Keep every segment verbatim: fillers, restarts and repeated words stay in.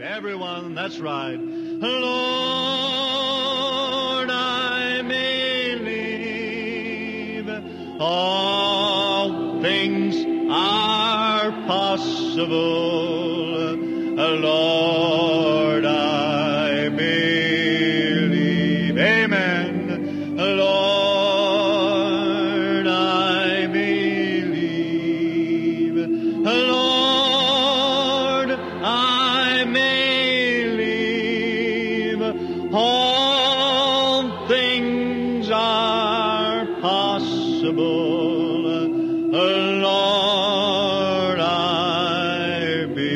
Everyone, that's right. Lord, I believe all things are possible. Lord, I believe. Amen. Lord, I believe. Lord, I believe. All things are possible. Lord, I believe.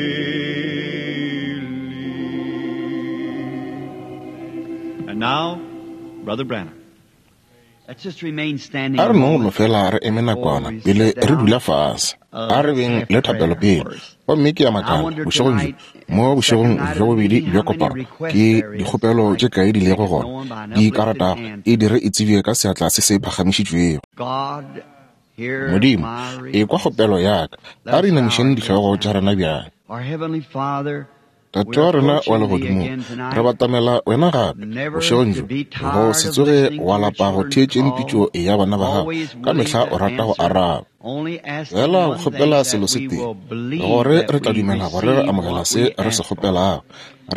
And now, Brother Branham. Let's just remain standing. A re no no fela re eme nakwana pele re dula fase. A re beng le thapelo pele. Gomme ke a makala bošegong bjo, mo bošegong bja bobedi bja kopano, ke dikgopelo tše kae di lego gona di ka ratago e dire e tsebje ka seatla se se phagamišitšwego. God, hear Modimo, my e kwa kgopelo ya ka. A re inamišeng dihlogo tša rena bjale. Our Heavenly Father, Tate wa rena wa legodimong, re batamela wena gape bošegong bjo, go se tsoge wa lapa go theetšeng pitšo ya bana ba gago. Ka mehla o rata go araba. only ask Fela go one thing kgopela that selo se we tee, will believe gore that re tla we dumela gore re receive amogela what se we re se ask for. kgopelago.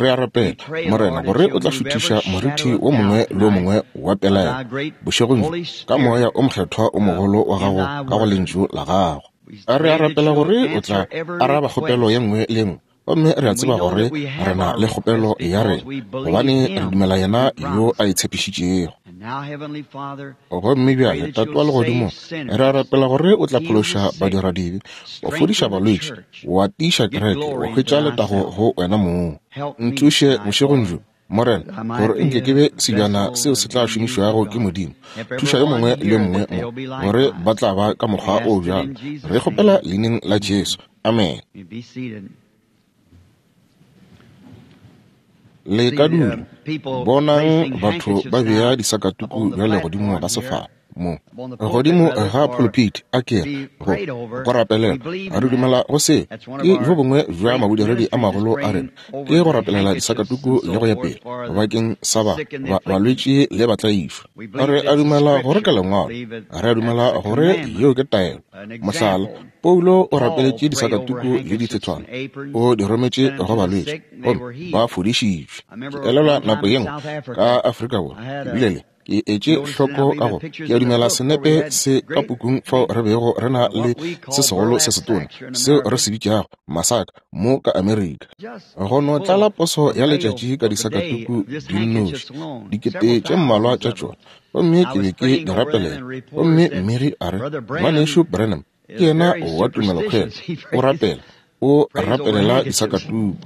Re a rapela, Morena, gore o tla šuthiša morithi wo mongwe le wo mongwe wa pelaelo bošegong bjo ka moya o mokgethwa o mogolo wa gago ka go lentšu la gago. Re a rapela gore o tla araba kgopelo ye nngwe le ye nngwe. Gomme re a tseba gore re na le kgopelo ya rena, gobane re dumela yena yo a e tshepišitšego. And now, Heavenly Father, Gomme bjale, Tate wa legodimo, re a rapela gore o tla phološa badiradibe, wa fodiša balwetši, wa tiiša kereke, wa hwetša letago go wena mong. Nthuše bošegong bjo, Morena, gore nke ke be sebjana seo se tla šomišwago ke Modimo. Thuša yo mongwe le yo mongwe mo, gore ba tla ba ka mokgwa o bjalo. Re kgopela leineng la Jesu. Amen. you be seated. Le ka dula. Bonang batho ba bea disakatuku bjale godimo ga sefala mo godimo ga pulpit a ke re go go rapelela. Re dumela go se ke bjo bongwe bja mabodiredi a magolo a rena, ke go rapelela disakatuku le go ya pele bakeng sa ba ba balwetši le batlaišwa. Re a dumela gore ke lengwalo, re a dumela gore yeo ke taelo. Mohlala, Paulo o rapeletše disakatuku le dithethwana, o di rometše go balwetši gomme ba fodišitšwe. Ke elelwa nako ye nngwe ka Afrika Borwa, ke bile le ke etše hloko ka go ke a dumela senepe se ka pukung fao re bego re na le se segolo se setona seo re se bitšago masaka mo ka Amerika. Go no tlala poso ya letšatši ka disakatuku di nnoši, dikete tše mmalwa tša tšona, gomme ke be ke di rapelela. Gomme mmegi a re, Ngwanešu Branham ke yena wa tumelokhwele, o rapela, o rapelela disakatuku.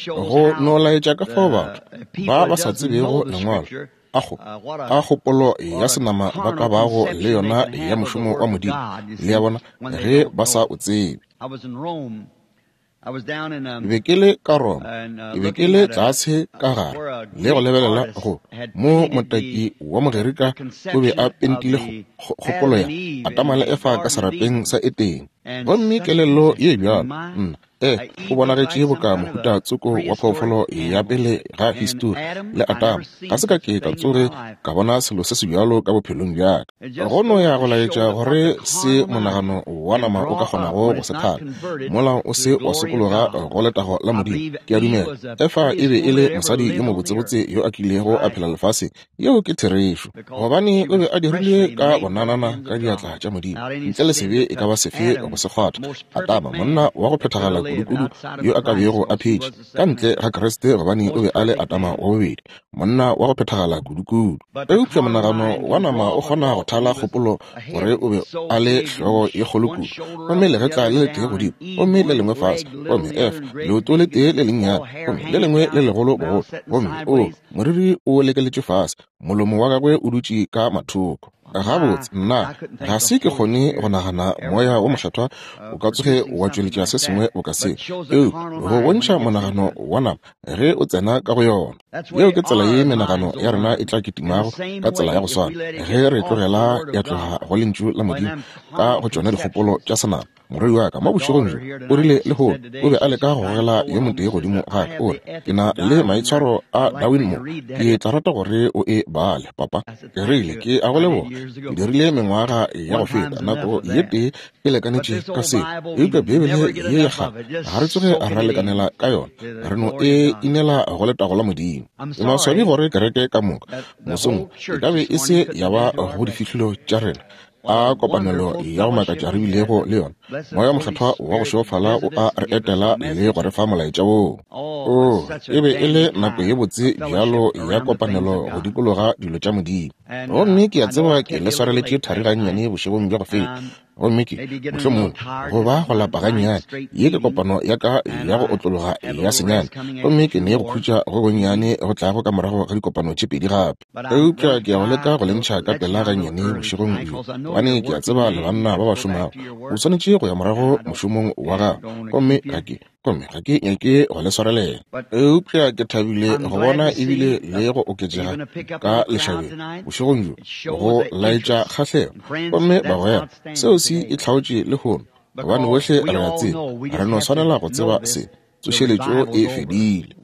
Go no laetša ka fao batho ba ba sa tsebego lengwalo a go a kgopolo ya senama ba ka bago le yona ya mošomo wa Modimo, le ya bona, ge ba sa o tsebe. I was in Rome. I was down in um, Ke be ke le ka Roma, ke be ke le tlase ka gare le go lebelela go mo motaki wa Mogerika o be a pentile kgo- kgopolo ya Adama le Efa ka serapeng sa Etene. Gomme kelello ye bjalo, nna, e o bonagetše boka mohuta tsoko wa phoofolo ya pele ga histori le Adama. Ga se ka ke ka tsoge ka bona selo se se bjalo ka bophelong bja ka. Go no ya go laetša gore se monagano wa nama o ka kgonago go se thala mola o se wa sokologa go letago la Modimo. Ke a dumela Efa e be e le mosadi yo mobotsebotse yo a kilego a phela lefaseng. Yeo ke therešo, gobane o be a dirilwe ka bonanana ka diatla tša Modimo, ntle le sebe e ka ba sefe go se kgwatha. Adama, monna wa go phethagala kudukudu yo a ka bego a phetše ka ntle ga Kriste, gobane o be a le Adama wa bobedi, monna wa go phethagala kudukudu. Eupša monagano wa nama o kgona go thala kgopolo gore o be a le hlogo ye kgolo kudu, gomme legetla le letee godimo, gomme le lengwe fase, gomme Efa leoto le tee le lennyane, gomme le lengwe le legolo bogolo, gomme o moriri o lekeletše fase, molomo wa gagwe o dutše ka mathoko. Gabotse, nna ga se ke kgone go nagana moya wo mokgethwa o ka tsoge wa tšweletša se sengwe boka se, eupša go bontšha monagano wa nama ge o tsena ka go yona. Yeo ke tsela ye menagano ya rena e tla kitimago ka tsela ya go swana ge re tlogela ya tloga go lentšu la Modimo ka go tšona dikgopolo tša senama. Morwedi wa ka mo bošegong bjo o rile lehono o be a leka go gogela yo motee godimo ga ka, o re, ke na le maitshwaro a Darwin mo, ke tla rata gore o e bale, papa. Ke rile, ke a go leboga, ke dirile mengwaga ya go feta, nako ye tee e lekanetše ka seo, eupša Bibele ye ya kgale ga re tsoge ra lekanela ka yona, re no e inela go letago la Modimo. Ke maswabi gore kereke ka moka mosong e ka be e se ya ba go difihlolo tša rena a kopanelo ya go makatša re bilego le yona. Moya Mokgethwa wa go šofala o a re etela le go re fa molaetša woo. O e be e le nako ye botse bjalo ya kopanelo go dikologa dilo tša Modimo. Gomme ke a tseba ke le swareletše thari gannyane bošegong bja go feta, gomme ke mohlomongwe go ba go lapa gannyane. Ye ke kopano ya ka ya go otlologa ya senyane, gomme ke ne go khutša go gonnyane go tlago ka morago ga dikopano tše pedi gape. Eupša ke ya go leka go le ntšha ka pela gannyane bošegong bjo, gobane ke a tseba le banna ba ba šomago. O swanetše go ya morago mošomong wa gago, gomme ga ke gomme ga ke nyake go le swarelela. Eupša ke thabile go bona ebile le go oketšega ka lešabeng bošegong bjo go laetša kgahlego. Gomme bagwera, seo se e hlaotše lehono, gobane bohle re a tseba, re no swanela go tseba se, tsošeletšo e fedile.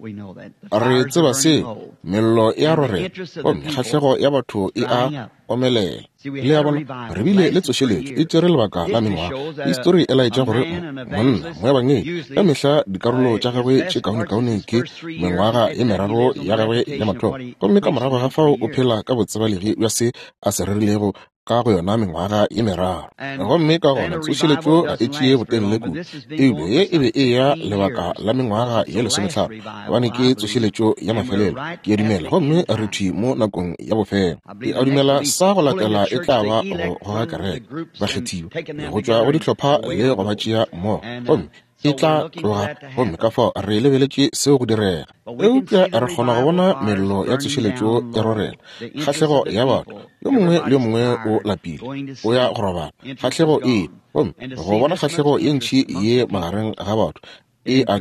Re tseba seo, mello e a rorela, gomme kgahlego ya batho e a omelela. Le a bona, re bile le tsošeletšo e tšere lebaka la mengwaga. Histori e laetša gore monna moebangedi ka mehla dikarolo tša gagwe tše kaonekaone ke mengwaga ye meraro ya gagwe ya mathomo, gomme ka morago ga fao o phela ka botsebalegi bja se a se rerilego ka go yona mengwaga ye meraro. Gomme ka gona tsošeletšo ga e tšee botelele kudu, eupša ye e be e ya lebaka la mengwaga ye lesomehlano, gobane ke tsošeletšo ya mafelelo, ke a dumela, gomme re thwi mo nakong ya bofelo. Ke a dumela sa go latela e tla ba go goga kereke bakgethiwa go tšwa go dihlopha le go ba tšea mmogo, gomme e tla tloga, gomme ka fao re lebeletše seo go direga. Eupša re kgona go bona mello ya tsošeletšo e rorela, kgahlego ya batho, yo mongwe le yo mongwe o lapile, o ya go robala, kgahlego e, gomme go bona kgahlego ye ntši ye magareng ga batho e a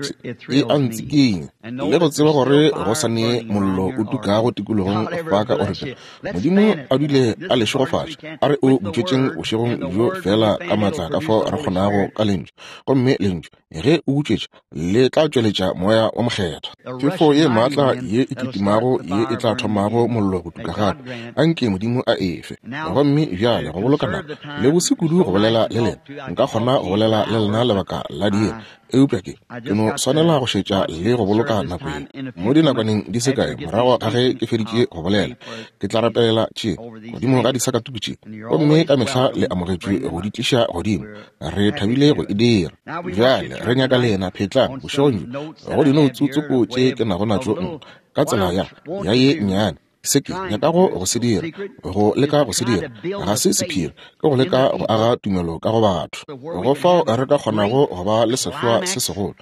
e a ntsikinya, le go tseba gore go sa ne mollo o tukago tikologong fa ka Oregon. Modimo a dule a le šegofatša, a re o butšwetšeng bošegong bjo fela ka maatla ka fao re kgonago ka lentšu, gomme lentšu ge o butšwetša le tla tšweletša Moya wa Mokgethwa. Phefo ye maatla ye e kitimago ye e tla thomago mollo go tuka gape, anke Modimo a efe. Gomme bjale go boloka nako le bose kudu go bolela le lena, nka kgona go bolela le lena lebaka la diiri, eupša ke ke no swanela go šetša le go boloka nako ye. Mo dinakwaneng di se kae morago ga ge ke feditše go bolela, ke tla rapelela tše godimo ga disakatuku tše, gomme ka mehla le amogetšwe go di tliša godimo. Re thabile go e dira. Bjale re nyaka lena phetlang bošegong bjo go dinoutsu-tsoko tše ke nago natšo ka tsela ya ya ye nnyane. Se ke nyakago go se dira, go leka go se dira, ga se sephiri, ke go leka go aga tumelo ka go batho, go fao re ka kgonago go ba le sehloa se segolo,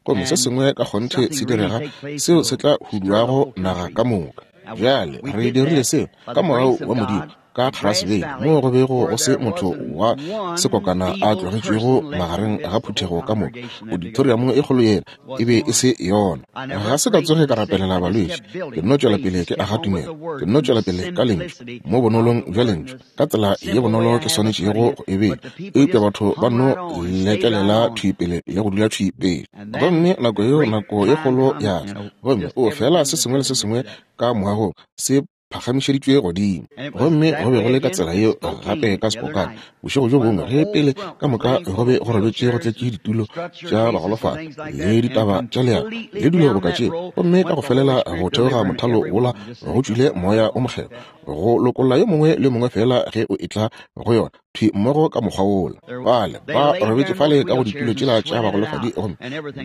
gomme se sengwe ka kgonthe se direga seo se tla huduago naga ka moka. Bjale re dirile seo ka morao wa Modimo ka Grasvale, moo go bego go se motho wa sekokana a tlogetšwego magareng ga phuthego ka moka. Auditorium e kgolo yela e be e se yona. Ga se ka tsoge ka rapelela balwetši, ke nno tšwela pele ke aga tumelo, ke nno tšwela pele ka lentšu, mo bonolong bja lentšu, ka tsela ye bonolo ke swanetšego go e bea, eupša batho ba nno lekelela thwi pele le go dula thwi pele. Gomme nako yeo nako ye kgolo ya tla, gomme o fela se sengwe le se sengwe ka moagong se phagamišeditšwe godimo. Gomme go be go le ka tsela yeo gape ka Spokane bošego bjo bongwe ge pele ka moka go be go robetše go tletše ditulo tša bagolofadi le ditaba tša leago le dilo boka tšeo, gomme ka go felela go theoga mothalo wola go tšwile Moya o Mokgethwa go lokolla yo mongwe le mongwe fela ge o etla go yona thwi mmogo ka mokgwa wola. Bale ba robetše fale ka go ditulo tšela tša bagolofadi, gomme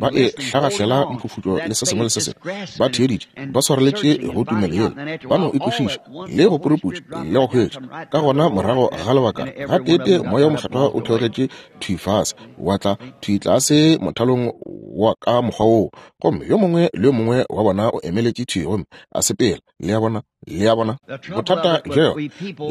ba e hlagahlela mphufutšo le se sengwe le se sengwe, ba theeditše, ba swareletše go tumelo yela, ba no e kwešiša le go puruputša le go hwetša. Ka gona morago ga lebaka gateete Moya o Mokgethwa o theogetše thwi fase, wa tla thwi tlase mothalong wa ka mokgwa woo. Gomme yo mongwe le yo mongwe wa bona o emeletše thwi gomme a sepela. Le a bona? Le a bona? Bothata bjo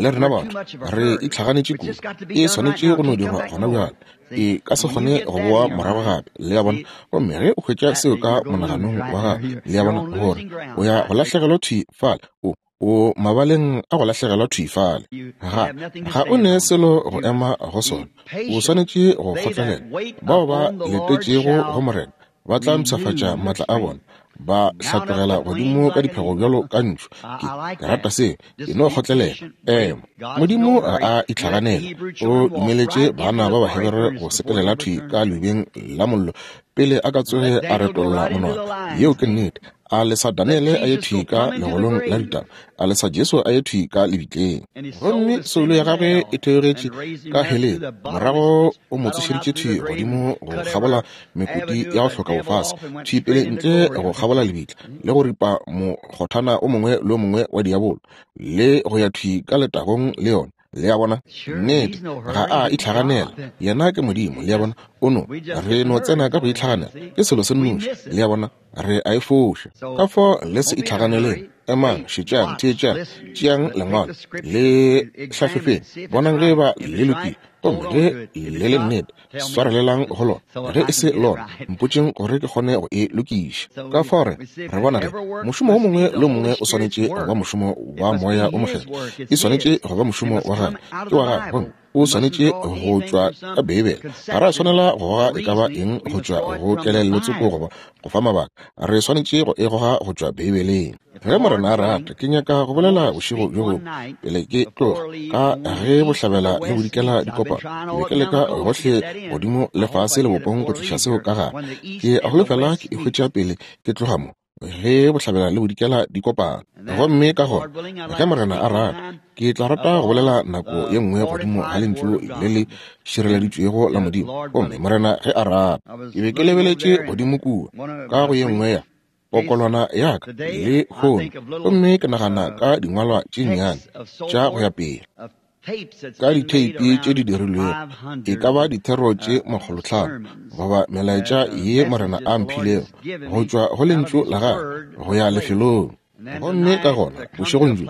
le rena batho re itlhaganetše kudu. E swanetše go no dirwa gona bjale. E ka se kgone go boa morago gape. Le a bona? Gomme ge o hwetša seo ka monaganong wa gago, le a bona, gore o ya go lahlegelwa thwi fale, o o mabaleng a go lahlegelwa thwi fale. Ga ga o ne selo go ema go sona. O swanetše go kgotlelela. Bao ba letetšego go Morena ba tla mpshafatša maatla a bona, ba hlatlogela godimo ka diphego bjalo ka ntšhu. Ke, ke rata se, ke no kgotlelela. Ema. Modimo ga a itlhaganela. O dumeletše bana ba Bahebere go sepelela thwi ka leubeng la mollo pele a ka tsoge a retolla monwana. Yeo ke nnete. A lesa Daniele a ye thwi ka legolong la ditaba, a lesa Jesu a ye thwi ka lebitleng. Gomme soulo ya gagwe e theogetše ka heleng. Morago o mo tsošeditše thwi godimo go kgabola mekoti ya go hloka bofase, thwi pele ntle go kgabola lebitla, le go ripa mokgothana o mongwe le o mongwe wa diabolo, le go ya thwi ka letagong le yona. Le a bona? Nnete, ga a itlhaganela. Yena ke Modimo. Le a bona? O no, re no tsena ka go itlhaganela. Ke selo se nnoši. Le a bona? Re a e foša. Ka fao le se itlhaganeleng. Emang, šetšang, theetšang, tšeang lengwalo, le hlahlofeng, bonang ge eba le lokile, gomme ge le le nnete, swarelelang go lona. Ge e se lona, mpotšeng gore ke kgone go e lokiša. Ka fao re re bona ge mošomo o mongwe le o mongwe o swanetše go ba mošomo wa Moya o Mokgethwa. E swanetše go ba mošomo wa gagwe, ke wa gagwe, gomme o swanetše go tšwa ka Beibele. Ga ra swanela go goga e ka ba eng go tšwa go kelellotsoko goba go fa mabaka. Re swanetše go e goga go tšwa Beibeleng. Ge Morena a rata, ke nyaka go bolela bošego bjo bongwe pele ke tloga, ka ge bohlabela le bodikela di kopana. Ke be ke leka gohle godimo le fase lebopong go tliša seo ka gare. Ke a holofela ke e hwetša pele ke tloga mo, ge bohlabela le bodikela di kopana. Gomme ka gona, ge Morena a rata, ke tla rata go bolela nako ye nngwe godimo ga lentšu le le šireleditšwego la Modimo. Gomme Morena ge a rata, ke be ke lebeletše godimo kua ka go ye nngwe ya pokolwana ya ka le kgono, gomme ke nagana ka dingwalwa tše nnyane tša go ya pele, ka ditheipi tše di dirilwego, e ka ba dithero tše makgolotlhano goba melaetša ye Morena a mphilego go tšwa go lentšu la gagwe go ya lefelong. Gomme ka gona bošegong bjo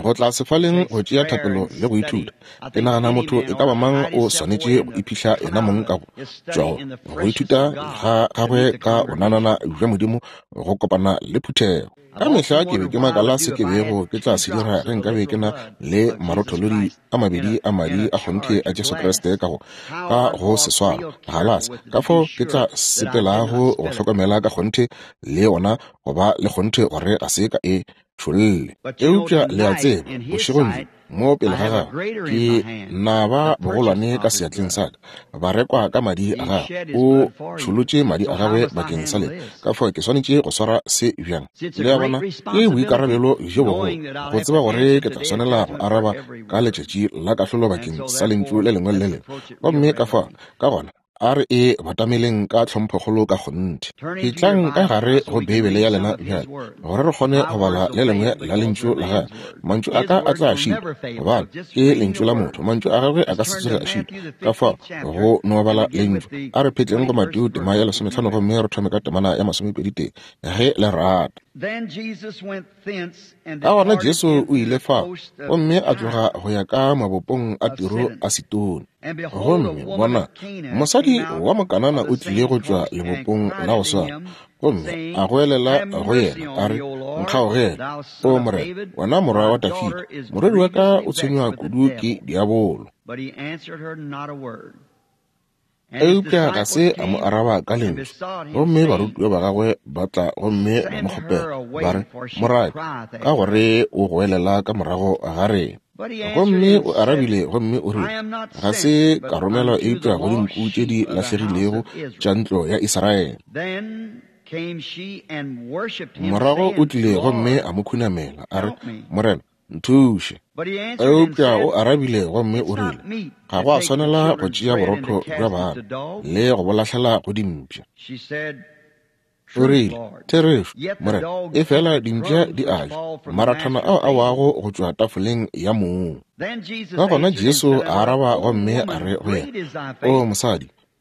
go tla sefaleng go tšea thapelo le go ithuta. Ke nagana motho e ka ba mang o swanetše go iphihla yena mong ka go tšwa go ithuta ga gagwe ka bonanana bja Modimo go kopana le phuthego. Ka mehla ke be ke makala se ke bego ke tla se dira ge nkabe ke na le marotholodi a mabedi a madi a kgonthe a Jesu Kriste ka go ka go se swara galase. Ka fao ke tla sepelago go hlokomela ka kgonthe le yona, go ba le kgonthe gore ga se ka e tšholle. Eupša le a tseba, bošegong bjo mo pele ga gagwe ke na ba bogolwane ka seatleng sa ka, ba rekwa ka madi a gagwe. O tšholotše madi a gagwe bakeng sa lena. Ka fao ke swanetše go swara se bjang? Le a bona, ke boikarabelo bjo bogolo go tseba gore ke tla swanela go araba ka letšatši la kahlolo bakeng sa lentšu le lengwe le le lengwe. Gomme ka fao, ka gona, a re e batameleng ka tlhomphokgolo ka kgonthe. Etlang ka gare go Beibele ya lena bjale, gore re kgone go bala le lengwe la lentšu la gagwe. Mantšu a ka a tla šitwa, gobane ke lentšu la motho. Mantšu a gagwe a ka se tsoge a šitwa. Ka fao go no bala lentšu. A re phetleng go Mateo tema ya lesometlhano gomme re thome ka temana ya masomepedi tee, ge le rata. Ka gona Jesu o ile fao, gomme a tloga go ya ka mabopong a Tiro a Sidone. Gomme bona, mosadi wa Mokanana o tlile go tšwa lebopong la go swana, gomme a goelela go yena a re, Nkgaogele, o Morena, wena morwa wa Dafida, morwedi wa ka o tshwenywa kudu ke diabolo. Eupša ga se a mo araba ka lentšu. Gomme barutiwa ba gagwe ba tla gomme ba mo kgopela, ba re, Morati, ka gore o goelela ka morago ga rena. Gomme o arabile gomme o rile, ga se ka romelwa eupša go dinku tše di lahlegilego tša ntlo ya Israele. Morago o tlile gomme a mo khunamela, a re, Morena, nthuše. Eupša o arabile gomme o rile, ga go a swanela go tšea borotho bja bana le go bo lahlela go dimpša. O rile, therešo, Morena, efela dimpša di a ja marathana ao a wago go tšwa tafoleng ya mong. Ka gona Jesu a araba gomme a re go yena, o mosadi,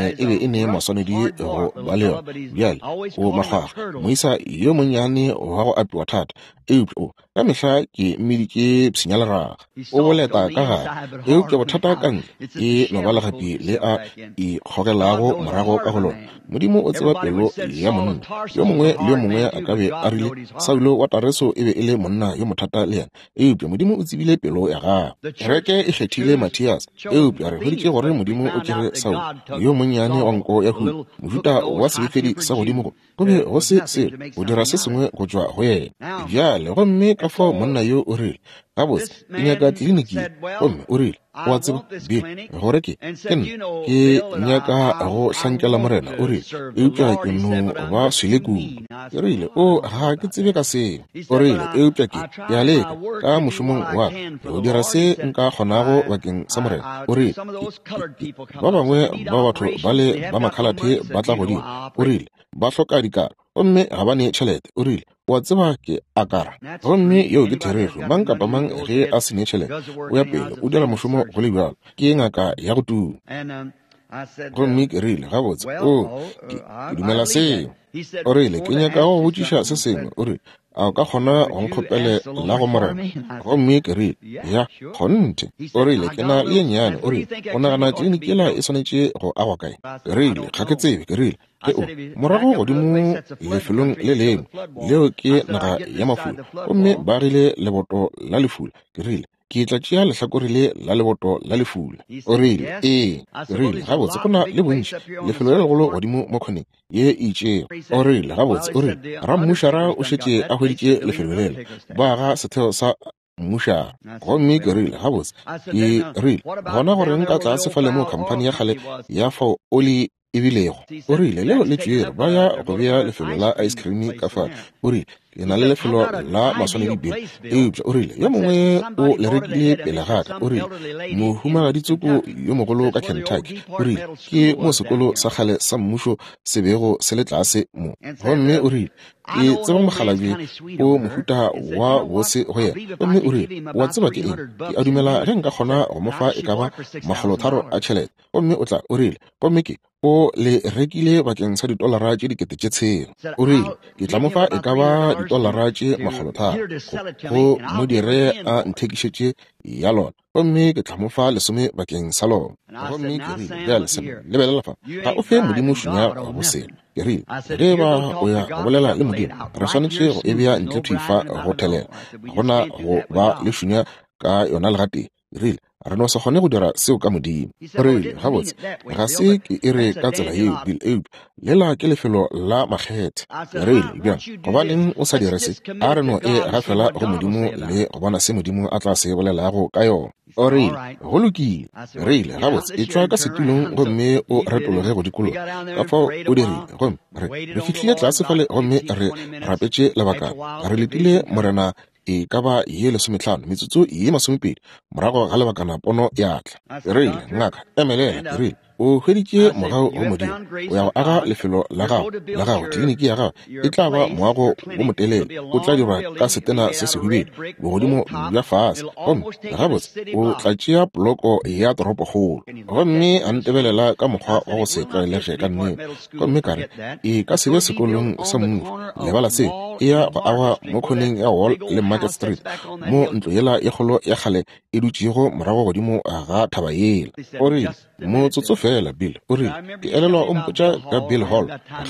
nne e be e ne maswanedi go ba le yona. Bjale o makgwakgwa, moisa yo monnyane wa go apiwa thata, eupša o ka mehla ke mmiditše pshinyaleraga. O boleta ka gare, eupša bothata ka ntle e no ba legapi le a ikgogelago morago ka go lona. Modimo o tseba pelo ya monna. Yo mongwe le yo mongwe a ka be a rile Saulo wa Tareso e be e le monna yo mothata le yena, eupša Modimo o tsebile pelo ya gagwe. Kereke e kgethile Mathias, eupša re hweditše gore Modimo o tšere Saulo yo monnyane wa nko ya huku, mohuta wa sebefedi sa godimo go go be go se selo go dira se sengwe go tšwa go yena. Bjale Bjale, gomme ka fao monna yo o rile, gabotse, ke nyaka tliliniki. Gomme o rile, o a tseba, Bill, gore ke, ke nna, ke nyaka go hlankela Morena, o rile, eupša ke no ba swele kudu. Ke rile, o, ga ke tsebe ka seo. O rile, eupša ke, ke a leka, ka mošomong wa ka, go dira se nka kgonago bakeng sa Morena. O rile, ba bangwe ba batho ba le ba makhalathe ba tla godimo. O rile, ba hloka dikaro, gomme ga ba ne tšhelete. O rile, o a tseba ke akara. Gomme yeo ke therešo. Mang kapa mang ge a se ne tšhelete, o ya pele, o dira mošomo go le bjalo. Ke ngaka ya go tuma. Gomme ke rile, gabotse, o, ke, ke dumela seo. O rile, ke nyaka go botšiša se sengwe. O rile, a o ka kgona go nkgopele la go Morena? Gomme ke rile, ya, kgonthe. O rile, ke na le ye nnyane. O rile, o nagana tliliniki yela e swanetše go agwa kae? Ke rile, ga ke tsebe. Ke rile, ge o morago godimo lefelong le lengwe, leo ke naga ya mafula, gomme ba agile leboto la lefula. Ke rile, ke tla tšea lehlakore le la leboto la lefula. O rile, ee. Ke rile, gabotse, go na le bontši lefelo le legolo godimo mo khoneng ye e itšego. O rile, gabotse, o rile, rammušara o šetše a hweditše lefelo lela, ba aga setheo sa mmušara. Gomme ke rile, gabotse, ke rile, gona gore nka tlase fale mo khamphani ya kgale ya fao oli e bilego. O rile, leo le tšwere, ba ya go bea lefelo la ice cream ka fale. O rile, ke na le lefelo la maswanedi Bill, eupša o rile, yo mongwe o le rekile pele ga ka. O rile, mohumagaditsoko yo mogolo ka Kentucky. O rile, ke mo sekolo sa kgale sa mmušo se bego se le tlase mo. Gomme o rile, ke tseba mokgalabje o mohuta wa bose go yena. Gomme o rile, wa tseba ke eng? Ke a dumela ge nka kgona go mo fa e ka ba makgolotharo a tšhelete. Gomme o tla, o rile, gomme ke o le rekile bakeng sa ditolara tše dikete tše tshela. O rile, ke tla mo fa e ka ba ditolara tše makgolotharo go mo dire a nthekišetše ya lona, gomme ke tla mo fa lesome bakeng sa lona. Gomme ke rile, bjale Sam, lebelela fa, ga o fe Modimo šunya go selo. Ke rile, ge ba o ya go bolela le Modimo, re swanetše go e bea ntle thwi fa go thelela, gona go ba le šunya ka yona legatee. Ke rile, re no se kgone go dira seo ka Modimo. O rile, gabotse, ga se ke e re ka tsela yeo, Bill, eupša lela ke lefelo la makgethe. Ke rile, bjang, gobaneng o sa dire se? A re no e gafela go Modimo le go bona se Modimo a tla se bolelago ka yona. O rile, go lokile. Ke rile, gabotse, e tšwa ka setulong gomme o retologe go dikologa. Ka fao o dirile. Gomme re re fihlile tlase fale gomme re rapetše lebakana. Re letile Morena e ka ba ye lesometlhano, metsotso ye masomepedi morago ga lebakana pono ya tla. Ke rile, ngaka, emelela. Ke rile, o hweditše mogau go Modimo, o ya go aga lefelo la gago, la gago, tliliniki ya gago e tla ba moago wo motelele, o tla dirwa ka setena se sehubedu, bogodimo bja fase, gomme gabotse o tla tšea poloko ya toropokgolo. Gomme a ntebelela ka mokgwa wa go se tlwaelege ka nnete. Gomme ka re, e ka se be sekolong sa mmušo, lebala se, e ya go agwa mo khoneng ya Wall le Market Street, mo ntlo yela ye kgolo ya kgale e dutšego morago godimo ga thaba yela. O rile, motsotso fela, Bill. O rile, ke elelwa o mpotša ka Bill Hall,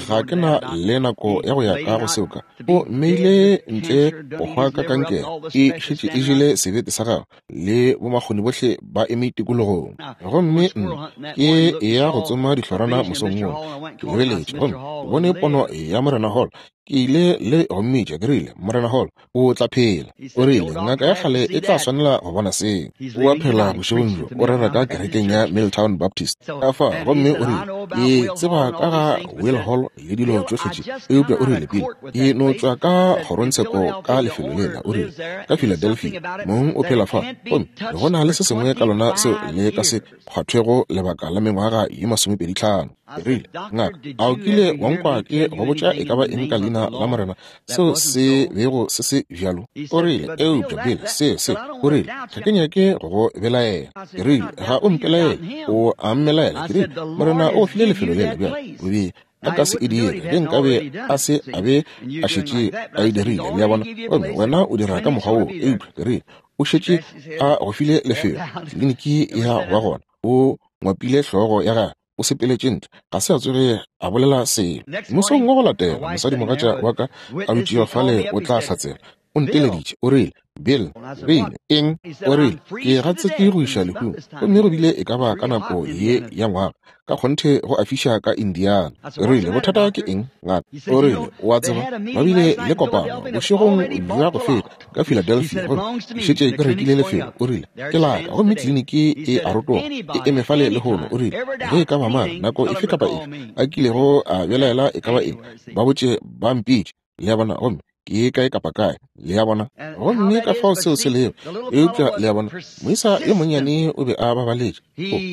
ga ke na le nako ya go ya ka go seo ka. O mmeile ntle go hwa ka kankere, e šetše e jele sebete sa gagwe, le bomakgoni bohle ba eme tikologong. Gomme nna ke ya go tsoma dihlorana mosong wo. Ke lebeletše gomme ke bone pono ya Morena Hall. Ke ile le go mmitša, ke rile, Morena Hall, o tla phela. O rile, ngaka ya kgale e tla swanela go bona seo. O a phela bošegong bjo, o rera ka kerekeng ya Milltown Baptist. Ka fa, gomme o rile, ke tseba ka ga Will Hall le dilo tšohle tše, eupša o rile, Bill, ke no tšwa ka kgorongtsheko ka lefelo lela. O rile, ka Philadelphia, mong o phela fa, gomme go na le se sengwe ka lona seo le ka se kgwathwego lebaka la mengwaga ye masomepedi tlhano. Ke rile, ngaka, a o kile wa nkwa ke go botša e ka ba eng ka leina la Morena seo se bego se se bjalo? O rile, eupša Bill, se se. O rile, ga ke nyake go go belaela. Ke rile, ga o mpelaele, o a mmelaela. Ke rile, Morena o file lefelo lela bjalo, o be a ka se e dire ge nkabe a se a be a šetše a e dirile, le a bona. Gomme wena o dira ka mokgwa woo, eupša ke rile, o šetše a go file lefelo, tliliniki ya go ba gona. O ngwapile hlogo ya gagwe, o sepeletše ntle, ga se a tsoge a bolela selo. Mosong wa go latela, mosadimogatša wa ka a dutšego fale o tla hlatsela. O nteleditše, o rile, Bill, Bill, eng? O rile, ke gatsetše go iša lehung. Gomme go bile e ka ba ka nako ye ya ngwaga, ka kgonthe go a fiša ka Indiana. O rile, bothata ke eng, ngaka? O rile, o a tseba, ba bile le kopano bošegong bja go feta ka Philadelphia, gomme ke šetše ke rekile lefelo. O rile, ke laka, gomme kliniki e a rotoga, e eme fale lehono. O rile, ge e ka ba mang, nako efe kapa efe a kilego a belaela e ka ba eng, ba botše ba mpitše. Le a bona, gomme ke kae kapa kae, le a bona. Gomme ka fao seo se lego. Eupša le a bona, moisa yo monnyane o be a babaletše.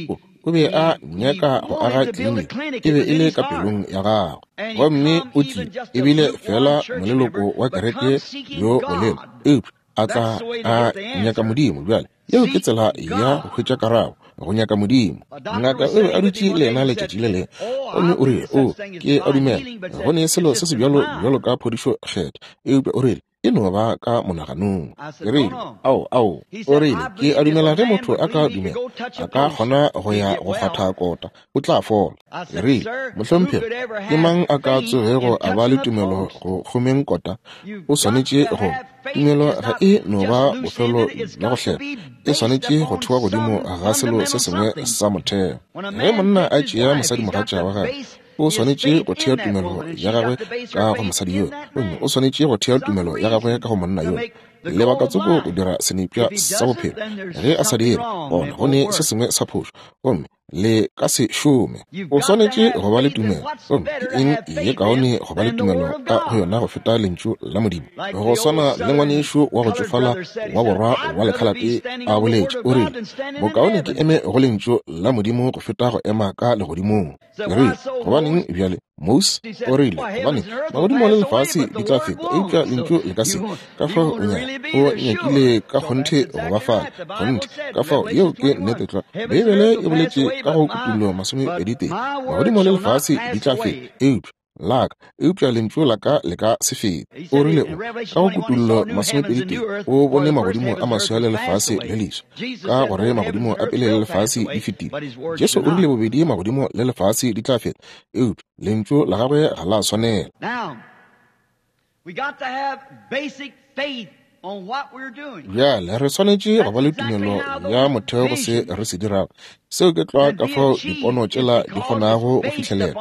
O, o, o be a nyaka go aga kliniki, e be e le ka pelong ya gagwe. Gomme o tlile, ebile fela moleloko wa kereke yo bolelo, eupša a tla a nyaka Modimo. Bjale yeo ke tsela ya go hwetša karabo, go nyaka Modimo. Ngaka o be a dutše le yena letšatši le lengwe, gomme o rile, o, ke a dumela go ne selo se se bjalo bjalo ka phodišo kgetha, eupša o rile, e no ba ka monaganong. Ke rile, ao, ao. O rile, ke a dumela ge motho a ka dumela, a ka kgona go ya go kgwatha kota, o tla fola. Ke rile, mohlomphegi, ke mang a ka tsogego a ba le tumelo go kgomeng kota? O swanetše go. Tumelo ga e no ba bofelo bja go hlela, e swanetše go thewa godimo ga selo se sengwe sa motheo. Ge monna a tšea mosadimogatša wa gagwe, o swanetše go thea tumelo ya gagwe ka go mosadi yoo, gomme o swanetše go thea tumelo ya gagwe ka go monna yoo. Lebaka tsoko go dira senepša sa bophelo. Ge a sa dire, gona go ne se sengwe sa phošo, gomme le ka se šome. O swanetše go ba le tumelo, gomme ke eng ye kaone go ba le tumelo ka go yona go feta lentšu la Modimo? Go swana le ngwanešu wa go tšofala wa borwa wa lekhalate a boletše, o rile, bokaone ke eme go lentšu la Modimo go feta go ema ka legodimong. Ke rile, gobaneng bjale, Mose? O rile, gobane magodimo le lefase di tla feta, eupša lentšu le ka se. Ka fao o nyaka, o nyakile ka kgonthe go ba fale, kgonthe. Ka fao yeo ke nnete tlwa. Beibele e boletše ka go Kutullo masomepedi tee, magodimo le lefase di tla feta, eupša la ka, eupša lentšu la ka le ka se fete. O rile o, ka go Kutullo masomepedi tee, o bone magodimo a maswa le lefase le leswa, ka gore magodimo a pele le lefase di fetile. Jesu o rile bobedi magodimo le lefase di tla feta, eupša lentšu la gagwe ga la swanela. Bjale re swanetše go ba le tumelo ya motheo go se re se dirago. Seo ke tlwa ka fao dipono tšela di kgonago go fihlelela,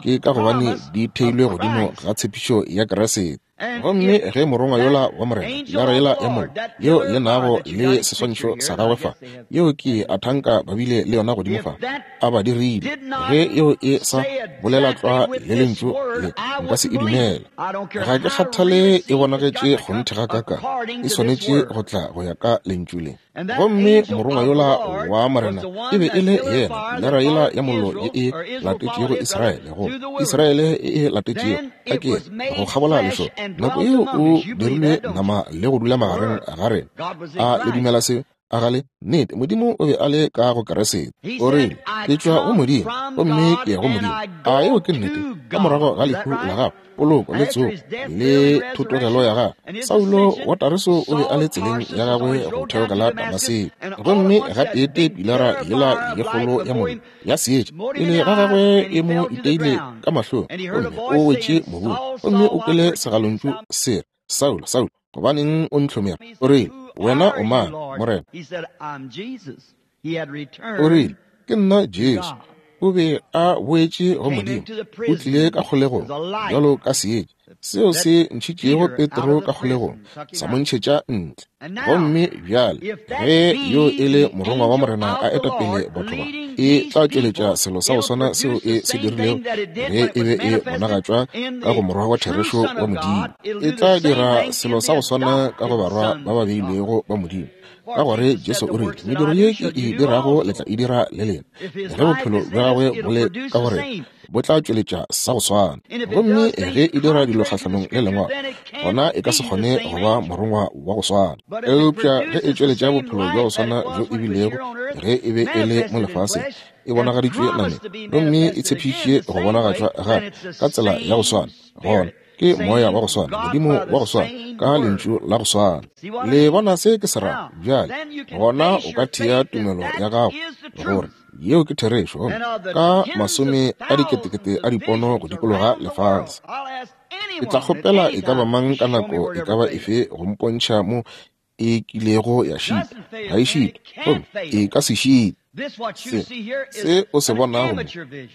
ke ka gobane di theilwe godimo ga tshepišo ya Kriste. Gomme ge morongwa yola wa Morena, pilara yela ya mollo, yeo le nago le seswantšho sa gagwe fa, yeo ke a thanka ba bile le yona godimo fa, a ba dirile, ge yeo e sa bolela tlwa le lentšu le, nka se e dumela. Ga ke kgathale e bonagetše kgonthe ga kaka, e swanetše go tla go ya ka lentšu le. Gomme morongwa yola wa Morena e be e le yena pilara yela ya mollo ye e latetšego Israele, go Israele e e latetšego a ke go kgabola lešoka. Nako yeo o dirilwe nama le go dula magareng ga rena. A le dumela se? A ga le? Nnete, Modimo o be a le ka go Kriste. O rile, ke tšwa go Modimo, gomme ke ya go Modimo. A yeo ke nnete? Ka morago ga lehu la gagwe, poloko le tsogo le thotogelo ya gagwe, Saulo wa Tarso o be a le tseleng ya gagwe go theogela Damaseko. Gomme gateetee pilara yela ye kgolo ya mollo ya seetša pele ga gagwe e mo iteile ka mahlong, gomme o wetše mobung, gomme o kwele segalontšu se re, Saulo, Saulo, gobaneng o ntlhomere? O rile, wena o mang, Morena? O rile, ke nna Jesu. O be a boetše go Modimo, o tlile ka kgolegong bjalo ka seetša seo se ntšhitšego Petro ka kgolegong, sa mo ntšhetša ntle. Gomme bjale ge yo e le morongwa wa Morena a eta pele batho ba, e tla tšweletša selo sa go swana seo e se dirilego ge e be e bonagatšwa ka go morwa wa therešo wa Modimo. E tla dira selo sa go swana ka go barwa ba ba beilwego ba Modimo. Ka gore Jesu o rile, mediro ye ke e dirago le tla e dira le lena. Ge bophelo bja gagwe bo le ka gore, bo tla tšweletša sa go swana. Gomme ge e dira dilo kgahlanong le lengwalo, gona e ka se kgone go ba morongwa wa go swana. Eupša ge e tšweletša bophelo bja go swana bjo e bilego ge e be e le mo lefaseng, e bonagaditšwe nameng, gomme e tshepišitše go bonagatšwa gape ka tsela ya go swana, gona ke moya wa go swana, Modimo wa go swana, ka lentšu la go swana. Le bona se ke se rago bjale? Gona o ka thea tumelo ya gago gore yeo ke therešo, ka masome a diketekete a dipono go dikologa lefase. Ke tla kgopela e ka ba mang ka nako e ka ba efe go mpontšha mo e kilego ya šita. Ga e šite, gomme e ka se šite. Se, se o se bonago mo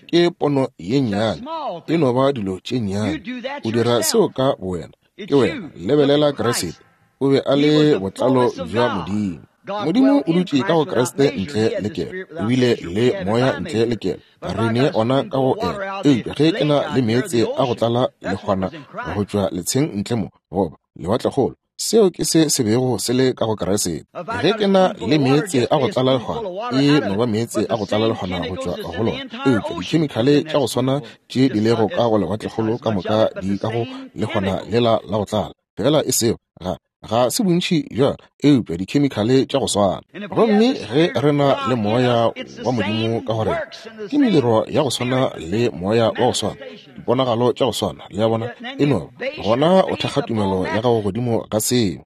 ke pono ye nnyane, e no ba dilo tše nnyane. O dira seo ka bowena, ke wena. Lebelela Kriste, o be a le botlalo bja Modimo. Modimo o dutše ka go Kriste ntle le kelo, o bile le moya ntle le kelo. Re ne ona ka go ena. Eupša ge ke na le meetse a go tlala lekgwana go tšwa letsheng ntle mo, goba lewatlekgolo, seo ke se se bego se le ka go Kriste. Ge ke na le meetse a go tlala lekgwana, e no ba meetse a go tlala lekgwana go tšwa go lona. Eupša dikhemikhale tša go swana tše di lego ka go lewatlekgolo ka moka di ka go lekgwana lela la go tlala. Fela e seo ga ga se bontši bjalo, eupša dikhemikhale tša go swana. Gomme ge re na le moya wa Modimo ka go rena, ke mediro ya go swana le moya wa go swana, diponagalo tša go swana, le a bona, e no gona o thekga tumelo ya gago godimo ga seo.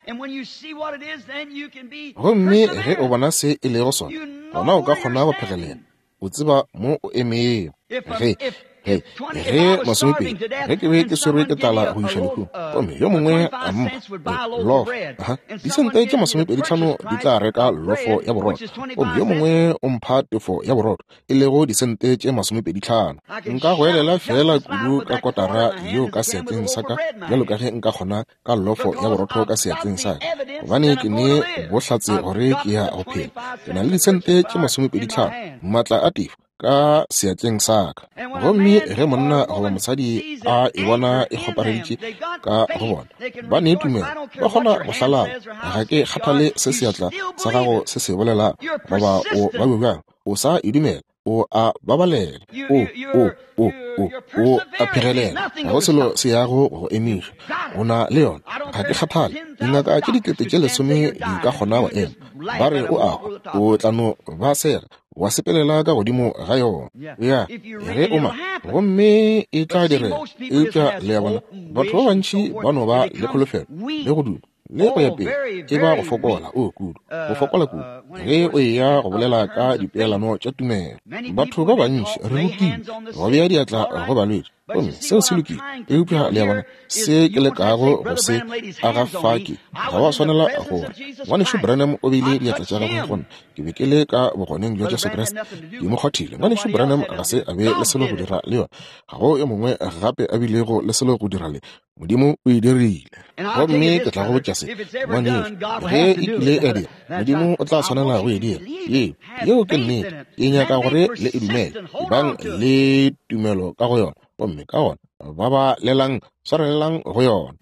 Gomme ge o bona se e lego sona, gona o ka kgona go phegelela, o tseba mo o emego. Ge Ge, ge masomepedi, ge ke be ke swerwe ke tlala go iša lehung, gomme yo mongwe a mpha lofo, aha, disente tše masomepedi tlhano di tla reka lofo ya borotho, gomme yo mongwe o mpha tefo ya borotho, e lego disente tše masomepedi tlhano. Nka goelela fela kudu ka kotara yeo ka seatleng sa ka, bjalo ka ge nka kgona ka lofo ya borotho ka seatleng sa ka, gobane ke ne bohlatse gore ke ya go phela. Ke na le disente tše masomepedi tlhano, maatla a tefo ka seatleng sa ka. Gomme ge monna goba mosadi a e bona e kgopareditše ka go bona, ba ne tumelo, ba kgona go hlalala. Ga ke kgathale se seatla sa gago se se bolela goba o ba bjang, o sa e dumela, o a babalela, o o o o o a phegelela, ga go selo se yago go emiša. O na le yona. Ga ke kgathale dingaka tše dikete tše lesome di ka kgona go ema, ba re o a hwa, o tla no ba sega wa sepelela ka godimo ga yona. Ya ge o ma, gomme e tla direga. Eupša le a bona, batho ba bantši ba no ba le kholofelo le go duma le go ya pele, e ba go fokola o kudu, go fokola kudu ge o eya go bolela ka dipeelano tša tumelo. Batho ba bantši re rutile go bea diatla go balwetši, gomme seo se lokile. Eupša le a bona, se ke lekago go se aga fa ke ga wa swanela gore Ngwanešu Branham o beile diatla tša gagwe go nna, ke be ke le ka bogoneng bja Jesu Kriste, ke mo kgwathile. Ngwanešu Branham ga se a be le selo go dira le yona, ga go yo mongwe gape a bilego le selo go dira le Modimo o e dirile. Gomme ke tla go botša se, ngwanešu, ge e kile ya dira, Modimo o tla swanela go e dira. Yeo, yeo ke nnete. Ke nyaka gore le e dumele, ebang le tumelo ka go yona, gomme ka gona ba ba lelang, swarelelang go yona.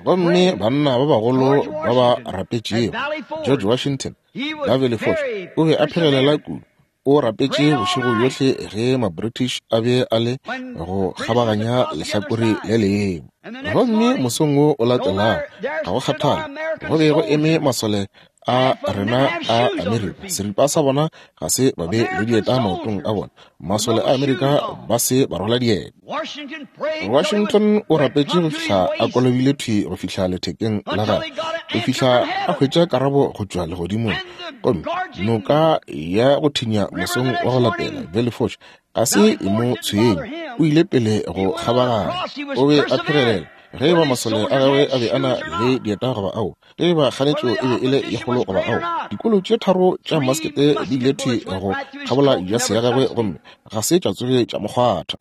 Gomme banna ba bagolo ba ba rapetšego, George Washington, Beverly Forge, o be a phegelela kudu. O rapetše bošego bjohle ge ma-British a be a le go kgabaganya lehlakore le lengwe. Gomme mosong wo o latelago, ga go kgathale, go be go eme masole a rena a Amerika. Seripa sa bona ga se ba be le dieta maotong a bona. Masole a Amerika ba se ba rwala dieta. Washington o rapetše go fihla a kolobile thwi go fihla lethekeng la gagwe, go fihla a hwetša karabo go tšwa legodimong. Gomme noka ya go thinya mosong wa go latela, Valley Forge, ga se e mo tshwenye, o ile pele go kgabaganya. O be a phegelela. Ge ba masole a gagwe a be a na le dieta goba ao, ge ba kganetšo e be e le ye kgolo goba ao, dikolo tše tharo tša maskete di ile thwi go kgabola jase ya gagwe, gomme ga se tša tsoge tša mo kgwatha.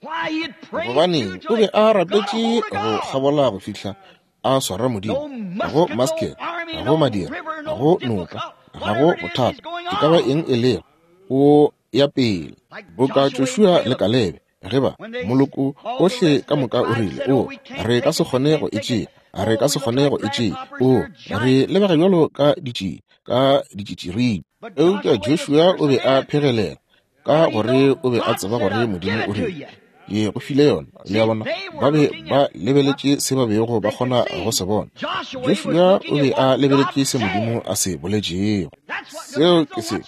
Gobane o be a rapetše go kgabola go fihla a swara Modimo. Ga go maskete, ga go madira, ga go noka, ga go bothata, e ka ba eng e lego, o ya pele. Boka Joshua le Kalebe, ge ba moloko ohle ka moka o rile, o re ka se kgone go e tšea, re ka se kgone go e tšea, o re lebega bjalo ka ditšie, ka ditšitširibi. Eupša Joshua o be a phegelela ka gore o be a tseba gore Modimo o rile, ke go file yona. Le a bona, ba be ba lebeletše se ba bego ba kgona go se bona. Joshua o be a lebeletše se Modimo a se boletšego. Seo ke se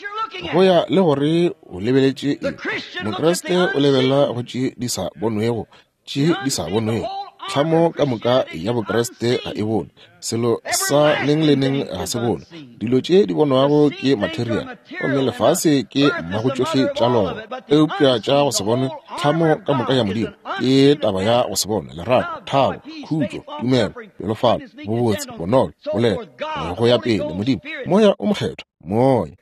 go ya le gore o lebeletše eng. Mokriste o lebelela go tše di sa bonwego, tše di sa bonwego. Tlhamo ka moka ya Bokriste ga e bone. Selo sa neng le neng ga se bone. Dilo tše di bonwago ke material, gomme lefase ke mmago tšohle tša lona. Eupša tša go se bone, tlhamo ka moka ya Modimo ke taba ya go se bone, lerato, thabo, khutšo, tumelo, pelofalo, bobotse, bonolo, boleta, go ya pele, Modimo, Moya o Mokgethwa, Moya.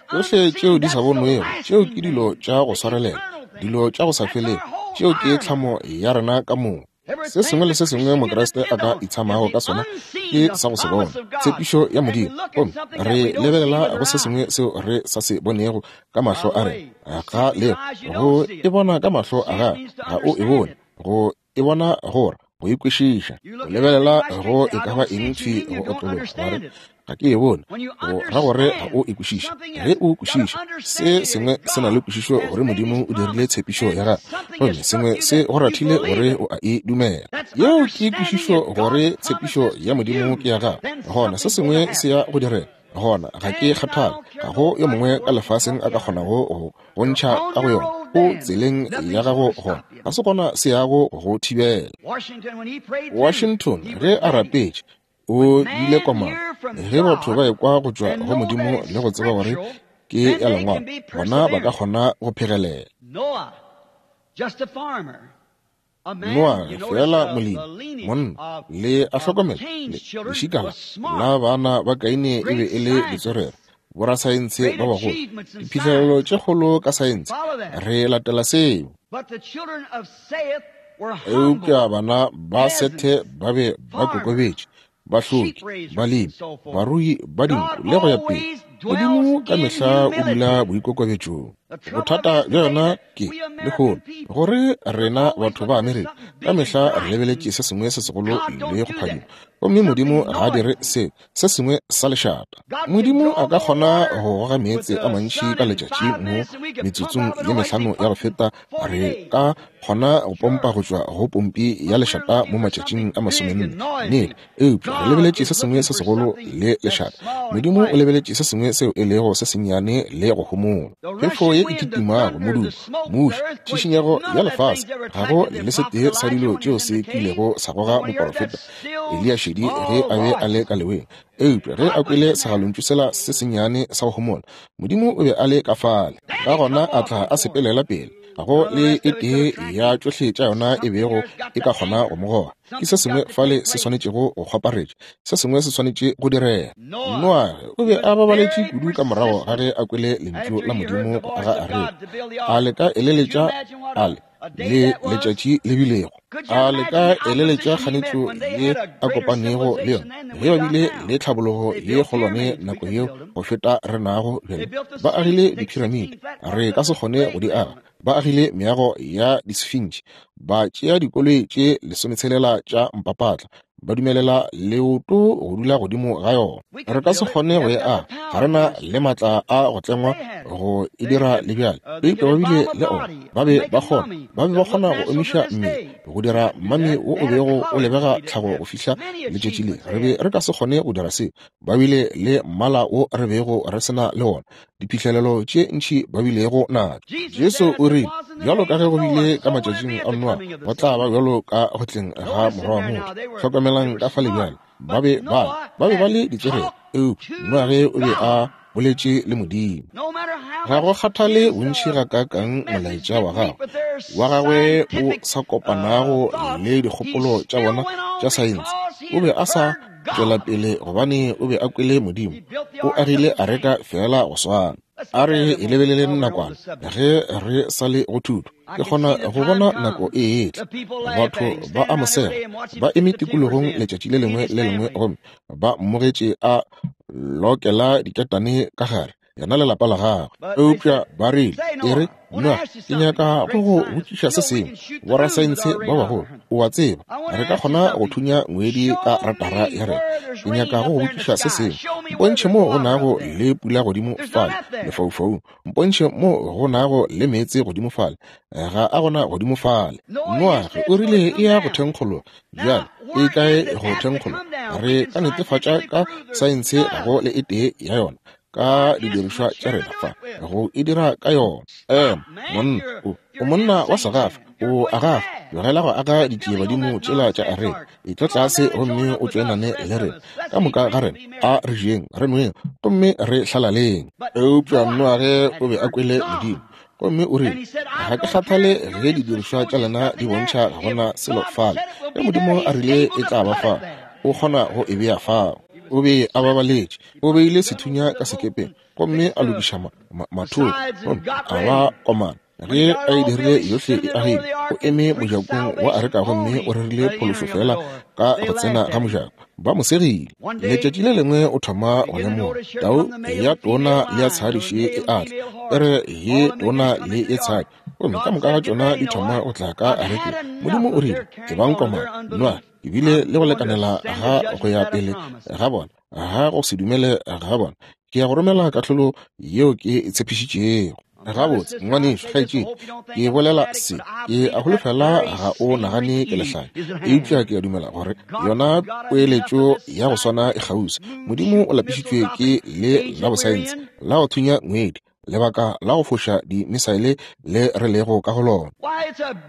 Tšohle tšeo di sa bonwego, tšeo ke dilo tša go swarelela, dilo tša go sa felego, tšeo ke tlhamo ya rena ka moka. Se sengwe le se sengwe Mokriste a ka itshamago ka sona ke sa go se bona, tshepišo ya Modimo. Gomme re lebelela go se sengwe seo re sa se bonego ka mahlo a rena. Ga le go e bona ka mahlo a gago, ga o e bone. Go e bona gore go e kwešiša. Go lebelela go e ka ba eng thwi go otlologa, wa re, ga ke e bone, go ra gore ga o e kwešiše. Ge o kwešiša, se sengwe se na le kwešišo gore Modimo o dirile tshepišo ya gagwe, gomme sengwe se go rathile gore o a e dumela. Yeo ke kwešišo gore tshepišo ya Modimo ke ya gagwe. Gona se sengwe se ya go direga. Gona ga ke kgathale, ga go yo mongwe ka lefaseng a ka kgonago go go ntšha ka go yona. O tseleng ya gago gona, ga se gona se yago go thibela. Washington ge a rapetše, o bile komana. Ge batho ba ekwa go tšwa go Modimo le go tseba gore ke ya lengwalo, gona ba ka kgona go phegelela. Noa fela molemi, monna, le a hlokomela, lešika la bana ba Kaine e be e le ditswerere, borasaense ba bagolo, diphihlelelo tše kgolo ka saense. Re latela seo. Eupša bana ba Sethe ba be ba kokobetše, bahloki, balemi, barui ba dinku le go ya pele. Modimo ka mehla o dula boikokobetšong. Bothata bja yona ke lehono gore rena batho ba Amerika ka mehla re lebeletše se sengwe se segolo le go phadima, gomme Modimo ga a dire se se sengwe sa lešata. Modimo a ka kgona go goga meetse a mantši ka letšatši mo metsotsong ye mehlano ya go feta re ka kgona go pompa go tšwa go pompi ya lešata mo matšatšing a masomenne. Nnete, eupša re lebeletše se sengwe se segolo le lešata. Modimo o lebeletše se sengwe seo e lego se sennyane le go homola. Phefo ye e kitimago, modumo, muši, tšhišinyego ya lefase, ga go le setee sa dilo tšeo se kilego sa goga moporofeta Eliya šedi ge a be a le ka leweng. Eupša ge a kwele segalontšu sela se sennyane sa go homola, Modimo o be a le ka fale. Ka gona a tla a sepelela pele. Ga go le e tee ya tšohle tša yona e bego e ka kgona go mo goga. Ke se sengwe fale se swanetšego go kgwaparetša, se sengwe se swanetše go direga. Noage o be a babaletše kudu ka morago ga ge a kwele lentšu la Modimo go aga areka. A le ka eleletša a le le letšatši le bilego, a le ka eleletša kganetšo ye a kopanego le yona ge ba bile le tlhabologo ye kgolwane nako yeo go feta re nago bjale. Ba agile diphiramiti, re ka se kgone go di aga. Ba agile meago ya disfintši, ba tšea dikoloi tše lesometshelela tša mpapatla, ba dumelela leoto go dula godimo ga yona. Re ka se kgone go e aga, ga re na le matla a go tlengwa go e dira le bjale. Eupša ba bile le ona, ba be ba kgona, ba be ba kgona go omiša mmele, go dira mmame wo o bego o lebega tlhago go fihla letšatši le. Re be re ka se kgone go dira seo. Ba bile le mmala wo re bego re sena le ona, diphihlelelo tše ntši ba bilego natšo. Jesu o rile, bjalo ka ge go bile ka matšatšing a Noa, go tla ba bjalo ka go tleng ga Morwa wa Motho. Hlokomelang ka fale bjale, ba be ba ba be ba le ditswerere, eupša Noage o be a boletše le Modimo. Ga go kgathale bontši gakaakang molaetša wa gagwe wa gagwe o sa kopanago le dikgopolo tša bona tša saense, o be a sa tšwela pele gobane o be a kwele Modimo. O agile areka fela go swana. A re e lebeleleng nakwana ge re sa le go thuto. Ke kgona go bona nako e etla. Batho ba a mo sega, ba eme tikologong letšatši le lengwe le lengwe gomme ba mmogetše a lokela diketane ka gare, yena le lapa la gagwe. Eupša ba rile, e re, Noa, ke nyaka go go botšiša se sengwe. Borasaense ba bagolo, o a tseba, re ka kgona go thunya ngwedi ka ratara ya rena. Ke nyaka go go botšiša se sengwe. Mpontšhe mo go nago le pula godimo fale lefaufaung. Mpontšhe mo go nago le meetse godimo fale. Ga a gona godimo fale. Noage o rile e ya go thenkgologa. Bjale e kae go thenkgologa? Re ka netefatša ka saense ga go le e tee ya yona ka didirišwa tša rena fa go e dira ka yona. Ema monna, o o monna wa segafa, O aga, tlogela go aga ditšiebadimo tšela tša areka. Etla tlase gomme o tšoenane le rena. Ka moka ga rena a re jeng, re nweng, gomme re hlalaleng. Eupša Noage o be a kwele Modimo. Gomme o rile, ga ke kgathale ge didirišwa tša lena di bontšha ga gona selo fale. Ge Modimo a rile e tla ba fa, o kgona go e bea fao. O be a babaletše. O beile sethunya ka sekepeng gomme a lokiša mathoko, gomme a ba komana. Ge a e dirile yohle e agile, o eme mojakong wa areka gomme o rerile phološo fela ka go tsena ga mojako. Ba mo segile. Letšatši le lengwe o thoma go lemoga tau ya tona le ya tshadi še e atla, pere ye tona le ye tshadi, gomme ka moka ga tšona di thoma go tla ka arekeng. Modimo o rile, ebang komana, Noage, ebile le go lekanela ga go ya pele ga bona, ga go se dumele ga bona, ke ya go romela kahlolo yeo ke e tshepišitšego. Gabotse, ngwanešu, kgaetšedi, ke bolela se, ke a holofela ga o nagane ke lehlanya, eupša ke a dumela gore yona poeletšo ya go swana e kgauswi. Modimo o lapišitšwe ke le la bosaense la go thunya ngwedi, lebaka la go foša dimisaele le re lego ka go lona.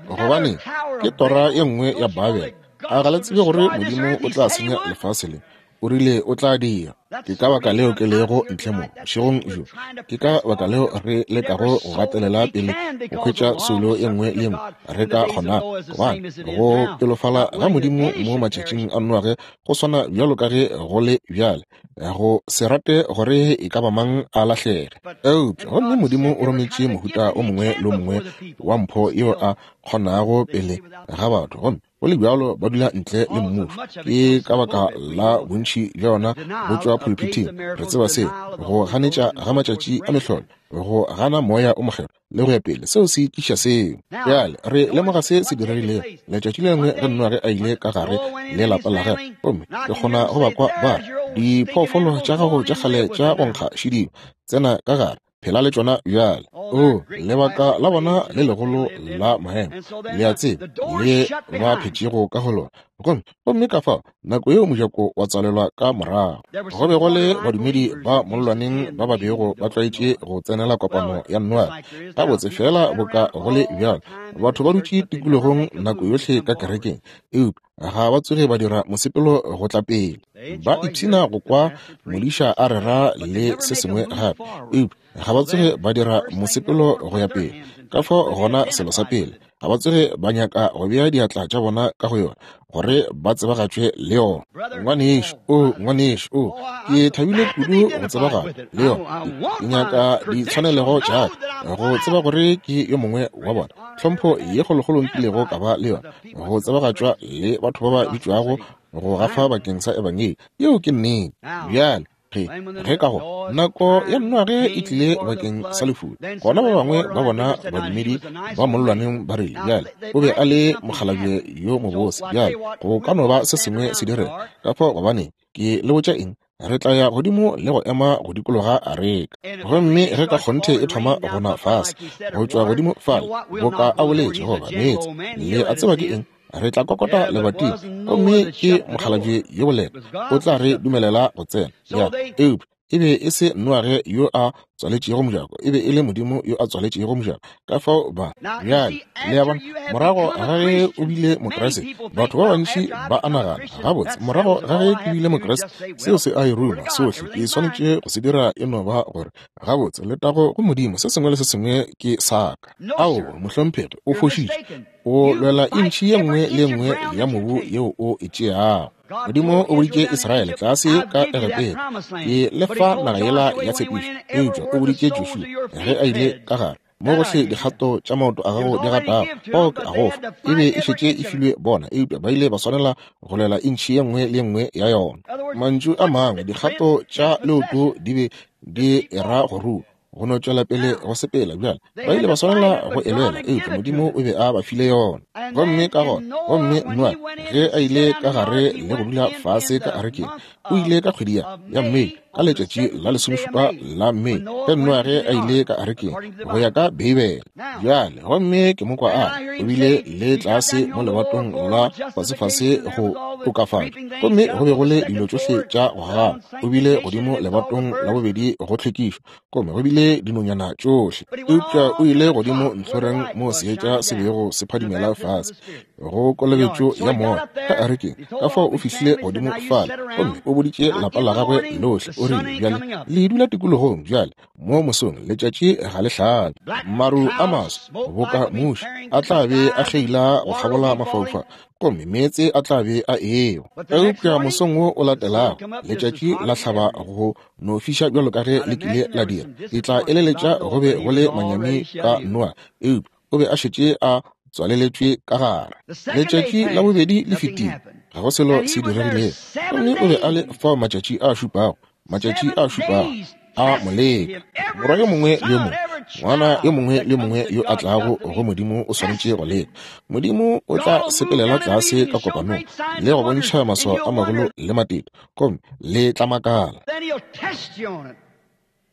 Gobane ke tora ye nngwe ya Babele. A ga le tsebe gore Modimo o tla senya lefase le? O rile o tla dira. Ke ka baka leo ke lego ntle mo bošegong bjo. Ke ka baka leo re lekago go gatelela pele go hwetša soulo ye nngwe le ye nngwe re ka kgonago, gobane go pelofala ga Modimo mo matšatšing a Noage go swana bjalo ka ge go le bjale, go se rate gore e ka ba mang a lahlege. Eupša gomme Modimo o rometše mohuta o mongwe le o mongwe wa mpho yeo a kgonago pele ga batho, gomme go le bjalo ba dula ntle le mmušo. Ke ka baka la bontši bja yona bo tšwa pulpiting. Re tseba seo, go ganetša ga matšatši a mehlolo, go gana moya o mokgethwa le go ya pele, seo se tliša seo. Bjale re lemoga se se diregilego letšatši le lengwe ge Noage a ile ka gare le lapa la gagwe, gomme ke kgona go ba kwa ba re, diphoofolo tša gago tša kgale tša go nkga šidimo, tsena ka gare, phela le tšona bjale. O lebaka la bona le legolo la maemo, le a tseba, le ba phetšego ka go lona. Gomme gomme ka fao nako yeo mojako wa tswalelwa ka morago. Go be go le badumedi ba mollwaneng ba ba bego ba tlwaetše go tsenela kopano ya Noage. Gabotse fela boka go le bjalo, batho ba dutše tikologong nako yohle ka kerekeng, eupša ga ba tsoge ba dira mosepelo go tla pele. Ba ipshina go kwa modiša a rera le se sengwe gape, eupša ga ba tsoge ba dira mosepelo go ya pele. Ka fao gona selo sa pele, ga ba tsoge ba nyaka go bea diatla tša bona ka go yona gore ba tsebagatšwe le yona. Ngwanešu, o ngwanešu, o ke thabile kudu go tsebagala le yona. Ke nyaka ditshwanelego tša ka go tseba gore ke yo mongwe wa bona. Tlhompho ye kgolokgolo nkilego ka ba le yona, go tsebagatšwa le batho ba ba bitšwago go gafa bakeng sa ebangedi. Yeo ke nnete. Bjale ge ge ka go nako ya Noage e tlile bakeng sa lefula, gona ba bangwe ba bona badumedi ba mollwaneng ba rile, bjale o be a le mokgalabje yo mobose, bjale go ka no ba se sengwe se direga. Ka fao gobane ke le botša eng, re tla ya godimo le go ema go dikologa areka. Gomme ge ka kgonthe e thoma go na fase go tšwa godimo fale, boka a boletše goba meetse, le a tseba ke eng, re tla kokota lebating, gomme ke mokgalabje yo boleta, o tla re dumelela go tsena. Ya, eupša e be e se Noage yo a tswaletšego mojako, e be e le Modimo yo a tswaletšego mojako. Ka fao ba bjale, le a bona, morago ga ge o bile Mokriste, batho ba bantši ba a nagana, gabotse, morago ga ge ke bile Mokriste, seo se a e ruma sohle ke swanetše go se dira e no ba gore gabotse, letago go Modimo, se sengwe le se sengwe ke sa ka. Ao, mohlomphegi, o fošitše. O lwela intšhi ye nngwe le nngwe ya mobu yeo o e tšeago. Modimo o boditše Israele tlase ka Egepeta, ke le fa naga yela ya tshepišo. Eupša o boditše Joshua ge a ile ka gare, mo gohle dikgato tša maoto a gago di gatago, fao ke a go fa. E be e šetše e filwe bona, eupša ba ile ba swanela go lwela intšhi ye nngwe le ye nngwe ya yona. Mantšu a mangwe, dikgato tša leoto di be di era go rua, go no tšwela pele go sepela. Bjale ba ile ba swanela go e lwela, eupša Modimo o be a ba file yona. Gomme ka gona, gomme Noage ge a ile ka gare le go dula fase ka arekeng, o ile ka kgwedi ya ya Mei, ka letšatši la lesomešupa la Mei, ge Noage a ile ka arekeng go ya ka Beibele. Bjale gomme ke mo kwa a o bile le tlase mo lebatong la fasefase go tokafatšo, gomme go be go le dilo tšohle tša go gagaba. O bile godimo lebatong la bobedi go tlhwekišo, gomme go bile dinonyana tšohle. Eupša o ile godimo ntlhoreng moo seetša se bego se phadimela fase go kolobetšo ya moya ka arekeng. Ka fao o fihlile godimo fale, gomme o boditše lapa la gagwe lohle, o rile, bjale le dula tikologong bjale mo mosong letšatši ga le hlabe, maru a maso boka muši a tla be a kgeila go kgabola mafaufau, gomme meetse a tla be a ewa. Eupša mosong wo o latelago letšatši la hlaba go no fiša bjalo ka ge le kile la dira. Ke tla eleletša go be go le manyami ka Noa, eupša o be a šetše a tswaleletšwe ka gare. Letšatši la bobedi le fetile, ga go selo se diregilego, gomme o be a le fao matšatši a šupago, matšatši a šupago a moleka. Morwa yo mongwe le yo mongwe, ngwana yo mongwe le mongwe yo a tlago go Modimo o swanetše go leka. Modimo o tla sepelela tlase ka kopanong le go bontšha maswao a magolo le matete, gomme le tla makala.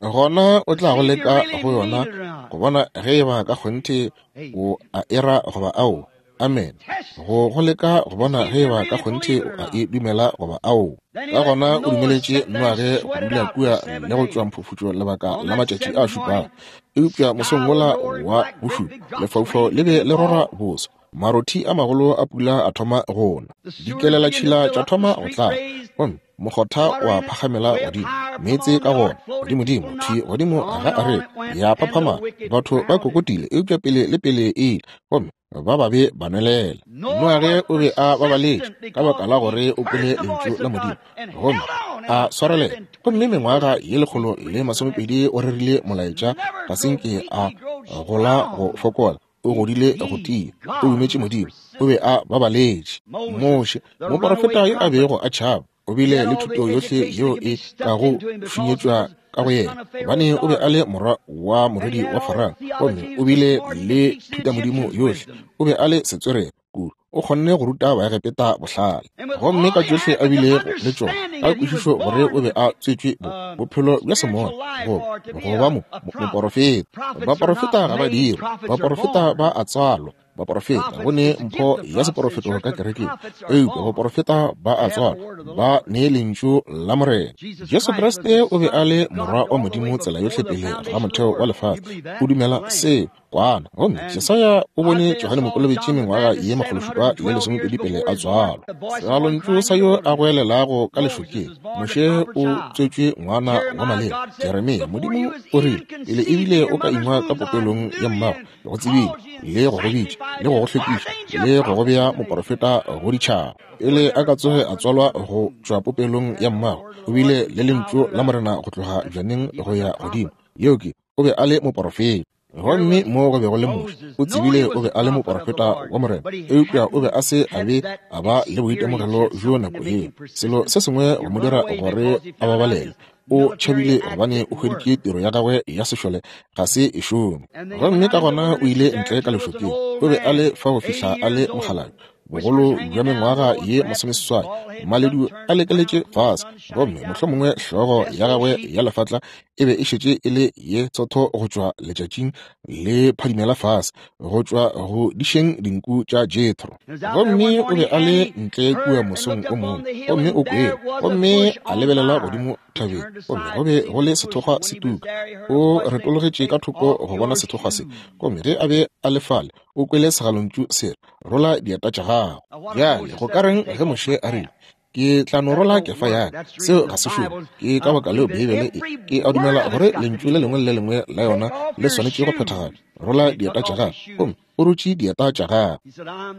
Gona o tla go leka go yona go bona ge e ba ka kgonthe o a era goba ao. Amen. Go go leka go bona ge e ba ka kgonthe o a e dumela goba ao. Ka gona o dumeletše Noage go dula kua le go tšwa mphufutšo lebaka la matšatši a šupago. Eupša mosong wola wa bošupa lefaufau le be le rora boso, marothi a magolo a pula a thoma go na, dikelelatšhila tša thoma go tlala, gomme mokgotha wa phagamela godimo, meetse ka gona godimodimo thwi godimo ga areka ya phaphama. Batho ba kokotile, eupša pele le pele e ile, gomme ba babe ba nwelela. Noage o be a babaletše ka baka la gore o kwele lentšu la Modimo gomme a swarelela, gomme mengwaga ye lekgolo le masomepedi o rerile molaetša, ga se nke a gola go fokola, o godile go tia, o dumetše Modimo, o be a babaletše. Moshe, moporofeta yo a bego a tšhaba, o bile le thuto yohle yeo e kago šunyetšwa ka go yena, gobane o be a le morwa wa morwedi wa Farao, gomme o bile le thutamodimo yohle, o be a le setswerere kudu, o kgonne go ruta Baegepeta bohlale. Gomme ka tšohle a bilego le tšona, ka kwešišo gore o be a tswetšwe bophelo bja semoya go go ba moporofeta. Baporofeta ga ba dirwe, baporofeta ba a tswalwa. Baporofeta go ne mpho ya seporofeto ka kerekeng, eupša baporofeta ba a tswalwa, ba ne lentšu la Morena. Jesu Kriste o be a le morwa wa Modimo tsela yohle pele ga motheo wa lefase. O dumela seo kwana. Gomme Jesaya o bone Johane Mokolobetši mengwaga ye makgološupa le lesomepedi pele a tswalwa. Segalontšu sa yo a goelelago ka lešokeng, Moshe o tswetšwe ngwana wa maleba. Jeremia, Modimo o rile pele ebile o ka ingwa ka popelong ya mmago, ke go tsebile le go go bitša le go go hlwekiša le go go bea moporofeta go ditšhaba. Pele a ka tsoge a tswalwa go tšwa popelong ya mmago, o bile le lentšu la Morena go tloga bjaneng go ya godimo. Yeo ke, o be a le moporofeta. Gomme mo go be go le Moshe, o tsebile o be a le moporofeta wa Morena, eupša o be a se a be a ba le boitemogelo bjo nako yeo. Selo se sengwe go mo dira gore a babalele. O tšhabile gobane o hweditše tiro ya gagwe ya sešole ga se e šome. Gomme ka gona o ile ntle ka lešokeng. O be a le fa go fihla a le mokgalabje, bogolo bja mengwaga ye masomeseswai, maledu a lekeletše fase, gomme mohlomongwe hlogo ya gagwe ya lefatla e be e šetše e le ye tsotho go tšwa letšatšing le phadimela fase go tšwa go dišeng dinku tša Jethro. Gomme o be a le ntle kua mosong o mongwe, gomme o kwele, gomme a lebelela godimo thabeng, gomme go be go le sethokgwa se tuka. O retologetše ka thoko go bona sethokgwa se, gomme ge a be a le fale o kwele segalontšu se re, rola dieta tša gago. Bjale go ka reng ge Moshe a rile, ke tla no rola kefa ya ka? Seo ga se šome. Ke ka baka leo Beibele e ke a dumela gore lentšu le lengwe le le lengwe la yona le swanetše go phethagala. Rola dieta tša gago, gomme o rotše dieta tša gago.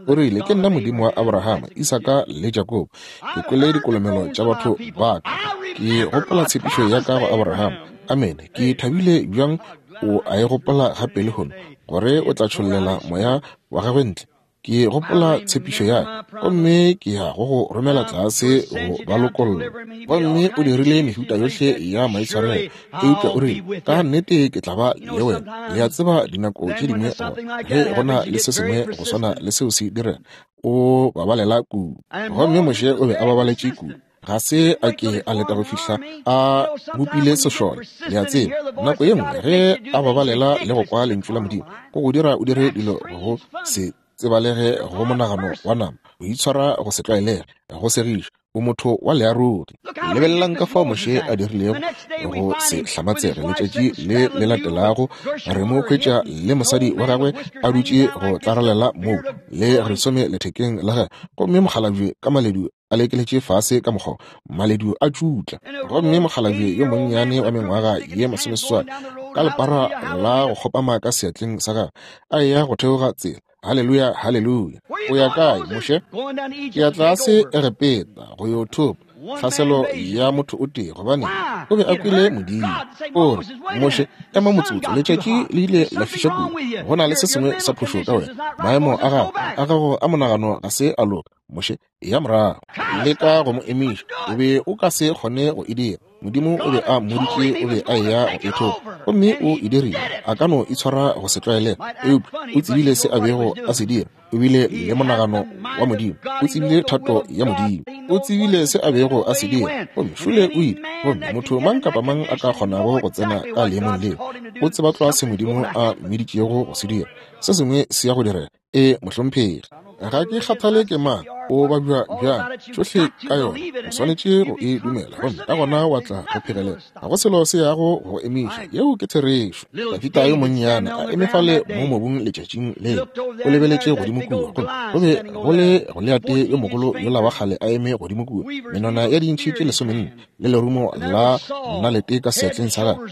O rile, ke nna Modimo wa Abrahama, Isaka le Jakobo. Ke kwele dikolomelo tša batho ba ka. Ke gopola tshepišo ya ka go Abrahama. Amene. Ke thabile bjang o a e gopola gape lehono, gore o tla tšhollela moya wa gagwe ntle. Ke gopola tshepišo ya ka, gomme ke ya go go romela tlase go ba lokolla. Gomme o dirile mehuta yohle ya maitshwarelo, eupša o rile, ka nnete ke tla ba le wena. Le a tseba dinako tše dingwe ge go na le se sengwe go swana le seo se direga, o babalela kudu. Gomme Moshe o be a babaletše kudu, ga se a ke a leta go fihla a bopile sešole. Le a tseba, nako ye nngwe ge a babalela le go kwa lentšu la Modimo, go go dira o dire dilo go se tsebalege go monagano wa nama, o itshwara go se tlwaelege, go segiša, o motho wa learogi. Lebelelang ka fao Moshe a dirilego go se hlamatsege. Letšatši le le latelago re mo hwetša le mosadi wa gagwe a dutše go tlaralela moo le resome lethekeng la gagwe, gomme mokgalabje ka maledu a lekeletše fase ka mokgwa, maledu a tšutla, gomme mokgalabje yo monnyane wa mengwaga ye masomeseswai ka lepara la go kgopama ka seatleng sa gagwe a eya go theoga tsela. Haleluya, haleluya. O ya kae, Moshe? Ke ya tlase Egepeta go yo thopa tlhaselo ya motho o tee, gobane o be a kwele Modimo. O re, Moshe, ema motsotso, letšatši le ile la fiša kudu. Go na le se sengwe sa phošo ka wena. Maemo a gago a gago a monagano ga se a loka. Moshe, ya morago. Leka go mo emiša, o be o ka se kgone go e dira. Modimo o be a mmoditše o be a eya go e thopa, gomme o e dirile. A ka no itshwara go se tlwaelege, eupša o tsebile se a bego a se dira. O bile le monagano wa Modimo, o tsebile thato ya Modimo, o tsebile se a bego a se dira, gomme šole o ile. Gomme motho mang kapa mang a ka kgonago go tsena ka leemong leo, o tseba tlwa se Modimo a mmiditšego go se dira. Se sengwe se ya go direga. E mohlomphegi, ga ke kgathale ke mang, o babja bjang, tšohle ka yona o swanetše go e dumela, gomme ka gona wa tla go phegelela. Ga go selo se yago go emiša. Yeo ke therešo. Dafita yo monnyane a eme fale mo mobung letšatšing leo, o lebeletše godimo kua, gomme go be go le Goliate yo mogolo yola wa kgale a eme godimo kua, menwana ya dintšhi tše lesomenne le lerumo la nnalete ka seatleng sa gagwe,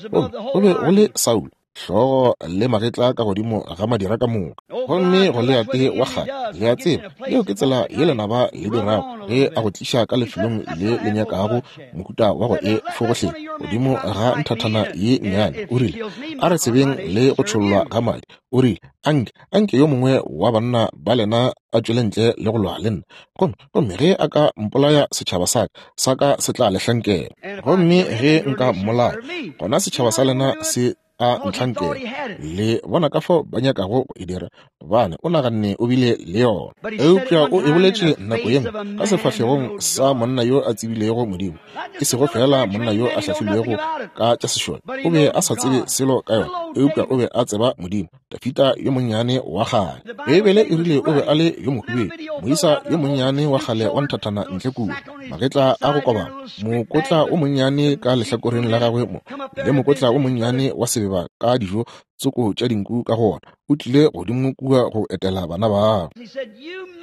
gomme go be go le Saulo, hlogo le magetla ka godimo ga madira ka moka. Gomme Goliate wa kgale, le a tseba, yeo ke tsela ye lenaba le dirago ge a go tliša ka lefelong le le nyakago mohuta wa go e fogohle godimo ga nthathana ye nnyane. O rile, a re tsebeng le go tšhollwa ga madi. O rile, anke anke yo mongwe wa banna ba lena a tšwele ntle le go lwa le nna, gomme gomme ge a ka mpolaya setšhaba sa ka sa ka se tla le hlankela, gomme ge nka mmolaya gona setšhaba sa lena se a ntlhankela. Le bona ka fao ba nyakago go e dira, gobane o naganne o bile le yona. Eupša o e boletše nako ye nngwe ka sefahlegong sa monna yo a tsebilego Modimo, e sego fela monna yo a hlahlilwego ka tša sešole. O be a sa tsebe selo ka yona, eupša o be a tseba Modimo. Dafita yo monnyane wa kgale, Beibele e rile o be a le yo mohubedu, moisa yo monnyane wa kgale wa nthathana ntle kua, magetla a go kobama, mokotla o monnyane ka lehlakoreng la gagwe mo, le mokotla o monnyane wa sebeba ka dijo tsoko tša dinku ka go ona. O tlile godimo kua go etela bana babo.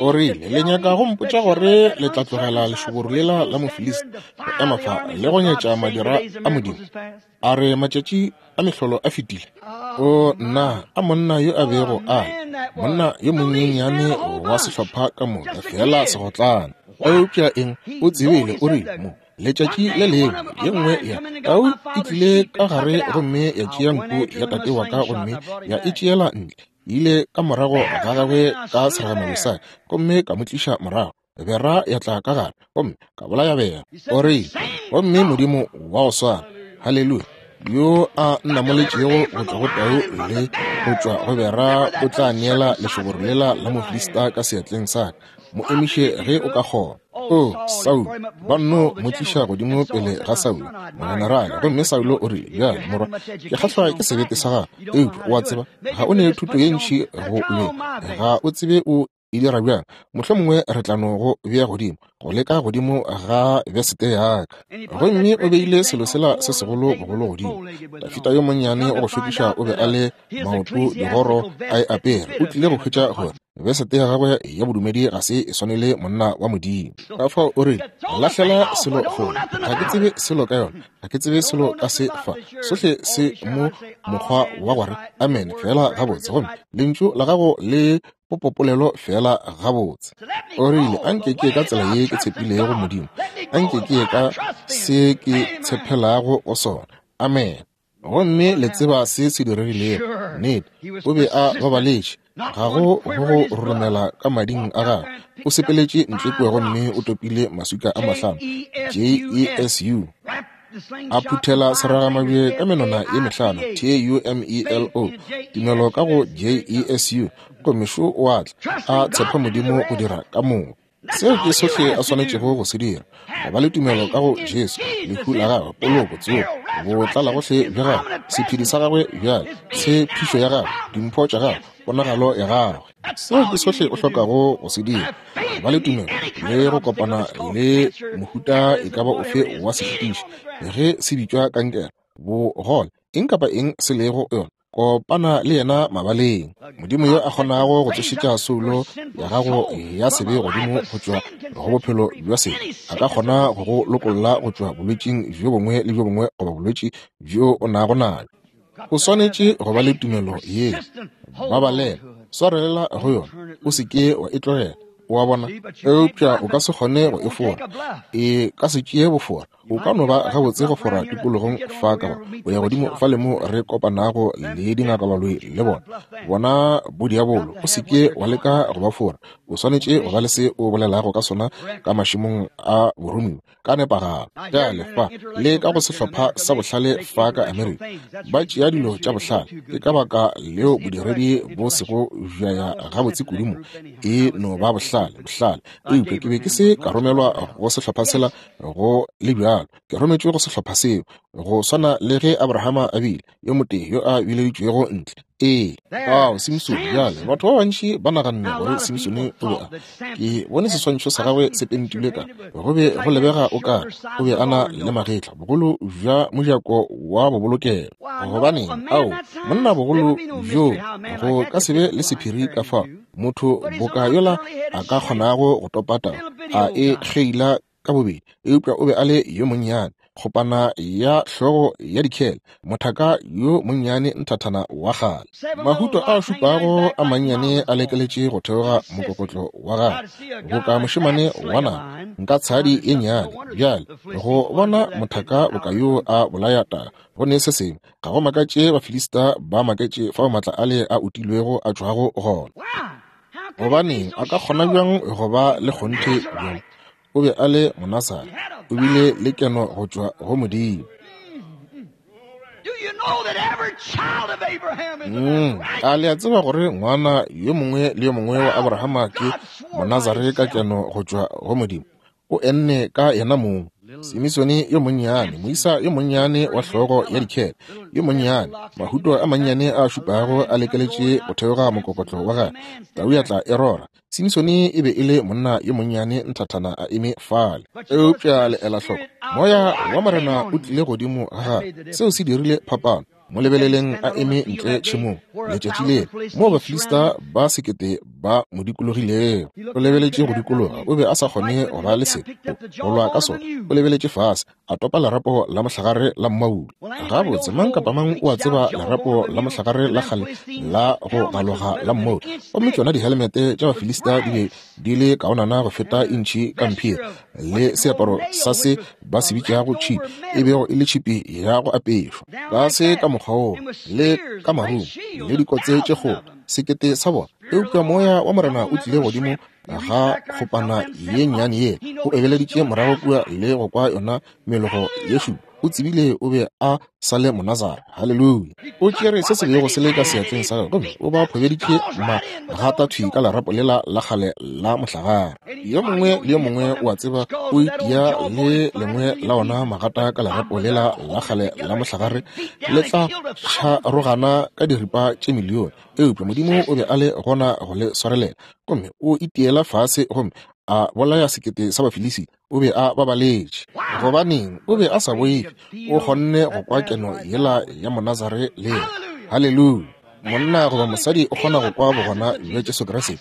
O rile, le nyaka go mpotša gore le tla tlogela lešoboro lela la Mofilista go ema fa le go nyetša madira a Modimo? A re matšatši a mehlolo a fetile. O nna, a monna yo a bego a monna yo monyenyane wa sehlopha ka moka, fela segotlana. Eupša eng, o tsebile. O rile mo letšatši le lengwe ye nngwe ya tau e tlile ka gare gomme ya tšea nku ya tate wa ka gomme ya e tšeela ntle. Ile ka morago ga gagwe ka seragamabje sa ka gomme ka mo tliša morago. Bera ya tla ka gare gomme ka bolaya bera. O rile, gomme Modimo wa go swana, haleluya, yo a nnamoletšego go tšwa go tau le go tšwa go bera, o tla neela lešoboro lela la Mofilista ka seatleng sa ka. Mo emiše ge o ka kgona. O Saulo, ba nno mo tliša godimo pele ga Saulo mogenerale. Gomme Saulo o rile, bjale morwa, ke kgahlwa ke sebete sa gago, eupša o a tseba ga o ne thuto ye ntši go lweng, ga o tsebe o e dira bjang. Mohlomongwe re tla no go bea godimo, go leka godimo ga besete ya ka. Gomme o beile selo sela se segolo bogolo godimo. Dafita yo monnyane o go šokiša o be a le maoto digoro a e apere. O tlile go hwetša gore besete ya gagwe ya bodumedi ga se e swanele monna wa Modimo. Ka fao o rile, lahlela selo kgole, ga ke tsebe selo ka yona, ga ke tsebe selo ka se fa, sohle se mo mokgwa wa gore amen fela gabotse, gomme lentšu la gago le popopolelo fela gabotse. O rile, anke ke ka tsela ye ke tshepilego Modimo, anke ke ka se ke tshepelago go sona. Amen. Gomme le tseba se se diregilego. Nnete, o be a babaletše, ga go go go roromela ka mading a gagwe. O sepeletše ntle kua gomme o topile maswika a mahlano, J E S U, a phuthela seragamabje ka menwana ye mehlano, T U M E L O, tumelo ka go J E S U, gomme šo o a tla, a tshepa Modimo go dira ka moka. Seo ke sohle a swanetšego go se dira, go ba le tumelo ka go Jesu, lehu la gagwe, poloko, tsogo, botlala gohle bja gagwe, sephedi sa gagwe bjale, tshepišo ya gagwe, dimpho tša gagwe, ponagalo ya gagwe. Seo ke sohle o hlokago go se dira, ba le tumelo le go kopana le mohuta e ka ba ofe wa sešitiši, ge se bitšwa kankere, bogole, eng kapa eng se lego yona, kopana le yena mabaleng. Modimo yo a kgonago go tsošetša soulo ya gago ya sebe godimo go tšwa go bophelo bja sebe, a ka kgona go go lokolla go tšwa bolwetšing bjo bongwe le bjo bongwe goba bolwetši bjo o nago nabjo. O swanetše go ba le tumelo ye. Babalela, swarelela go yona, o se ke wa e tlogela. O a bona? Eupša o ka se kgone go e fora. E ka se tšee bofora. O ka no ba gabotse go fora tikologong fa ka ba o ya godimo fa le mo re kopanago le dingakabaloi le bona. Bona bodiabolo, o se ke wa leka go ba fora. O swanetše go ba le se o bolelago ka sona ka mašemong a boromiwa ka nepagalo. Bjale fa le ka go sehlopha sa bohlale fa ka Amerika, ba tšea dilo tša bohlale. Ke ka baka leo bodiredi bo sego bja ya gabotse kudu mo. E no ba bohlale, bohlale. Eupša ke be ke se ka romelwa go sehlopha sela go le bjalo. Ke rometšwe go sehlopha seo, go swana le ge Abrahama a bile yo motee yo a bileditšwego ntle. Ee, ao Simsone. Bjale batho ba bantši ba naganne gore Simsone o be a, ke bone seswantšho sa gagwe se pentilwe ka, go be go lebega o kare o be a na le magetla bogolo bja mojako wa bobolokelo. Gobaneng, ao monna bogolo bjo go ka se be le sephiri ka fao motho boka yola a ka kgonago go topa taba a e kgeila ka bobedi. Eupša o be a le yo monnyane, kgopana ya hlogo ya dikhele, mothaka yo monnyane nthathana wa kgale. Mahuto a šupago a mannyane a lekeletše go theoga mokokotlo wa gagwe, boka mošemane wa naga nka tshadi ye nnyane. Bjale go bona mothaka boka yo a bolaya taba go ne se sengwe, ga go makatše Bafilista ba maketše fao maatla ale a utilwego a tšwago gona. Gobaneng a ka kgona bjang go ba le kgonthe bjalo? O be a le Monasare, o bile le keno go tšwa go Modimo. Mm, a le a tseba gore ngwana yo mongwe le yo mongwe wa Abrahama ke Monazare ka keno go tšwa go Modimo? O enne ka yena mong. Simisone yo monnyane, moisa yo monnyane wa hlogo ya dikhele, yo monnyane, mahuto a mannyane a šupago a lekeletše go theoga mokokotlo wa gagwe, tau ya tla e rora. Simisone e be e le monna yo monnyane nthathana a eme fale. Eupša le ela hloko, moya wa Morena o tlile godimo ga gagwe. Seo se dirile phapano. Mo lebeleleng a eme ntle tšhemong letšatši leo moo Bafilista ba sekete ba mo dikologilego. O lebeletše go dikologa, o be a sa kgone go ba le selo go lwa ka sona. O lebeletše fase, a topa lerapo la mohlagare la mmaulu. Gabotse, mang kapa mang o a tseba lerapo la mohlagare la kgale la go galoga la mmaulu. Gomme tšona dihelmete tša Bafilista di be di le kaonana go feta intšhi ka mphiri, le seaparo sa se ba se bitšago tšhipi, e bego e le tšhipi ya go apešwa ka se ka mokgwa wo, le ka marumo le dikotse tše kgolo, sekete sa bona. Eupša moya wa Morena o tlile godimo ga kgopana ye nnyane ye, o ebeleditše morago kua le go kwa yona melogo ye šupa. O tsebile o be a sa le Monazare. Haleluya! O tšere se se bego se le ka seatleng sa gagwe gomme o ba phobeditše magata thwi ka lerapo lela la kgale la mohlagare. Yo mongwe le yo mongwe o a tseba o itia le lengwe la ona magata ka lerapo lela la kgale la mohlagare, le tla tšharogana ka diripa tše milione. Eupša Modimo o be a le gona go le swarelela, gomme o itiela fase gomme a bolaya sekete sa Bafilisi. O be a babaletše. Gobaneng? O be a sa boife. O kgonne go kwa keno yela ya Monazare le yena. Haleluya! Monna goba mosadi o kgona go kwa bogona bja Jesu Kriste.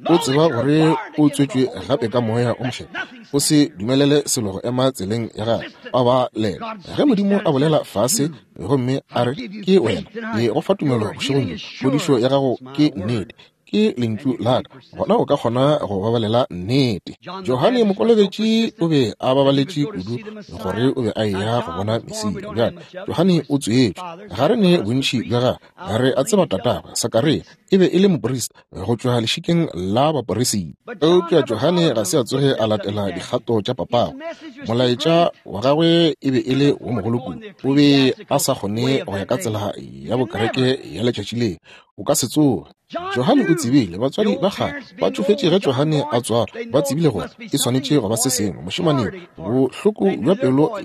O tseba gore o tswetšwe gape ka moya o mokgethwa. O se dumelele selo go ema tseleng ya gagwe. Babalela. Ge Modimo a bolela fase gomme a re ke wena, ke go fa tumelo bošegong bjo, phodišo ya gago ke nnete, ke lentšu la ka, gona o ka kgona go babalela nnete. Johane Mokolobetši o be a babaletše kudu gore o be a eya go bona Mesia. Bjale Johane o tswetšwe, ga re ne bontši bja gagwe, re a tseba tatagwe Sakaria e be e le moporista go tšwa lešikeng la baporisita. Eupša Johane ga se a tsoge a latela dikgato tša papagwe. Molaetša wa gagwe e be e le wo mogolo kudu, o be a sa kgone go ya ka tsela ya bokereke ya letšatši leo. O ka se tsoge. Johane o tsebile batswadi ba gagwe ba tšofetše ge Johane a tswalwa, ba tsebile gore e swanetše go ba se sengwe mošemaneng, bohloko bja pelo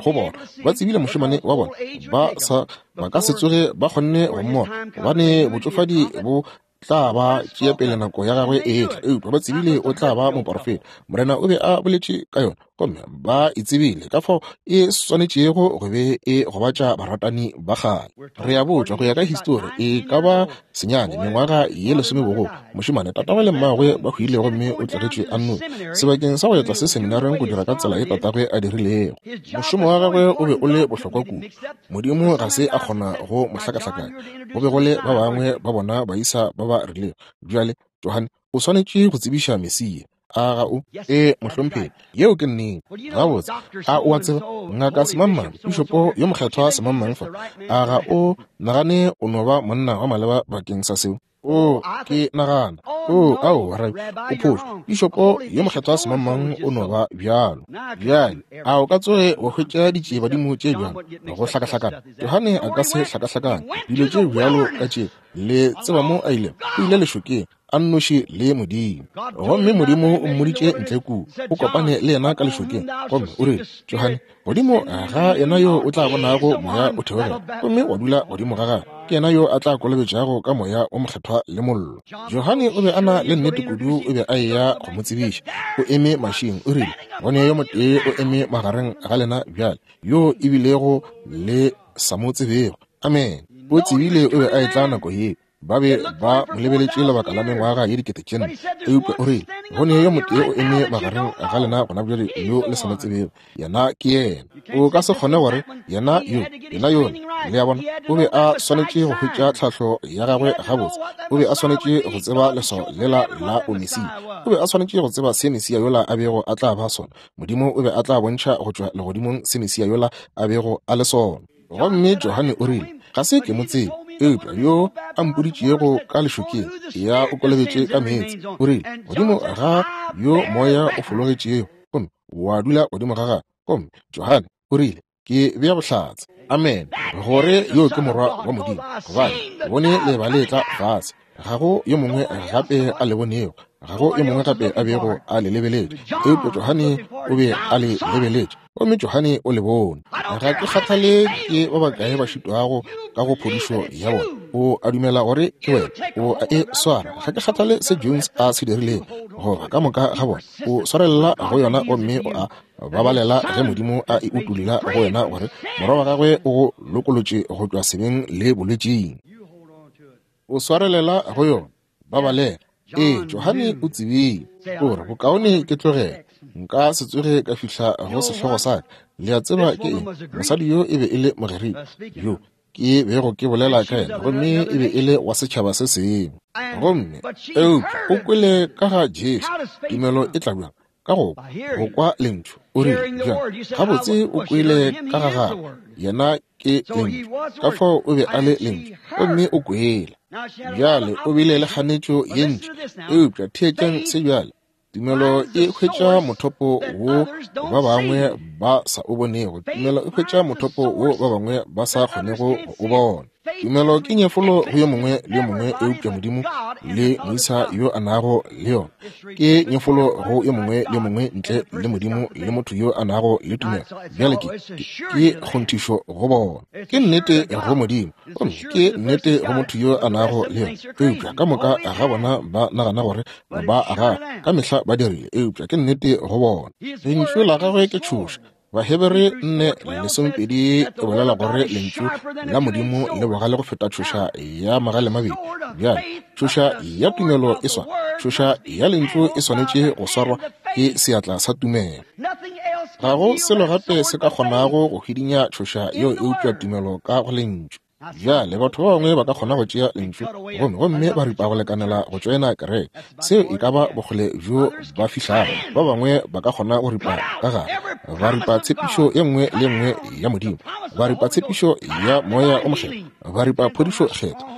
go bona. Ba tsebile mošemane wa bona ba sa ba ka se tsoge ba kgonne go mmona, gobane botšofadi bo tla ba tšea pele nako ya gagwe e etla, eupša ba tsebile o tla ba moporofeta. Morena o be a boletše ka yona, gomme ba e tsebile ka fao e swanetšego go be e gobatša baratani ba kgale. Re a botšwa go ya ka histori e ka ba senyane mengwaga ye lesomebogolo, mošemane tatagwe le mmagwe ba hwile gomme o tlogetšwe a nnoši sebakeng sa go ya tlase seminareng go dira ka tsela ye tatagwe a dirilego. Mošomo wa gagwe o be o le bohlokwa kudu, Modimo ga se a kgona go mo hlakahlakanya. Go be go le ba bangwe ba bona baisa ba ba rilego. Bjale Johane o swanetše go tsebiša Mesia. A ga o? Ee, mohlomphegi, yeo ke nnete. Gabotse, a o a tseba ngaka semangmang, pišopo yo mokgethwa semangmang fa? A ga o nagane o no ba monna wa maleba bakeng sa seo? O, ke nagana. O, ao, rabi, o phošo. Pišopo yo mokgethwa semangmang o no ba bjalo. Bjale, a o ka tsoge wa hwetša ditšiebadimo tše bjalo go hlakahlakana? Johane a ka se hlakahlakane dilo tše bjalo ka tše. Le tseba mo a ilego? O ile lešokeng a nnoši le Modimo, gomme Modimo o mmoditše ntle kua, o kopane le yena ka lešokeng, gomme o rile, Johane, godimo ga yena yo o tla bonago moya o theogela gomme wa dula godimo ga gagwe, ke yena yo a tla kolobetšago ka moya o mokgethwa le mollo. Johane o be a na le nnete kudu, o be a eya go mo tsebiša. O eme mašing, o rile, gone yo motee o eme magareng ga lena bjale, yo ebilego le sa mo tsebego. Amen. O tsebile o be a etla nako ye. Ba be ba mo lebeletše lebaka la mengwaga ye dikete tše nne, eupša o rile, gone yo motee o eme magareng ga lena gona bjale yo le sa mo tsebego, yena ke yena. O ka se kgone gore yena yo, yena yola. Le a bona, o be a swanetše go hwetša tlhahlo ya gagwe gabotse. O be a swanetše go tseba leswao lela la Omesia. O be a swanetše go tseba se Mesia yola a bego a tla ba sona. Modimo o be a tla bontšha go tšwa legodimong se Mesia yola a bego a le sona. Gomme Johane o rile, ga se ke mo tsebe, eupša yo a mpoditšego ka lešokeng ya o kolobetše ka meetse, o rile, godimo ga yo moya o fologetšego gomme wa dula godimo ga gagwe. Gomme Johane o rile, ke bea bohlatse, amen, gore yo ke morwa wa Modimo, gobane bone leeba le tla fase. Ga go yo mongwe gape a le bonego, ga go yo mongwe gape a bego a le lebeletše, eupša Johane o be a le lebeletše, gomme Johane o le bone. Ga ke kgathale ke ba bakae ba šitwago ka go phodišo ya bona, o a dumela gore ke wena, o a e swara. Ga ke kgathale se Jones a se dirilego, goba ka moka ga bona, o swarelela go yona gomme o a babalela ge Modimo a e utolla go wena gore morwa wa gagwe o go lokolotše go tšwa sebeng le bolwetšing. O swarelela go yona, babalela. Ee, Johane o tsebile gore bokaone ke tlogele, nka se tsoge ka fihla go sehlogo sa ka. Le a tseba ke eng? Mosadi yo e be e le Mogerika yo ke bego ke bolela ka yena, gomme e be e le wa setšhaba se sengwe. Gomme eupša o kwele ka ga Jesu. Tumelo e tla bjang? Ka go go kwa lentšu. O rile, bjang? Gabotse o kwele ka ga gagwe, yena ke lentšu, ka fao o be a le lentšu, gomme o kwele. Bjale o bile le kganetšo ye ntši, eupša theetšang se bjale. Tumelo e hwetša mothopo wo ba bangwe ba sa o bonego. Tumelo e hwetša mothopo wo ba bangwe ba sa kgonego go o bona. Tumelo ke nyefolo go yo mongwe le yo mongwe eupša Modimo le moisa yo a nago le yona. Ke nyefolo go yo mongwe le yo mongwe ntle le Modimo le motho yo a nago le tumelo. Bjale ke ke kgonthišo go bona. Ke nnete go Modimo, gomme ke nnete go motho yo a nago le yona. Eupša ka moka ga bona ba nagana gore ba aga ka mehla ba dirile, eupša ke nnete go bona. Lentšu la gagwe ke tšhoša. Bahebere nne lesomepedi e bolela gore lentšu la Modimo le bogale go feta tšhoša ya magale mabedi. Bjale tšhoša ya tumelo e swana, tšhoša ya lentšu e swanetše go swarwa ke seatla sa tumelo. Ga go selo gape se ka kgonago go hwidinya tšhoša yeo eupša tumelo ka go lentšu. Bjale batho ba bangwe ba ka kgona go tšea lentšu gomme gomme ba ripa go lekanela go tšoena kereke, seo e ka ba bokgole bjo ba fihlago. Ba bangwe ba ka kgona go ripa ka gare, ba ripa tshepišo ye nngwe le nngwe ya Modimo, ba ripa tshepišo ya moya o mokgethwa, ba ripa phodišo kgethwa,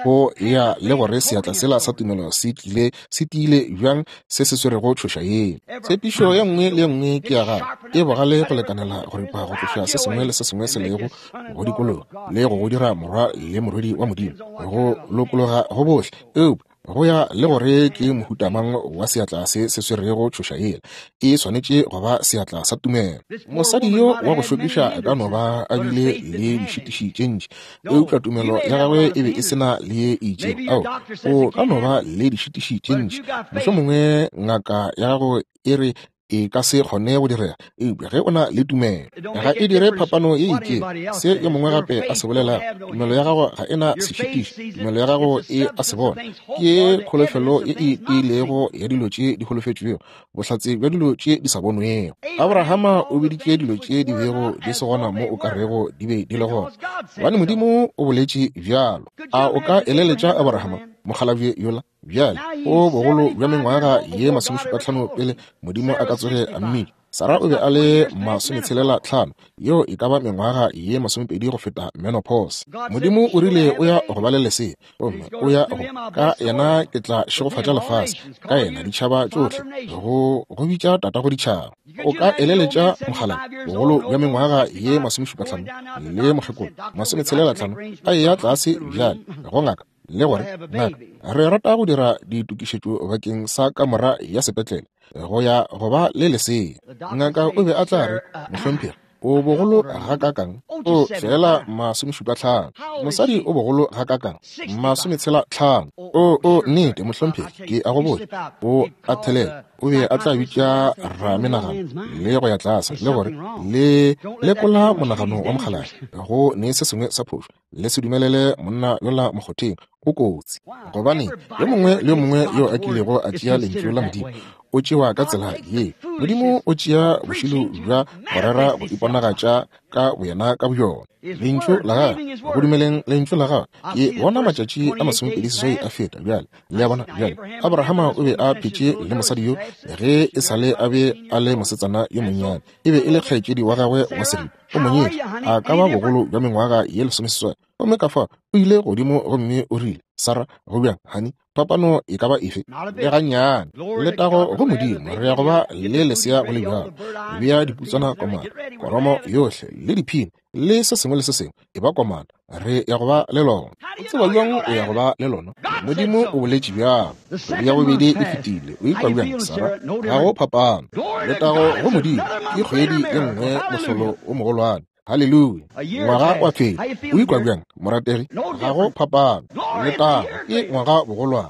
go ya le gore seatla sela sa tumelo se tlile se tiile bjang se se swerego tšhoša yeo. Tshepišo ye nngwe le ye nngwe ke ya gagwe, e bogale go lekanela go ripa go tloša se sengwe le se sengwe se lego go dikologa le go go dira morwa le morwedi wa Modimo, go lokologa go bohle. Eupša Go ya le gore ke mohutamang wa seatla se se swerego tšhoša yela, e swanetše go ba seatla sa tumelo. Mosadi yo wa go šokiša a ka no ba a bile le dišitiši tše ntši, eupša tumelo ya gagwe e be e se na le ye e itšego. Ao, o ka no ba le dišitiši tše ntši, mohlomongwe ngaka ya gago e re e ka se kgone go direga, eupša ge o na le tumelo, ga e dire phapano ye itšego se yo mongwe gape a se bolelago. Tumelo ya gago ga e na sešitiši, tumelo ya gago e a se bona. Ke kholofelo ye e tiilego ya dilo tše di holofetšwego, bohlatse bja dilo tše di sa bonwego. Abrahama o biditše dilo tše di bego di se gona mo o ka rego di be di le gona, gobane Modimo o boletše bjalo. A o ka eleletša Abrahama mokgalabje yola? Bjale o bogolo bja mengwaga ye masomešupa-hlano pele Modimo a ka tsoge a mmitša. Sara o be a le masometshelela tlhano, yeo e ka ba mengwaga ye masomepedi go feta menopause. Modimo o rile o ya go ba le lesea, gomme o ya go ka yena ke tla šegofatša lefase, ka yena ditšhaba tšohle, go go bitša tatago ditšhaba. O ka eleletša mokgalabje bogolo bja mengwaga ye masomešupa-hlano le mokgekolo masometshelela tlhano a eya tlase bjale go ngaka le gore ngaka re rata go dira ditokišetšo bakeng sa kamora ya sepetlele go ya go ba le lesea. Ngaka o be a tla re, mohlomphegi, o bogolo gakakang? O fela masomešupa-hlano. Mosadi o bogolo gakakang? Masometshela tlhano. O o nnete mohlomphegi, ke a go botša, o a thelela. O be a tla bitša ramenagano le go ya tlase le gore le lekola monagano wa mokgalabje go ne se sengwe sa phošo. Le se dumelele monna yola mokgotheng, o kotsi. Gobane yo mongwe le yo mongwe yo a kilego a tšea lentšu la Modimo o tšewa ka tsela ye. Modimo o tšea bošilo bja go rera go iponagatša ka boyena ka boyona. Lentšu la gagwe, go dumeleng lentšu la gagwe. Ke bona matšatši a masomepedi seswai a feta bjale. Le a bona bjale, Abrahama o be a phetše le mosadi yo ge e sale a be a le mosetsana yo monnyane. E be e le kgaetšedi wa gagwe wa seripa. O monyetše a ka ba bogolo bja mengwaga ye lesomeseswai. Gomme ka fa o ile godimo gomme o rile, Sara, go bjang, honey? Phapano e ka ba efe? Le gannyane. Letago go Modimo, re ya go ba le lesea go le bjalo. Bea diputswana komana, koromo yohle le diphini le se sengwe le se sengwe e ba komana. Re ya go ba le lona. O tseba bjang o ya go ba le lona? Modimo o boletše bjalo. Kgwedi ya bobedi e fetile. O ikwa bjang, Sara? Ga go phapano. Letago go Modimo, ke kgwedi ye nngwe mohlolo o mogolwane. Haleluya. Ngwaga wa feta. O ikwa bjang, morategi? Ga go phapano. Letago ke ngwaga bogolwane.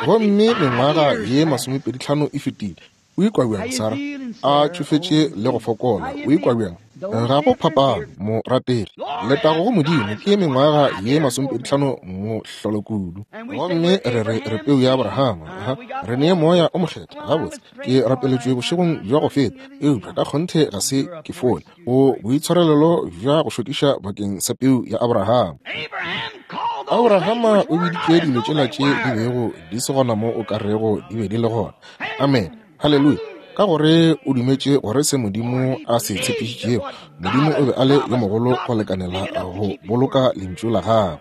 Gomme mengwaga ye masomepedi tlhano e fetile. O ikwa bjang, Sara? A tšofetše le go fokola. O ikwa bjang? Ga go phapano, morategi. Letago go Modimo ke mengwaga ye masomepedi tlhano mohlolo kudu. Gomme re re re peu ya Abrahama. Aha, re ne moya o mokgethwa. Gabotse, ke rapeletšwe bošegong bja go feta, eupša ka kgonthe ga se ke fole. O boitshwarelelo bja go šokiša bakeng sa peu ya Abrahama. Abrahama o biditše dilo tšela tše di bego di se gona mo o ka rego di be di le gona. Amen. Haleluya. Ka gore o dumetše gore se Modimo a se tshepišitšego, Modimo o be a le yo mogolo go lekanela go boloka lentšu la gagwe.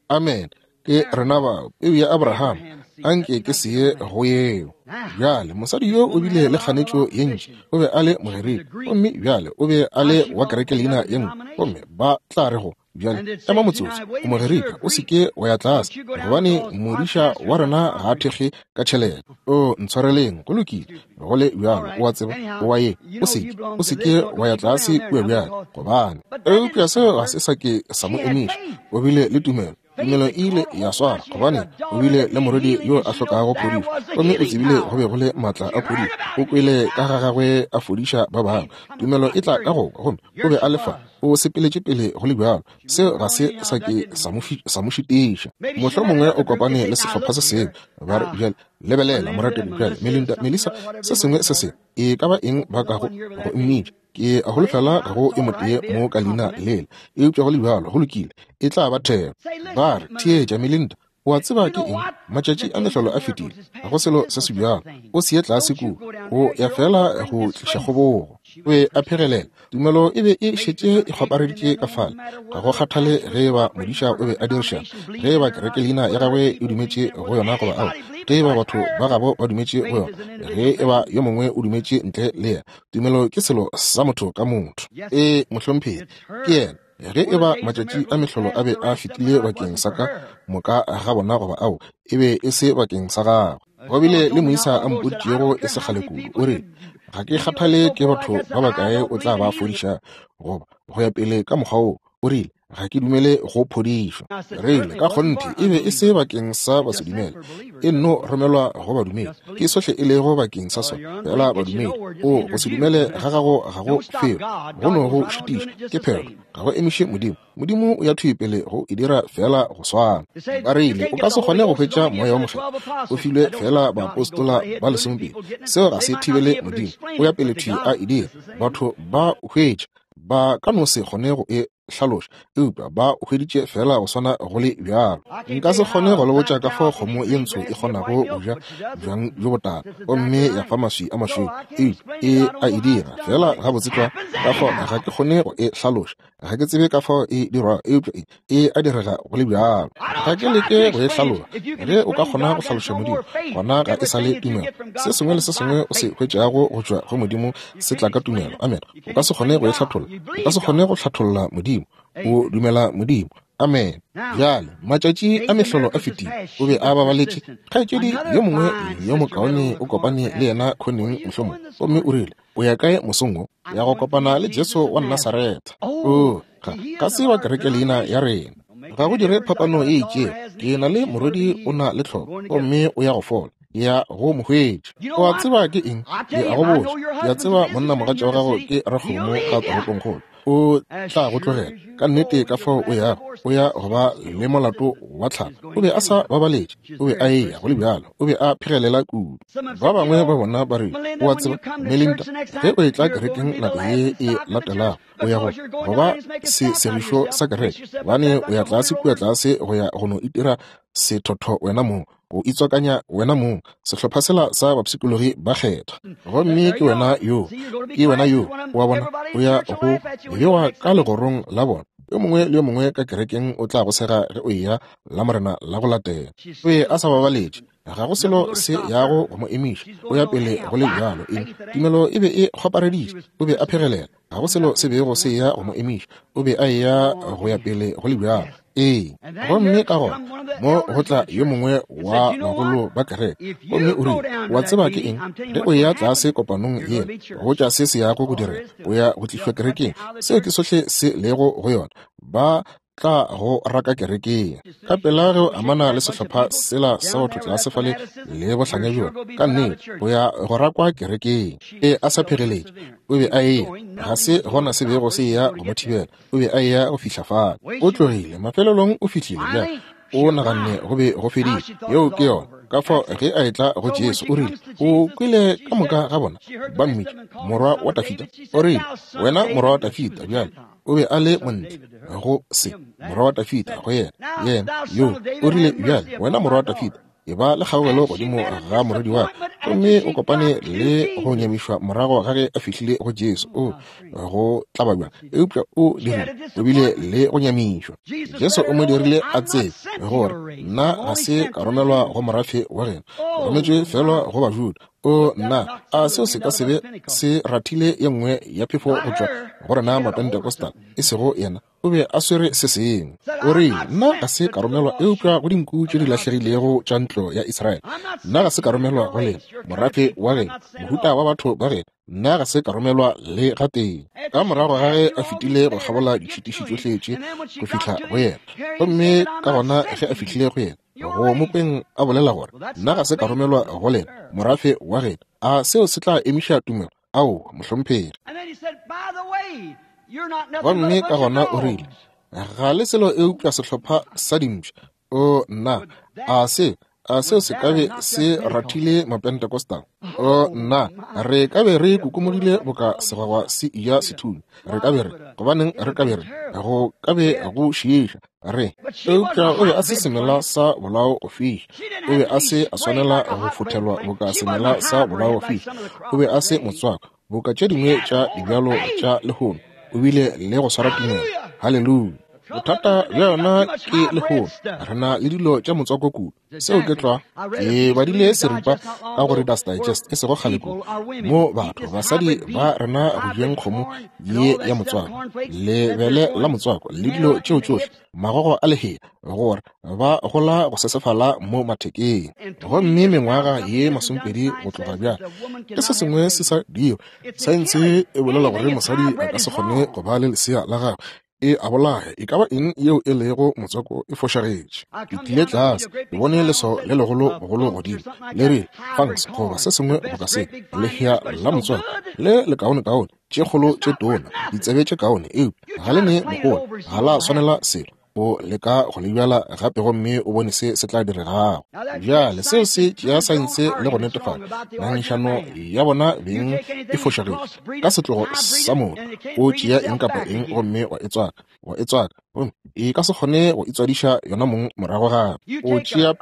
Amen. Ke rena bao, peu ya Abrahama, anke ke se ye go yeo. Bjale mosadi yo o bile le kganetšo ye ntši, o be a le Mogerika, gomme bjale o be a le wa kereke leina ye nngwe, gomme ba tla re go bjale ema motsotso, o Mogerika, o se ke wa ya tlase, gobane modiša wa rena ga a thekge ka tšhelete. O ntshwareleng, go lokile, go le bjalo, o a tseba, o a ye, o se ke, o se ke wa ya tlase kua bjale, gobane. Eupša seo ga se sa ke sa mo emiša, o bile le tumelo. Tumelo e ile ya swara, gobane o bile le morwedi yo a hlokago phodišo, gomme o tsebile go be go le maatla a phodišo. O kwele ka ga gagwe a fodiša ba bangwe. Tumelo e tla ka go kwa, gomme o be a le fa, o sepeletše pele go le bjalo. Seo ga se sa ke sa mo šitiša. Mohlomongwe o kopane le sehlopha se sengwe, ba re bjale lebelela morategi bjale Melinda, Melissa, se sengwe se sengwe e ka ba eng ba kago go mmitša. Ke a holofela ga go e motee mo ka leina lela, eupša go le bjalo go lokile, e tla ba thero. Ba re, theetša Melinda, o a tseba ke eng? Matšatši a mehlolo a fetile, ga go selo se se bjalo. O se ye tlase kua, o ya fela go tliša kgobogo. O be a phegelela. Tumelo e be e šetše e kgwapareditše ka fale. Ga go kgathale ge eba modiša o be a dirišana, ge eba kereke leina ya gagwe e dumetše go yona goba ao, ge eba batho ba gabo ba dumetše go yona, ge eba yo mongwe o dumetše ntle le yena. Tumelo ke selo sa motho ka motho. E mohlomphegi, ke yena. Ge e ba matšatši a mehlolo a be a fetile bakeng sa ka moka ga bona goba ao, e be e se bakeng sa gagwe. Go bile le moisa a mpoditšego e se kgale kudu, o rile, ga ke kgathale ke batho ba bakae o tla ba fodiša goba go ya pele ka mokgwa wo, o rile, ga ke dumele go phodišwa. Rile, ka kgonthe e be e se bakeng sa basedumele, e nno romelwa go badumedi. Ke sohle e lego bakeng sa sona, fela badumedi. O go se dumele ga gago ga go felo, go no go šitiša, ke phetho, ga go emiše Modimo. Modimo o ya thwi pele go e dira fela go swana. Ba rile, o ka se kgone go hwetša Moya wo Mokgethwa, o filwe fela baapostola ba lesomepedi. Seo ga se thibele Modimo, o ya pele thwi a e dira. Batho ba hwetša, ba ka no se kgone go e hlaloša, eupša ba hweditše fela go swana go le bjalo. Nka se kgone go le botša ka fao kgomo ye ntsho e kgonago go ja bjang bjo botala gomme ya fa maswi a mašweu, eupša e a e dira fela gabotse tlwa. Ka fao ga ke kgone go e hlaloša, ga ke tsebe ka fao e dirwago, eupša e, e a direga go le bjalo. Ga ke leke go e hlaloša. Ge o ka kgona go hlaloša Modimo, gona ga e sa le tumelo. Se sengwe le se sengwe o se hwetšago go tšwa go Modimo se tla ka tumelo. Amen. O ka se kgone go e hlatholla, o ka se kgone go hlatholla Modimo. O dumela Modimo. Amen. Bjale, matšatši a mehlolo a fetile, o be a babaletše. Kgaetšedi yo mongwe yo mokaone o kopane le yena khoneng mohlomong, gomme o rile, o ya kae mosong wo? Ya go kopana le Jesu wa Nasaretha. O, ga, ga se wa kereke leina ya rena. Ga go dire phapano e itšego. Ke na le morwedi o na le tlhoko, gomme o ya go fola. Ya go mo hwetša. O a tseba ke eng? Ke a go botša. Ke a tseba monna mogatša wa gago ke rakgomo ka toropongkgolo. O tla go tlogela ka nnete ka fao o yago, o ya go ba le molato wa tlhalo. O be a sa babaletše, o be a eya go le bjalo, o be a phegelela kudu. Ba bangwe ba bona ba re, o a tseba Melinda, ge o etla kerekeng nako ye e latelago, o ya go go ba se segišo sa kereke, gobane o ya tlase kua tlase go ya go no itira sethotho wena mong, go itswakanya wena mong, sehlopha sela sa bapshikologi ba kgethwa. Gomme ke wena yo, ke wena yo, wa bona, o ya go bewa ka legorong la bona. Yo mongwe le yo mongwe ka kerekeng o tla go sega ge o eya la morena la go latela. O be a sa babaletše, ga go selo se yago go mo emiša, o ya pele go le bjalo. Eng? Tumelo e be e kgwapareditše, o be a phegelela, ga go selo se bego se ya go mo emiša, o be a eya go ya pele go le bjalo. Ee, gomme ka gona mo go tla yo mongwe wa bagolo ba kereke, gomme o rile, wa tseba ke eng? Ge o eya tlase kopanong yela, go tša se se yago go direga, o ya go tlišwa kerekeng. Seo ke sohle se lego go yona. Ba tla go raka kerekeng. Ka pela ge o amana le sehlopha sela sa batho tlase fale le bohlanya bjona, ka nnete o ya go rakwa kerekeng. E a sa phegeletše, o be a eya, ga se gona se bego se eya go mo thibela, o be a eya go fihla fale. O tlogile, mafelelong o fihlile bjale, o naganne go be go fedile. Yeo ke yona. Ka fao ge a etla go Jesu, o rile, o kwele ka moka ga bona ba mmitša morwa wa Dafida. O rile, wena morwa wa Dafida. Bjale o be a le montle go se morwa wa Dafida go yena, yena yo. O rile, bjale wena morwa wa Dafida, e ba le kgaogelo godimo ga morwedi wa ka. Gomme o kopane le go nyamišwa morago ga ge a fihlile go Jesu. O go tlaba bjang, eupša o dirile, o bile le go nyamišwa. Jesu o mo dirile a tsebe gore nna ga se ka romelwa go morafe wa geno, ke rometšwe fela go Bajuda. O nna, a seo se ka se be se rathile ye nngwe ya phefo go tšwa go rena Mapentecostal, e sego yena. O be a swere se sengwe. O rile, nna ga se ka romelwa eupša go dinku tše di lahlegilego tša ntlo ya Israele. Nna ga se ka romelwa go lena, morafe wa geno, mohuta wa batho ba geno. Nna ga se ka romelwa le gatee. Ka morago ga ge a fetile go kgabola ditšhitiši tšohle tše go fihla go yena, gomme ka gona ge a fihlile go yena, go mopeng a bolela gore nna ga se ka romelwa go lena, morafe wa geno. A seo se tla emiša tumelo? Ao, mohlomphegi. Gomme ka gona o rile, ga le selo eupša sehlopha sa dimpša. O nna, a se a seo se ka be se rathile Mapentecostal? O nna, re ka be re kukumogile boka segwagwa se eja sethunya. Re ka be re, gobaneng re ka be re, go ka be go šiiša re. Eupša o be a se semela sa bolao go fiša. O be a se a swanela go fothelwa boka semela sa bolao go fiša. O be a se motswako boka tše dingwe tša dibjalo tša lehono. O bile le go swara tumelo. Haleluya. Bothata bja yona ke lehono, re na le dilo tša motswako kudu. Seo ke tlwa. Ke badile seripa ka go Reader's Digest e sego kgale kudu, mo batho basadi ba rena go jeng kgomo ye ya motswako, lebele la motswako le dilo tšeo tšohle, magogo a lehea, gore ba gola go sesefala mo mathekeng. Gomme mengwaga ye masomepedi go tloga bjale ke se sengwe se sa dio. Saense e bolela gore mosadi a ka se kgone go ba le lesea la gagwe, e a bolaya. E ka ba eng yeo e lego motswako e fošagetše. Ke tlile tlase, ke bone leswao le legolo bogolo godimo le re fangs goba se sengwe boka se, lehea la motswako le lekaonekaone, tše kgolo tše tona, ditsebe tše kaone, eupša ga le ne mohola, ga la swanela selo. O leka go le bjala gape gomme o bone se se tla diregago. Bjale seo se tšea saense le go netefatša ngangišano ya bona beng e fošagetše. Ka setlogo sa motho o tšea eng kapa eng gomme wa e tswaka, wa e tswaka, gomme e ka se kgone go itswadiša yona mong morago gape. O tšea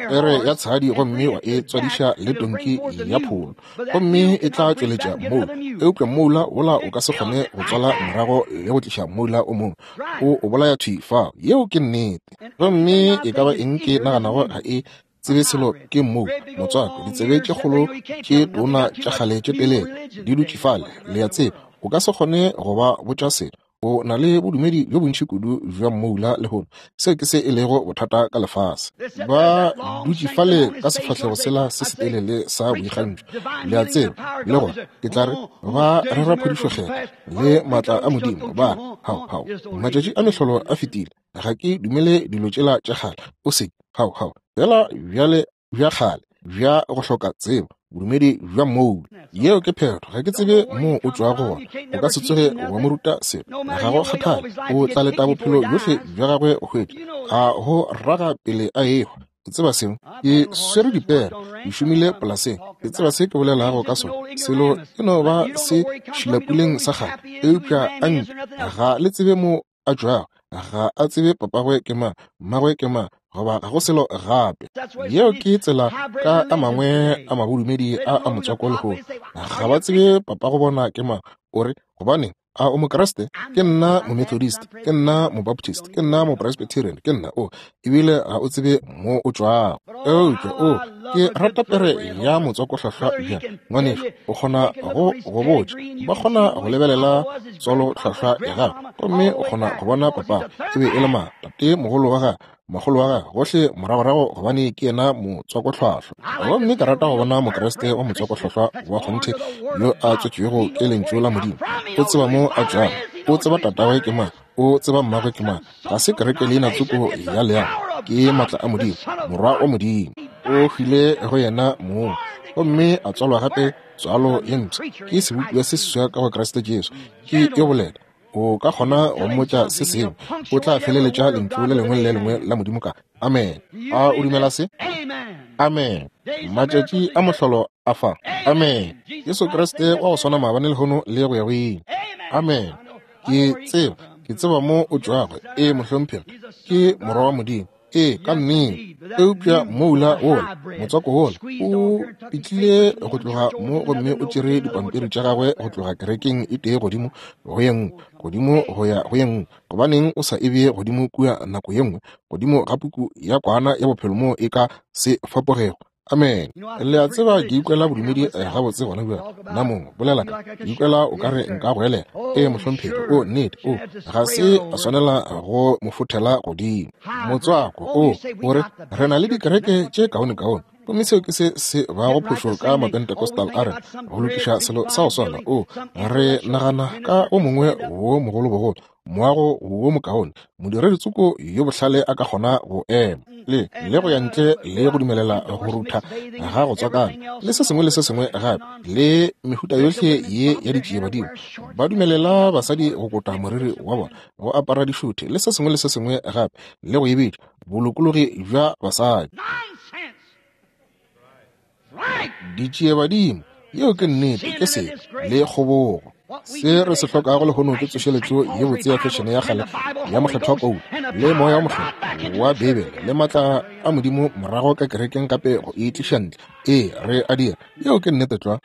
pere ya tshadi gomme wa e tswadiša le tonki ya pholo, gomme e tla tšweletša moula, eupša moula wola o ka se kgone go tswala morago le go tliša moula o mongwe. O o bolaya thwi fao. Yeo ke nnete. Gomme e ka ba eng ke naganago ga e tsebe selo ke mmoula, motswako, ditsebe tše kgolo tše tona tša kgale tše telele di dutše fale, le a tseba. O ka se kgone go ba botša selo. O na le bodumedi bjo bontši kudu bja mmoula lehono. Seo ke se e lego bothata ka lefase. Ba dutše fale ka sefahlego sela se setelele sa boikgantšho, le a tseba, le gore ke tla re ba rera phodišo le maatla a Modimo. Ba hao hao, matšatši a mehlolo a fetile. Ga ke dumele dilo tšela tša kgale. O se hao hao fela bjale bja kgale bja go hloka tsebo, bodumedi bja mmoula. Yeo ke phetho. Ga ke tsebe mo o tšwago gona. O ka se tsoge wa mo ruta selo. Ga go kgathale, o tla leta bophelo bjohle bja gagwe go hwetša a go raga pele a ehwa. O tseba seo? Ke swere dipere, ke šomile polaseng, ke tseba se ke bolelago ka sona. Selo e no ba se šilapuleng sa kgale, eupša a nke ga le tsebe mo a tšwago, ga a tsebe papagwe ke mang, mmagwe ke mang, goba ga go selo gape. Yeo ke tsela ka a mangwe a mabodumedi a a motswako lehono. Ga ba tsebe papago bona ke mang. O re, gobaneng a o Mokreste? Ke nna Momethodist, ke nna Mobaptist, ke nna Mopresbyterian, ke nna o. Ebile ga o tsebe mo o tšwago. Eupša o, ke rata pere ya motswakohlwahlwa bjang, ngwanešu. O kgona go go botša, ba kgona go lebelela tswalohlwahlwa ya gago, gomme o kgona go bona papago e be e le mang, tate mogolo wa gagwe, mogolo wa gagwe, gohle moragorago, gobane ke yena motswakohlwahlwa. Gomme ke rata go bona Mokreste wa motswakohlwahlwa wa kgonthe yo a tswetšwego ke lentšu la Modimo. O tseba mo a tšwago, o tseba tatagwe ke mang, o tseba mmagwe ke mang. Ga se kereke leina tsoko ya leago, ke maatla a Modimo, morwa wa Modimo. O hwile go yena mong gomme a tswalwa gape tswalo ye mpsha, ke sebopiwa se seswa ka go Kriste Jesu. Ke yo bolela. O ka kgona go mmotša se sengwe, o tla feleletša lentšu le lengwe le le lengwe la Modimo ka amen. A o dumela se? Amen. Matšatši a mohlolo a fa. Amen. Jesu Kriste wa go swana maabane lehono le go ya go ile. Amen. Ke tseba, ke tseba mo o tšwago. Ee, mohlomphegi, ke morwa wa Modimo. Ee, ka nnete. Eupša moula wola, motswako wola, o pitlile go tloga mo gomme o tšere dipampiri tša gagwe go tloga kerekeng e tee godimo go ye nngwe, godimo go ya go ye nngwe. Gobaneng o sa e bee godimo kua nako ye nngwe, godimo ga puku ya kwana ya bophelo mo e ka se fapogego? Amen. Le a tseba ke ikwela bodumedi gabotse gona bjale. Nna mongwe bolela ka ke ikwela o ka re nka go elela. Ee, mohlomphegi. O nnete. O ga se a swanela go mo fothela godimo. Motswako o o re re na le dikereke tše kaonekaone, gomme seo ke se se bago phošo ka Mapentecostal a rena go lokiša selo sa go swana. O re nagana ka o mongwe wo mogolobogolo, moago wo mokaone, modiredi tsoko yo bohlale a ka kgona go ema le le go ya ntle le go dumelela go rutha ga go tswakana le se sengwe le se sengwe gape le mehuta yohle ye ya ditšiebadimo. Ba dumelela basadi go kota moriri wa bona, go apara dišuthe le se sengwe le se sengwe gape, le go e bitša bolokologi bja basadi. Ditšiebadimo, yeo ke nnete, ke se le kgobogo. Se re se hlokago lehono ke tsošeletšo ye botse ya fešene ya kgale ya mokgethwa Paulo le moya wa mokgethwa wa Bibele le maatla a Modimo morago ka kerekeng gape go e tliša ntle. Ee, re a dira. Yeo ke nnete tlwa.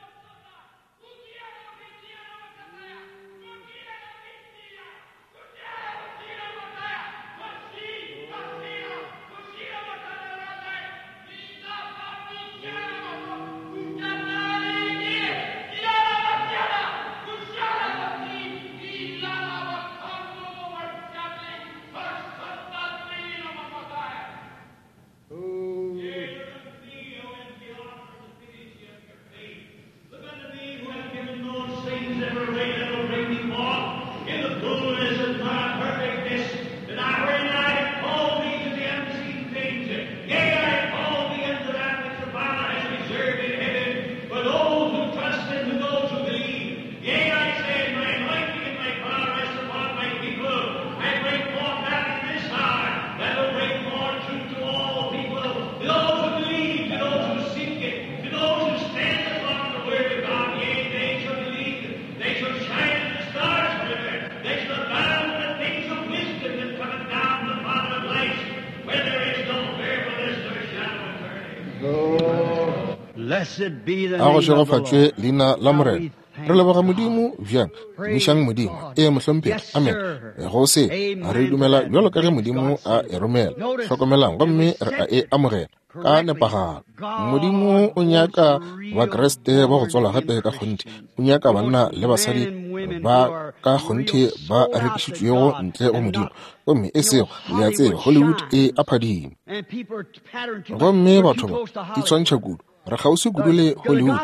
A go šegofatšwe leina la Morena. Re leboga Modimo bjang, tumišang Modimo. Ee, mohlomphegi. Amen. Go se re dumela bjalo ka ge Modimo a e romela. Hlokomelang gomme re a e amogela ka nepagalo. Modimo o nyaka Bakriste ba go tswalwa gape ka kgonthe. O nyaka banna le basadi ba ka kgonthe ba rekišitšwego ntle go Modimo. Gomme e sego, le a tseba, Hollywood e a phadima. Gomme batho ba itshwantšha kudu. Re kgauswi kudu le Hollywood.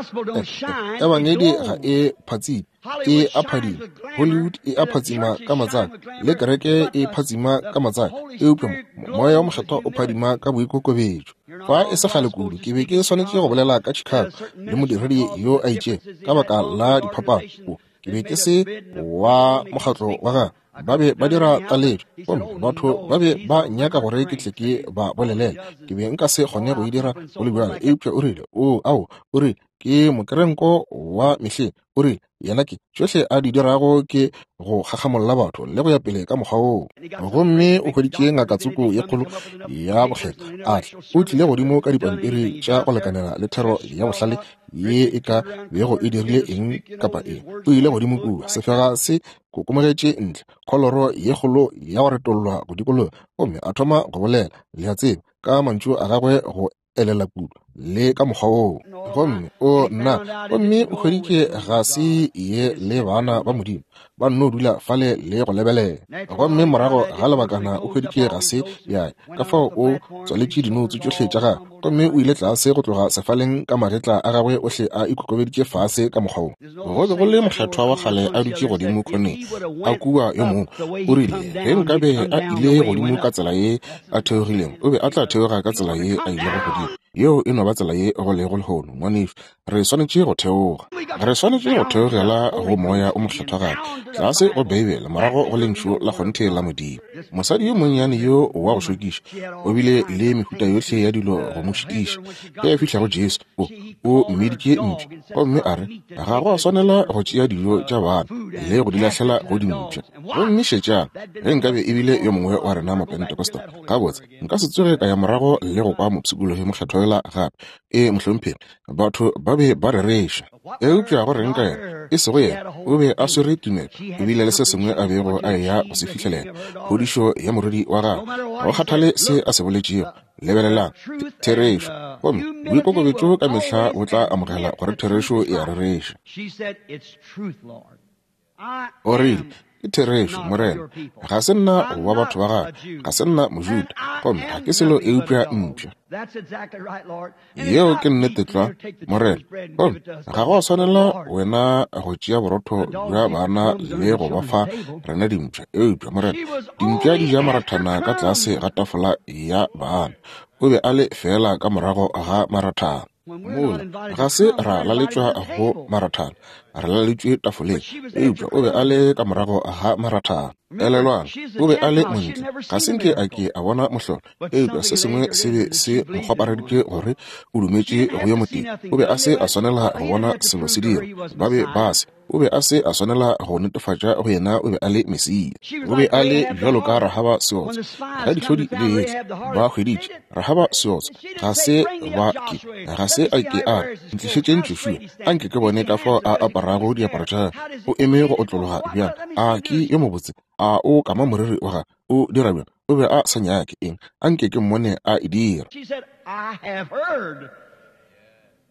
Ebangedi ga e phatsime, e a phadima. Hollywood e a phatsima ka matsaka, le kereke e phatsima ka matsaka, eupša moya wa Mokgethwa o phadima ka boikokobetšo. Fa e se kgale kudu, ke be ke swanetše go bolela ka Chicago le modiredi yo a itšego ka baka la diphapano. Ke be ke se wa mokgatlo wa gagwe. Ba be ba dira taletšo, gomme batho ba be ba nyaka gore ke tle ke ba bolelele. Ke be nka se kgone go e dira go le bjalo, eupša o rile, o ao, o rile, ke mokerenko wa mehleng. O rile, yena ke tšohle a di dirago ke go kgakgamolla batho le go ya pele ka mokgwa woo. Gomme o hweditše ngaka tsoko ye kgolo ya bokgethwa a tla. O tlile godimo ka dipampiri tša go lekanela le thero ya bohlale ye e ka bego e dirile eng kapa eng. O ile godimo kua, sefega se kokomogetše ntle, kholoro ye kgolo ya go retollwa go dikologa, gomme a thoma go bolela, le a tseba, ka mantšu a gagwe go elela kudu le ka mokgwa woo. Gomme o nna, gomme o hweditše ga se ye le bana ba Modimo ba nno dula fale le go lebelela. Gomme morago ga lebakana o hweditše ga se ya, ka fao o tswaletše dinoutse tšohle tša gagwe, gomme o ile tlase go tloga sefaleng ka magetla a gagwe ohle a ikokobeditše fase ka mokgwa wo. Go be go le mokgethwa wa kgale a dutše godimo khoneng a kua yo mongwe. O rile ge nkabe a ile godimo ka tsela ye a theogilego, o be a tla theoga ka tsela ye a ilego godimo. Yeo e no ba tsela ye go lego lehono, ngwanešu. Re swanetše go theoga. Re swanetše go theogela go moya o mokgethwa gape, tlase go Beibele, morago go lentšu la kgonthe la Modimo. Mosadi yo monnyane yo wa go šokiša o bile le mehuta yohle ya dilo go mo šitiša. Ge a fihla go Jesu, o o mmiditše mpša, gomme a re ga go a swanela go tšea dijo tša bana le go di lahlela go dimpša. Gomme šetšang, ge nkabe e bile yo mongwe wa rena Mapentecostal, gabotse nka se tsoge ka ya morago le go kwa mopshikologi mokgethwa yola gape. Ee, mohlomphegi, batho ba be ba rereša. Eupša go reng ka yena? E sego yena, o be a swere tumelo, ebile le se sengwe a bego a eya go se fihlelela, phodišo ya morwedi wa gagwe. Go kgathale se a se boletšego, lebelelang therešo, gomme boikokobetšo ka mehla bo tla amogela gore therešo e a rereša. O rile, ke therešo, Morena, ga se nna wa batho ba gagwe, ga se nna Mojuda, gomme ga ke selo eupša mpša. Yeo ke nnete tlwa, Morena. Gomme ga go a swanela wena go tšea borotho bja bana le go ba fa rena dimpša, eupša Morena, dimpša di ja marathana ka tlase ga tafola ya bana. O be a le fela ka morago ga marathana. Mola ga se ra laletšwa go marathana, re laletšwe tafoleng, eupša o be a le ka morago ga marathana. Elelwang, o be a le montle, ga se nke a ke a bona mohlolo, eupša se sengwe se be se mo kgwapareditše gore o dumetše go yo motee. O be a se a swanela go bona selo se dira, ba be ba se. O be a se a swanela go netefatša go yena o be a le Mesia. O be a le bjalo ka Rahaba seotsa. Ge dihlodi di etla, ba hweditše Rahaba seotsa. Ga se ba ke, ga se a ke a re, ntlišetšeng Joshua, a nke ke bone ka fao a aparago diaparo tša gagwe. O eme go otlologa bjang? A ke yo mobotse? A o kama moriri wa gagwe? O dira bjang? O be a sa nyake eng? A nke ke mmone a e dira.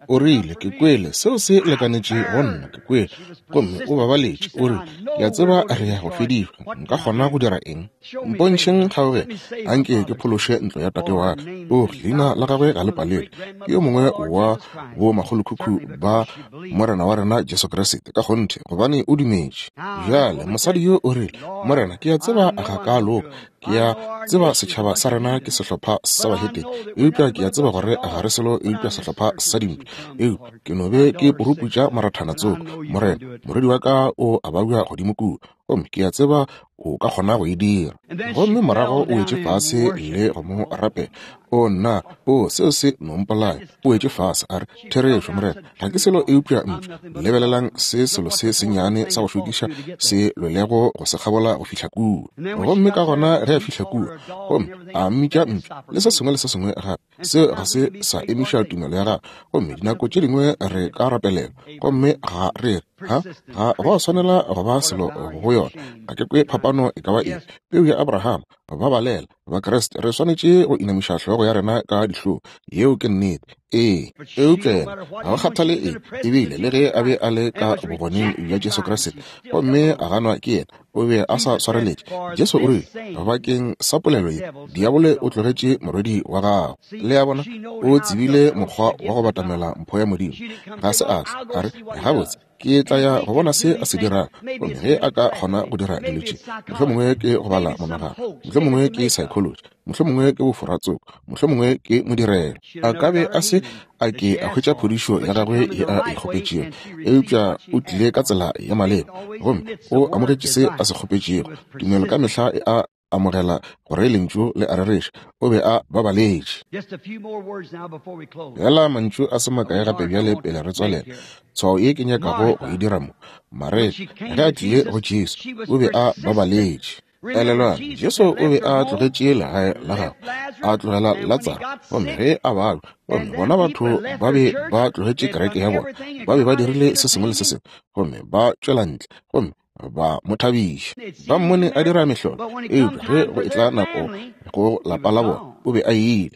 O rile, ke kwele, seo se lekanetše go nna, ke kwele. Gomme o babaletše, o rile, ke a tseba re ya go fedišwa, nka kgona go dira eng? Mpontšheng kgaogelo, a nke ke phološe ntlo ya tate wa ka. O, leina la gagwe ga le palelwe, ke yo mongwe wa bo makgolokhukhu ba Morena wa rena Jesu Kriste, ka kgonthe, gobane o dumetše. Bjale mosadi yo o rile, Morena, ke a tseba ga ka loka, ke a tseba setšhaba sa rena ke sehlopha sa bahetene, eupša ke a tseba gore ga re selo eupša sehlopha sa dimpša. Eupša ke no be ke puruputša marathana tsoko, Morena, morwedi wa ka o a babja godimo kua, gomme ke a tseba o ka kgona go e dira. Gomme morago o wetše fase le go mo rapela. O nna, o seo se no mpolaya. O wetše fase a re, therešo, Morena, ga ke selo eupša mpša. Lebelelang se selo se sennyane sa go šokiša se lwelego go se kgabola go fihla kua. Gomme ka gona ge a fihla kua, gomme a mmitša mpša le se sengwe le se sengwe gape, Seo ga se sa emiša tumelo ya gagwe. Gomme dinako tše dingwe re ka rapelelwa, gomme ga re ha ga go a swanela go ba selo go yona. Ga ke kwe phapano e ka ba efe. Peu ya Abraham, ba balela Bakriste, re swanetše go inamiša hlogo ya rena ka dihlong. Yeo ke nnete. Ee, eupša yena ga go kgathale eng, ebile le ge a be a le ka bogoneng bja Jesu Kriste gomme a ganwa ke yena, o be a sa swareletše. Jesu o rile, bakeng sa polelo ye, diabolo o tlogetše morwedi wa gago. Le a bona, o tsebile mokgwa wa go batamela mpho ya Modimo. Ga se a tla a re, gabotse, ke tla ya go bona se a se dirago. Gomme ge a ka kgona go dira dilo tše, mohlomongwe ke go bala monagano, mohlomongwe ke psychology, mohlomongwe ke boforatsoko, mohlomongwe ke modirelo. A ka be a se a ke a hwetša phodišo ya gagwe ye a e kgopetšego, eupša o tlile ka tsela ya maleba gomme o amogetše se a se kgopetšego. Tumelo ka mehla e a amogela gore lentšu le a rereša. O be a babaletše. Bjala mantšu a se makae gape bjale pele re tswalela. Tshwao ye ke nyakago go e dira mo. Mareta, ge a tlile go Jesu, o be a babaletše. Elelwang, Jesu o be a tlogetše legae la gagwe, a tlogela Latsaro, gomme ge a balwa, gomme bona batho ba be ba tlogetše kereke ya bona, ba be ba dirile se sengwe le se sengwe, gomme ba tšwela ntle, gomme ba mo thabiša. Ba mmone a dira mehlolo, eupša ge go etla nako go lapa la bona, o be a ile.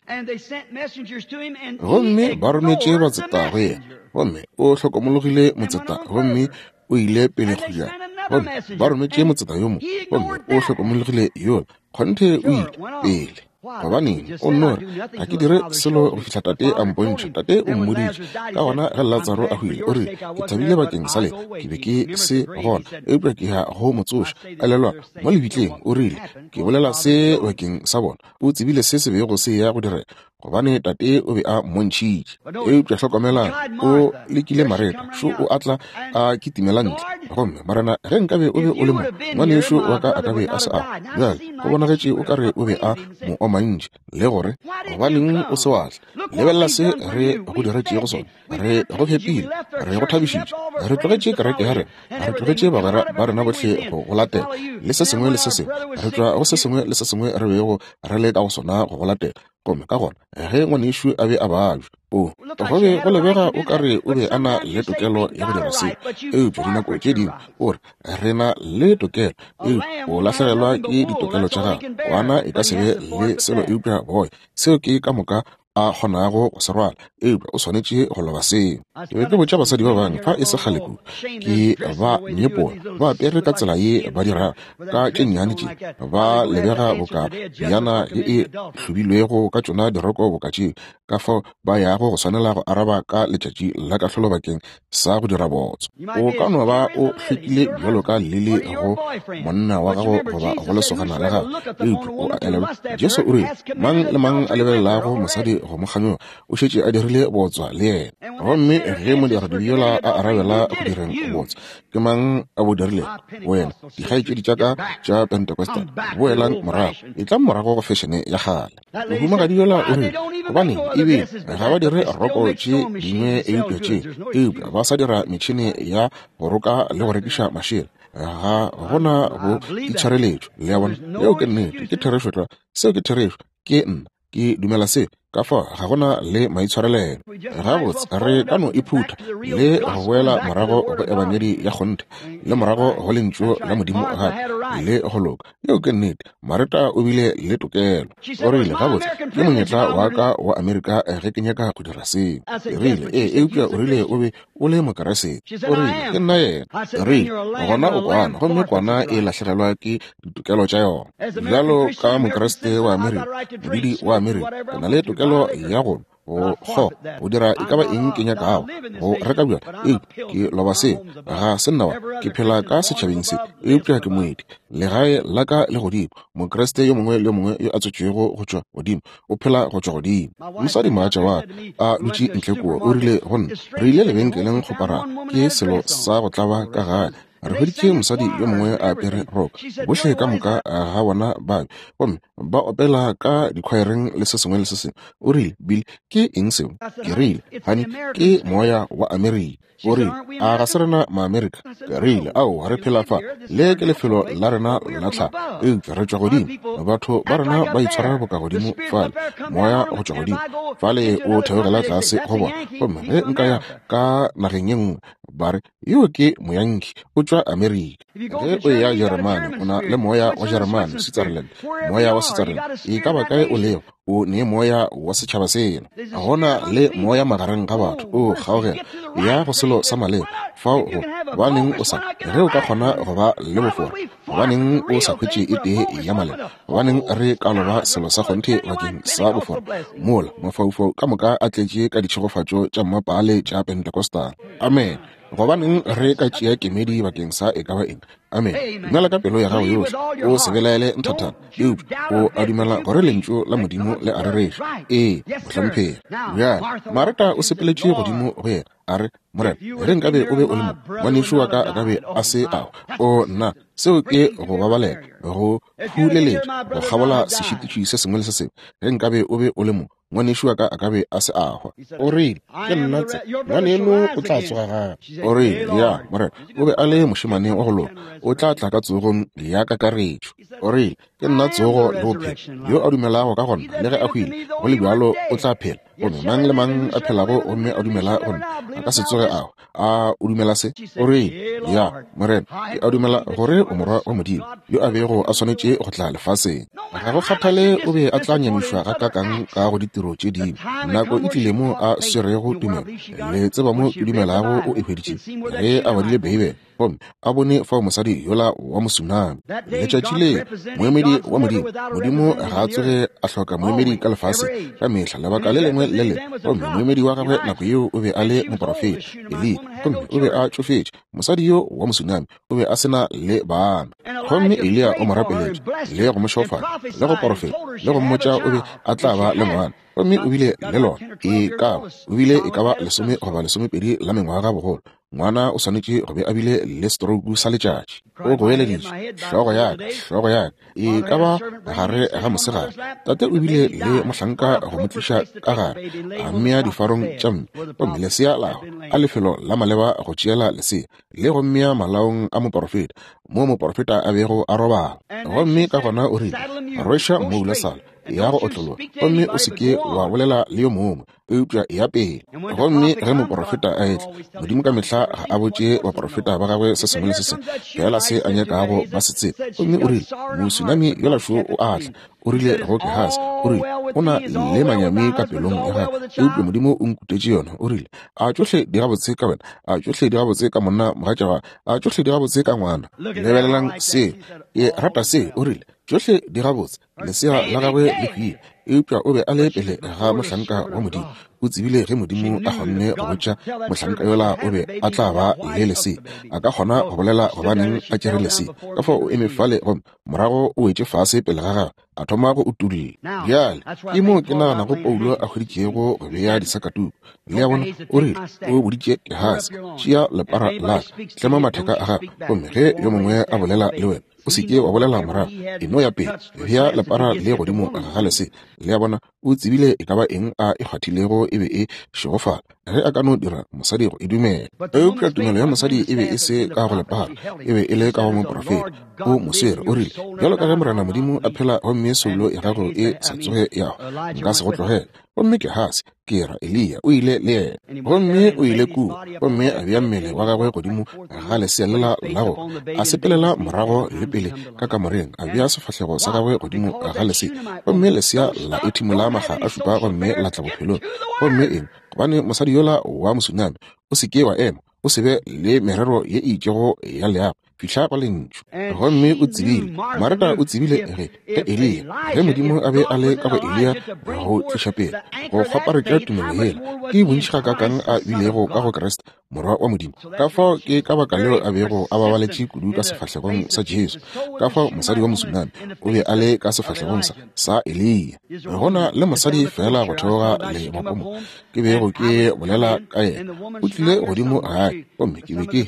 Gomme ba rometše batseta go yena, gomme o hlokomologile motseta, gomme o ile pele go ja. Gomme ba rometše motseta yo mongwe, gomme o hlokomologile yola. Kgonthe o ile pele. Gobaneng, o nno re, ga ke dire selo go fihla tate a mpontšha. Tate o mmoditše. Ka gona ge Latsaro a hwile, o rile, ke thabile bakeng sa lena, ke be ke se gona, eupša ke ya go mo tsoša. Elelwa, mo lebitleng, o rile, ke bolela se bakeng sa bona. O tsebile se se bego se ya go direga, gobane tate o be a mmontšhitše. Eupša hlokomelang, o lekile Mareta, šo o atla a kitimela ntle. Gomme Morena, ge nkabe o be o le mo, ngwanešo wa ka a ka be a se a. Bjale go bonagetše o ka re o be a mo omantše, le gore gobaneng o se wa tla. Lebelela se re go diretšego sona. Re go fepile, re go thabišitše, re tlogetše kereke ya rena, re tlogetše bagwera ba rena bohle go go latela, le se sengwe le se sengwe. Re tšwa go se sengwe le se sengwe re bego re le ka go sona go go latela. Gomme ka gona ge ngwanešo a be a babja, o go be go lebega o ka re o be a na le tokelo ya go dira seo, eupša dinako tše dingwe o re re na le tokelo, eupša o lahlegelwa ke ditokelo tša gago. Kwana e ka se be le selo eupša boya, seo ke ka moka a kgonago go se rwala, eupša o swanetše go loba seo. Ke be ke botša basadi ba bangwe fa e se kgale kudu, ke ba nyepola, ba apere ka tsela ye ba dirago, ka tše nnyane tše, ba lebega boka bjana ye e hlobilwego ka tšona diroko boka tšeo, ka fao ba yago go swanela go araba ka letšatši la kahlolo bakeng sa go dira botso. O ka no ba o hlwekile bjalo ka lili go monna wa gago goba go lesogana la gago, eupša o a elelwa, Jesu o rile, mang le mang a lebelelago mosadi go mo kganyoga o šetše a dirile botswa le yena. Gomme ge modiradibe yola a arabela go direng botswa, ke mang a bo dirilego? Wena. Dikgaetšedi tša ka tša Pentecostal, boelang morago, etlang morago go fešene ya kgale. Mohumagadi yola o rile, gobaneng ebile ga ba dire roko tše dingwe eupša tše, eupša ba sa dira metšhene ya go roka le go rekiša mašela. Ga gona go itshwareletšo. Le a bona, yeo ke nnete, ke therešo tlwa. Seo ke therešo, ke nna, ke dumela seo. Ka fao ga gona le maitshwarelelo. Gabotse re ka no iphutha le go boela morago go ebangedi ya kgonthe, le morago go lentšu la Modimo gape le go loka. Yeo ke nnete. Mareta o bile le tokelo. O rile, gabotse ke monyetla wa ka wa Amerika ge ke nyaka go dira seo. Ke rile, ee, eupša o rile o be o le Mokeresete. O rile, ke nna yena. Ke rile, gona o kwana, gomme kwana e lahlegelwa ke ditokelo tša yona. Bjalo ka Mokeresete wa Amerika, modudi wa Amerika, ke na le tokelo ya go go kgo go dira e ka ba eng ke nyakago go reka bjala, eupša ke loba seo. Ga se nna wa ke phela ka setšhabeng se, eupša ke moeti. Legae la ka le godimo. Mokriste yo mongwe le yo mongwe yo a tswetšwego go tšwa godimo o phela go tšwa godimo. Mosadi mogatša wa ka a dutše ntle kua, o rile go nna, re ile lebenkeleng go para ke selo sa go tlaba ka gae. Re hweditše mosadi yo mongwe a apere roko, bohle ka moka ga bona ba be, gomme ba opela ka dikhwaereng le se sengwe le se sengwe. O rile, Bill, ke eng seo? Ke rile, Honey, ke moya wa Amerika. O rile, a ga se rena Maamerika? Ke rile, ao, re phela fa, le ke lefelo la rena la tlhago, eupša re tšwa godimo. Batho ba rena ba itshwara boka godimo fale, moya go tšwa godimo fale o theogela tlase go bona. Gomme ge nka ya ka nageng ye nngwe, ba re, yo ke Moyankhi, o tšwa Amerika. Ge o eya Jeremane, o na le moya wa Jeremane, Switzerland, moya wa Switzerland. E ka ba kae o lego, o ne moya wa setšhaba sela. Gona le moya magareng ga batho, o kgaogela ya go selo sa maleba. Fao go gobaneng o sa, ge o ka kgona go ba le bofora, gobaneng o sa hwetše e tee ya maleba? Gobaneng re ka loba selo sa kgonthe bakeng sa bofora? Mola mafaufau ka moka a tletše ka ditšhegofatšo tša mmapaale tša Pentecostal. Amen. Gobaneng re ka tšea kemedi bakeng sa e ka ba eng? Amen. Dumela ka pelo ya gago yohle, o se belaele nthathana, eupša o a dumela gore lentšu la Modimo le a rereša. Ee, mohlomphegi. Bjale Mareta o sepeletše godimo go yena, a re, Morena, ge nkabe o be o le mo, ngwanešu wa ka a ka be a se awa. O nna, seo ke go babalela, go phuleletša, go kgabola sešitiši se sengwe le se sengwe. Ge nkabe o be o le mo, ngwanešu wa ka a ka be a se a hwa. O rile, ke nna tse, ngwaneno o tla tsoga gape. O rile, ya, Morena, o be a le mošemane wa go loka, o tla tla ka tsogong ya kakaretšo. O rile, ke nna tsogo le bophelo, yo a dumelago ka gona le ge a hwile, go le bjalo o tla phela. Gomme mang le mang a phelago gomme a dumela go nna a ka se tsoge a hwa. A o dumela se? O rile, ya, Morena, ke a dumela gore o morwa wa Modimo, yo a bego a swanetše go tla lefaseng. Ga go kgathale o be a tla nyamišwa gakakang ka go ditiro tše dingwe, nako e tlile mo a swerego tumelo. Le tseba mo ke dumelago o e hweditše ge a badile Beibele, gomme a bone fao mosadi yola wa mosunami. Letšatši le moemedi wa Modimo, Modimo ga a tsoge a hloka moemedi ka lefaseng ka mehla, lebaka le lengwe le lengwe. Gomme moemedi wa gagwe nako yeo o be a le moporofeta Eliya, gomme o be a tšofetše. Mosadi yo wa mosunami o be a se na le bana, gomme Eliya o mo rapeletše le go mo šofatša le go porofeta le go mmotša o be a tla ba le ngwana, gomme o bile le lona. E ka ba o bile e ka ba lesome goba lesomepedi la mengwaga bogolo. Ngwana o swanetše go be a bile le stroke sa letšatši. O goeleditše, hlogo ya ka, hlogo ya ka. E ka ba gare ga mosegare, tate o bile le mohlanka go mo tliša ka gare, a mmea difarong tša mme, gomme lesea la hwa a lefelo la maleba go tšeela lesea le go mmea malaong a moporofeta, mo moporofeta a bego a robala. Gomme ka gona o rile, rweša mmoula sala ya go otlologa, gomme o se ke wa bolela le yo mongwe, eupša ya pele. Gomme ge moporofeta a etla, Modimo ka mehla ga a botše baporofeta ba gagwe se sengwe le se sengwe fela se a nyakago ba se tsebe. Gomme o rile, mosunami yola šo o a tla. O rile go Gehasi, o rile, o na le manyami ka pelong ya gagwe, eupša Modimo o nkutetše yona. O rile, a tšohle di gabotse ka wena, a tšohle di gabotse ka monna mogatša wa, a tšohle di gabotse ka ngwana. Lebelelang se, ke rata se. O rile, tšohle di gabotse, lesea la gagwe le hwile, eupša o be a le pele ga mohlanka wa Modimo. O tsebile ge Modimo a kgonne go botša mohlanka yola o be a tla ba le lesea, a ka kgona go bolela gobaneng a tšere lesea. Ka fao o eme fale gomme morago o wetše fase pele ga gagwe, a thoma go utulla. Bjale ke mo ke naganago Paulo a hweditšego go bea disakatuku. Le a bona, o rile, o boditše Gehasi, tšea lepara la ka, tlema matheka a gago, gomme ge yo mongwe a bolela le wena, o se ke wa bolela morago, e no ya pele, bea lepara le godimo ga lesea. Le a bona, o tsebile e ka ba eng a e kgwathilego e be e šegofala, ge a ka no dira mosadi go e dumela. Eupša tumelo ya mosadi e be e se ka go lepara, e be e le ka go moporofeta. O mo swere, o rile, bjalo ka ge Morena Modimo a phela gomme soulo ya gago e sa tsoge ya hwa, nka se go tlogele. Gomme Gehasi, ke ra Eliya, o ile le yena, gomme o ile kua, gomme a bea mmele wa gagwe godimo ga lesea lela la go, a sepelela morago le pele ka kamoreng, a bea sefahlego sa gagwe godimo ga lesea, gomme lesea la ethimola makga a šupa gomme la tla bophelong. Gomme eng? Gobane mosadi yola wa mosunami, o se ke wa ema, o se be le merero ye e itšego ya leago, fihla go lentšu. Gomme o tsebile, Mareta o tsebile ge ge Eliya, ge Modimo a be a le ka go Eliya go tliša pele, go kgwaparetša tumelo yela, ke bontši gakakang a bilego ka go Kriste Morwa wa Modimo. Ka fao ke ka baka leo a bego a babaletše kudu ka sefahlegong sa Jesu. Ka fao mosadi wa Mosunami o be a le ka sefahlegong sa, sa Eliya. Gona le mosadi fela go theoga le mapomo ke bego ke bolela ka yena. O tlile godimo gae, gomme ke be ke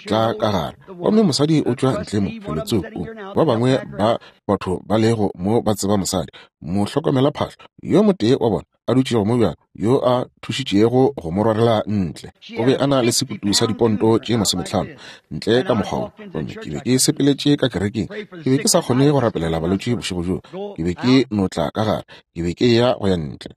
tla ka gare. Gomme mosadi o tšwa ntle mo felotsoko. Ba bangwe ba batho ba lego mo ba tseba mosadi, mohlokomela phahlo, yo motee wa bona a dutšego mo bjalo, yo a thušitšego go mo rwarela ntle. O be a na le sekutu sa diponto tše masometlhano ntle ka mokgwa wo. Gomme ke be ke sepeletše ka kerekeng. Ke be ke sa kgone go rapelela balwetši bošego bjoo. Ke be ke no tla ka gare. Ke be ke ya go ya ntle.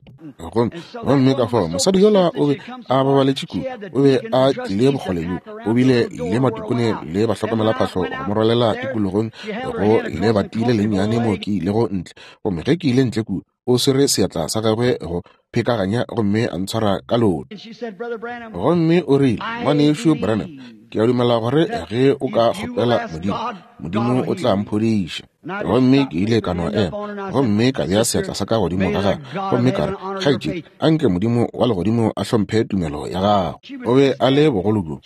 Gomme gomme ka fao mosadi yola o be a babaletše kudu. O be a tlile bokgole bjo. O bile le matikone le bahlokomela phahlo go mo rwalela tikologong go le batile lennyane mo ke ilego ntle. Gomme ge ke ile ntle kua, o swere seatla sa gagwe go phekaganya gomme a ntshwara ka leoto. Gomme o rile, Ngwanešu Branham, ke a dumela gore ge o ka kgopela Modimo, Modimo o tla mphodiša. Gomme ke ile ka no ema, gomme ka bea seatla sa ka godimo ga gagwe, gomme ka re, kgaetšedi, anke Modimo wa legodimo a hlomphe tumelo ya gago. O be a le bogolo bjo,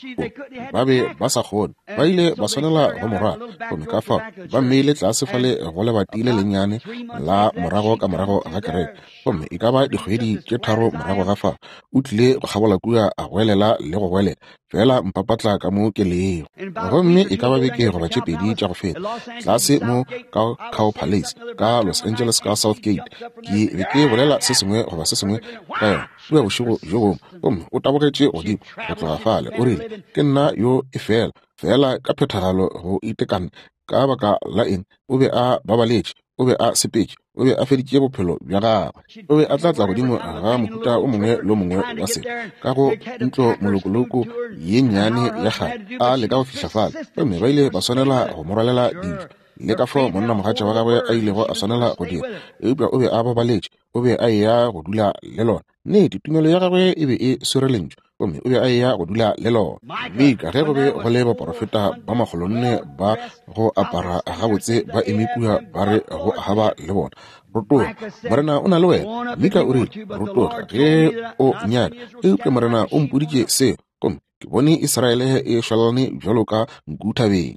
ba be ba sa kgone, ba ile ba swanela go mo rwala. Gomme ka fao ba mmeile tlase fale go lebati le lennyane la morago ka morago ga kereke. Gomme e ka ba dikgwedi tše tharo morago ga fao, o tlile go kgabola kua a goelela le go goelela, fela mpapatla ka mo ke lego. Gomme e ka ba beke goba tše pedi tša go feta, tlase mo ka Cow Palace ka Los Angeles ka South Gate, ke be ke bolela se sengwe goba se sengwe ka yona kua bošego bjo bongwe. Gomme o tabogetše godimo go tloga fale, o rile, ke nna yo e fela fela ka phethagalo go itekana. Ka baka la eng? O be a babaletše, o be a sepetše, o be a feditše bophelo bja gagwe. O be a tla tla godimo ga mohuta o mongwe le o mongwe wa selo ka go ntlo molokoloko ye nnyane ya kgale, a leka go fihla fale. Gomme ba ile ba swanela go mo rwalela dijo, le ka fao monnamogatša wa gagwe a ilego a swanela go dira. Eupša o be a babaletše, o be a eya go dula le lona. Nnete, tumelo ya gagwe e be e swere lentšu, gomme o be a eya go dula le lona. Mika, ge go be go le baporofeta ba makgolonne ba go apara gabotse ba eme kua ba re go Ahaba le bona, rotoga, Morena o na le wena. Mika o rile, rotoga ge o nyaka, eupša Morena o mpoditše seo, gomme ke bone Israele e šwalane bjalo ka nku thabeng.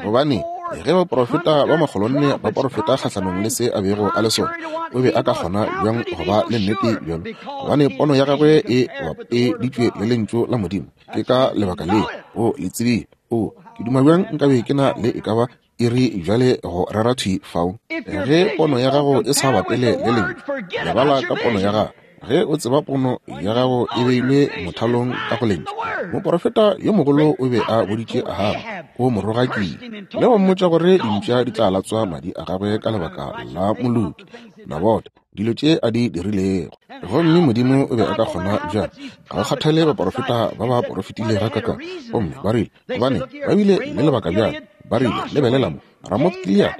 Gobane ge baporofeta ba makgolonne ba porofeta kgahlanong le se a bego a le sona, o be a ka kgona bjang go ba le nnete bjalo? Gobane pono ya gagwe e bapeditšwe le lentšu la Modimo. Ke ka lebaka le o le tsebile. O, ke duma bjang nkabe ke na le e ka ba iri bjale go rera thwi fao. Ge pono ya gago e sa bapele le lentšu, lebala ka pono ya gago. Ge o tseba pono ya gago e beilwe mothalong ka go lentšu. Moporofeta yo mogolo o be a boditše Ahaba, o mo rogakile le go mmotša gore dimpša di tla latswa madi a gagwe ka lebaka la moloki Nabote, dilo tše a di dirilego. Gomme Modimo o be a ka kgona bjang? Ga go kgathale baporofeta ba ba porofetile ga kaka. Gomme ba rile, gobane ba bile le lebaka bjang? Ba rile, lebelela mo, Ramoth Gilead,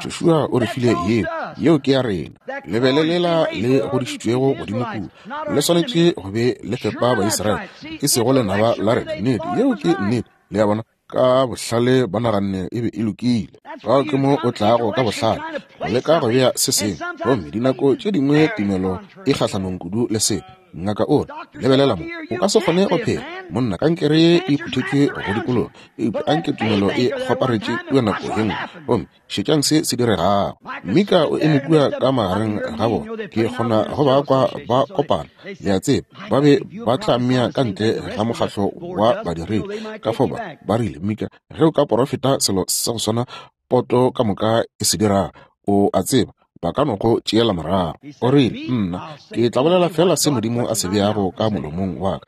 Joshua o re file yeo, yeo ke ya rena. Lebelelela le godišitšwego godimo kua, le swanetše go be le fepa Baisraele, e sego lenaba la rena. Nnete, yeo ke nnete. Le a bona, ka bohlale ba naganne e be e lokile. Fao ke mo o tlago ka bohlale go leka go bea se sengwe. Gomme dinako tše dingwe tumelo e kgahlanong kudu le seo. Ngaka o re, lebelela mo, o ka se kgone go phela. Monna, kankere ye e phuthetšwe go dikologa, eupša anke tumelo e kgoparetše kua nako ye nngwe. Gomme šetšang se se diregago. Mika o eme kua ka magareng ga bona. Ke kgona go ba kwa ba kopana. Le a tseba, ba be ba tla mmea ka ntle ga mokgahlo wa badiredi. Ka fao ba ba rile, Mika, ge o ka porofeta selo sa go swana poto ka moka e se dirago, o a tseba, ba ka no go tšeela morago. O rile, nna ke tla bolela fela se Modimo a se beago ka molomong wa ka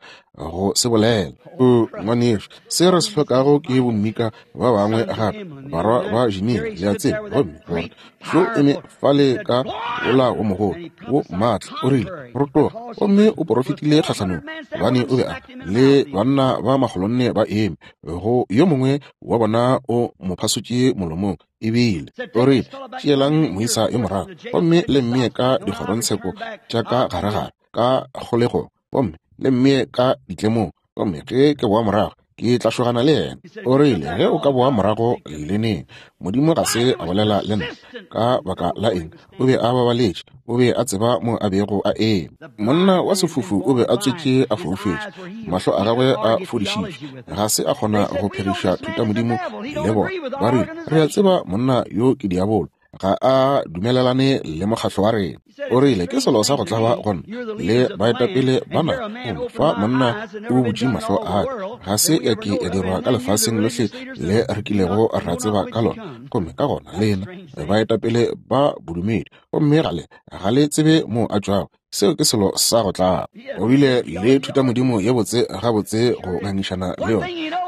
go se bolela. O ngwanešu, se re se hlokago ke bommika ba bangwe gape, barwa ba Jimia, le a tseba. Gomme gore šo eme fale ka ola wo mogolo wo maatla, o rile, rotoga. Gomme o porofetile kgahlanong, gobane o be a le banna ba makgolonne ba eme go yo mongwe wa bona o mo phasotše molomong. Ebile o rile, tšeelang moisa yo morago gomme le mmee ka dikgorongtsheko tša ka garegare ka kgolegong, gomme le mmee ka ditlemong. Gomme ge ke boa morago, Ke tla šogana le yena. O rile, ge o ka boa morago le neng, Modimo ga se a bolela le nna. Ka baka la eng? O be a babaletše. O be a tseba mo a bego a eme. Monna wa sefofu o be a tswetše a foufetše, mahlo a gagwe a fodišitšwe. Ga se a kgona go pheriša thutamodimo le bona. Ba rile, re a tseba monna yo ke diabolo, ga a dumelelane le mokgahlo wa rena. O rile, ke selo sa go tlaba gona le baetapele bana fa monna o butše mahlo a ka, ga se ya ke ya dirwa ka lefaseng lohle le re kilego ra tseba ka lona. Gomme ka gona lena baetapele ba bodumedi, gomme ga le ga le tsebe mo a tšwago. Seo ke selo sa go tlaba. O bile le thutamodimo ye botse gabotse go ngangišana le yona.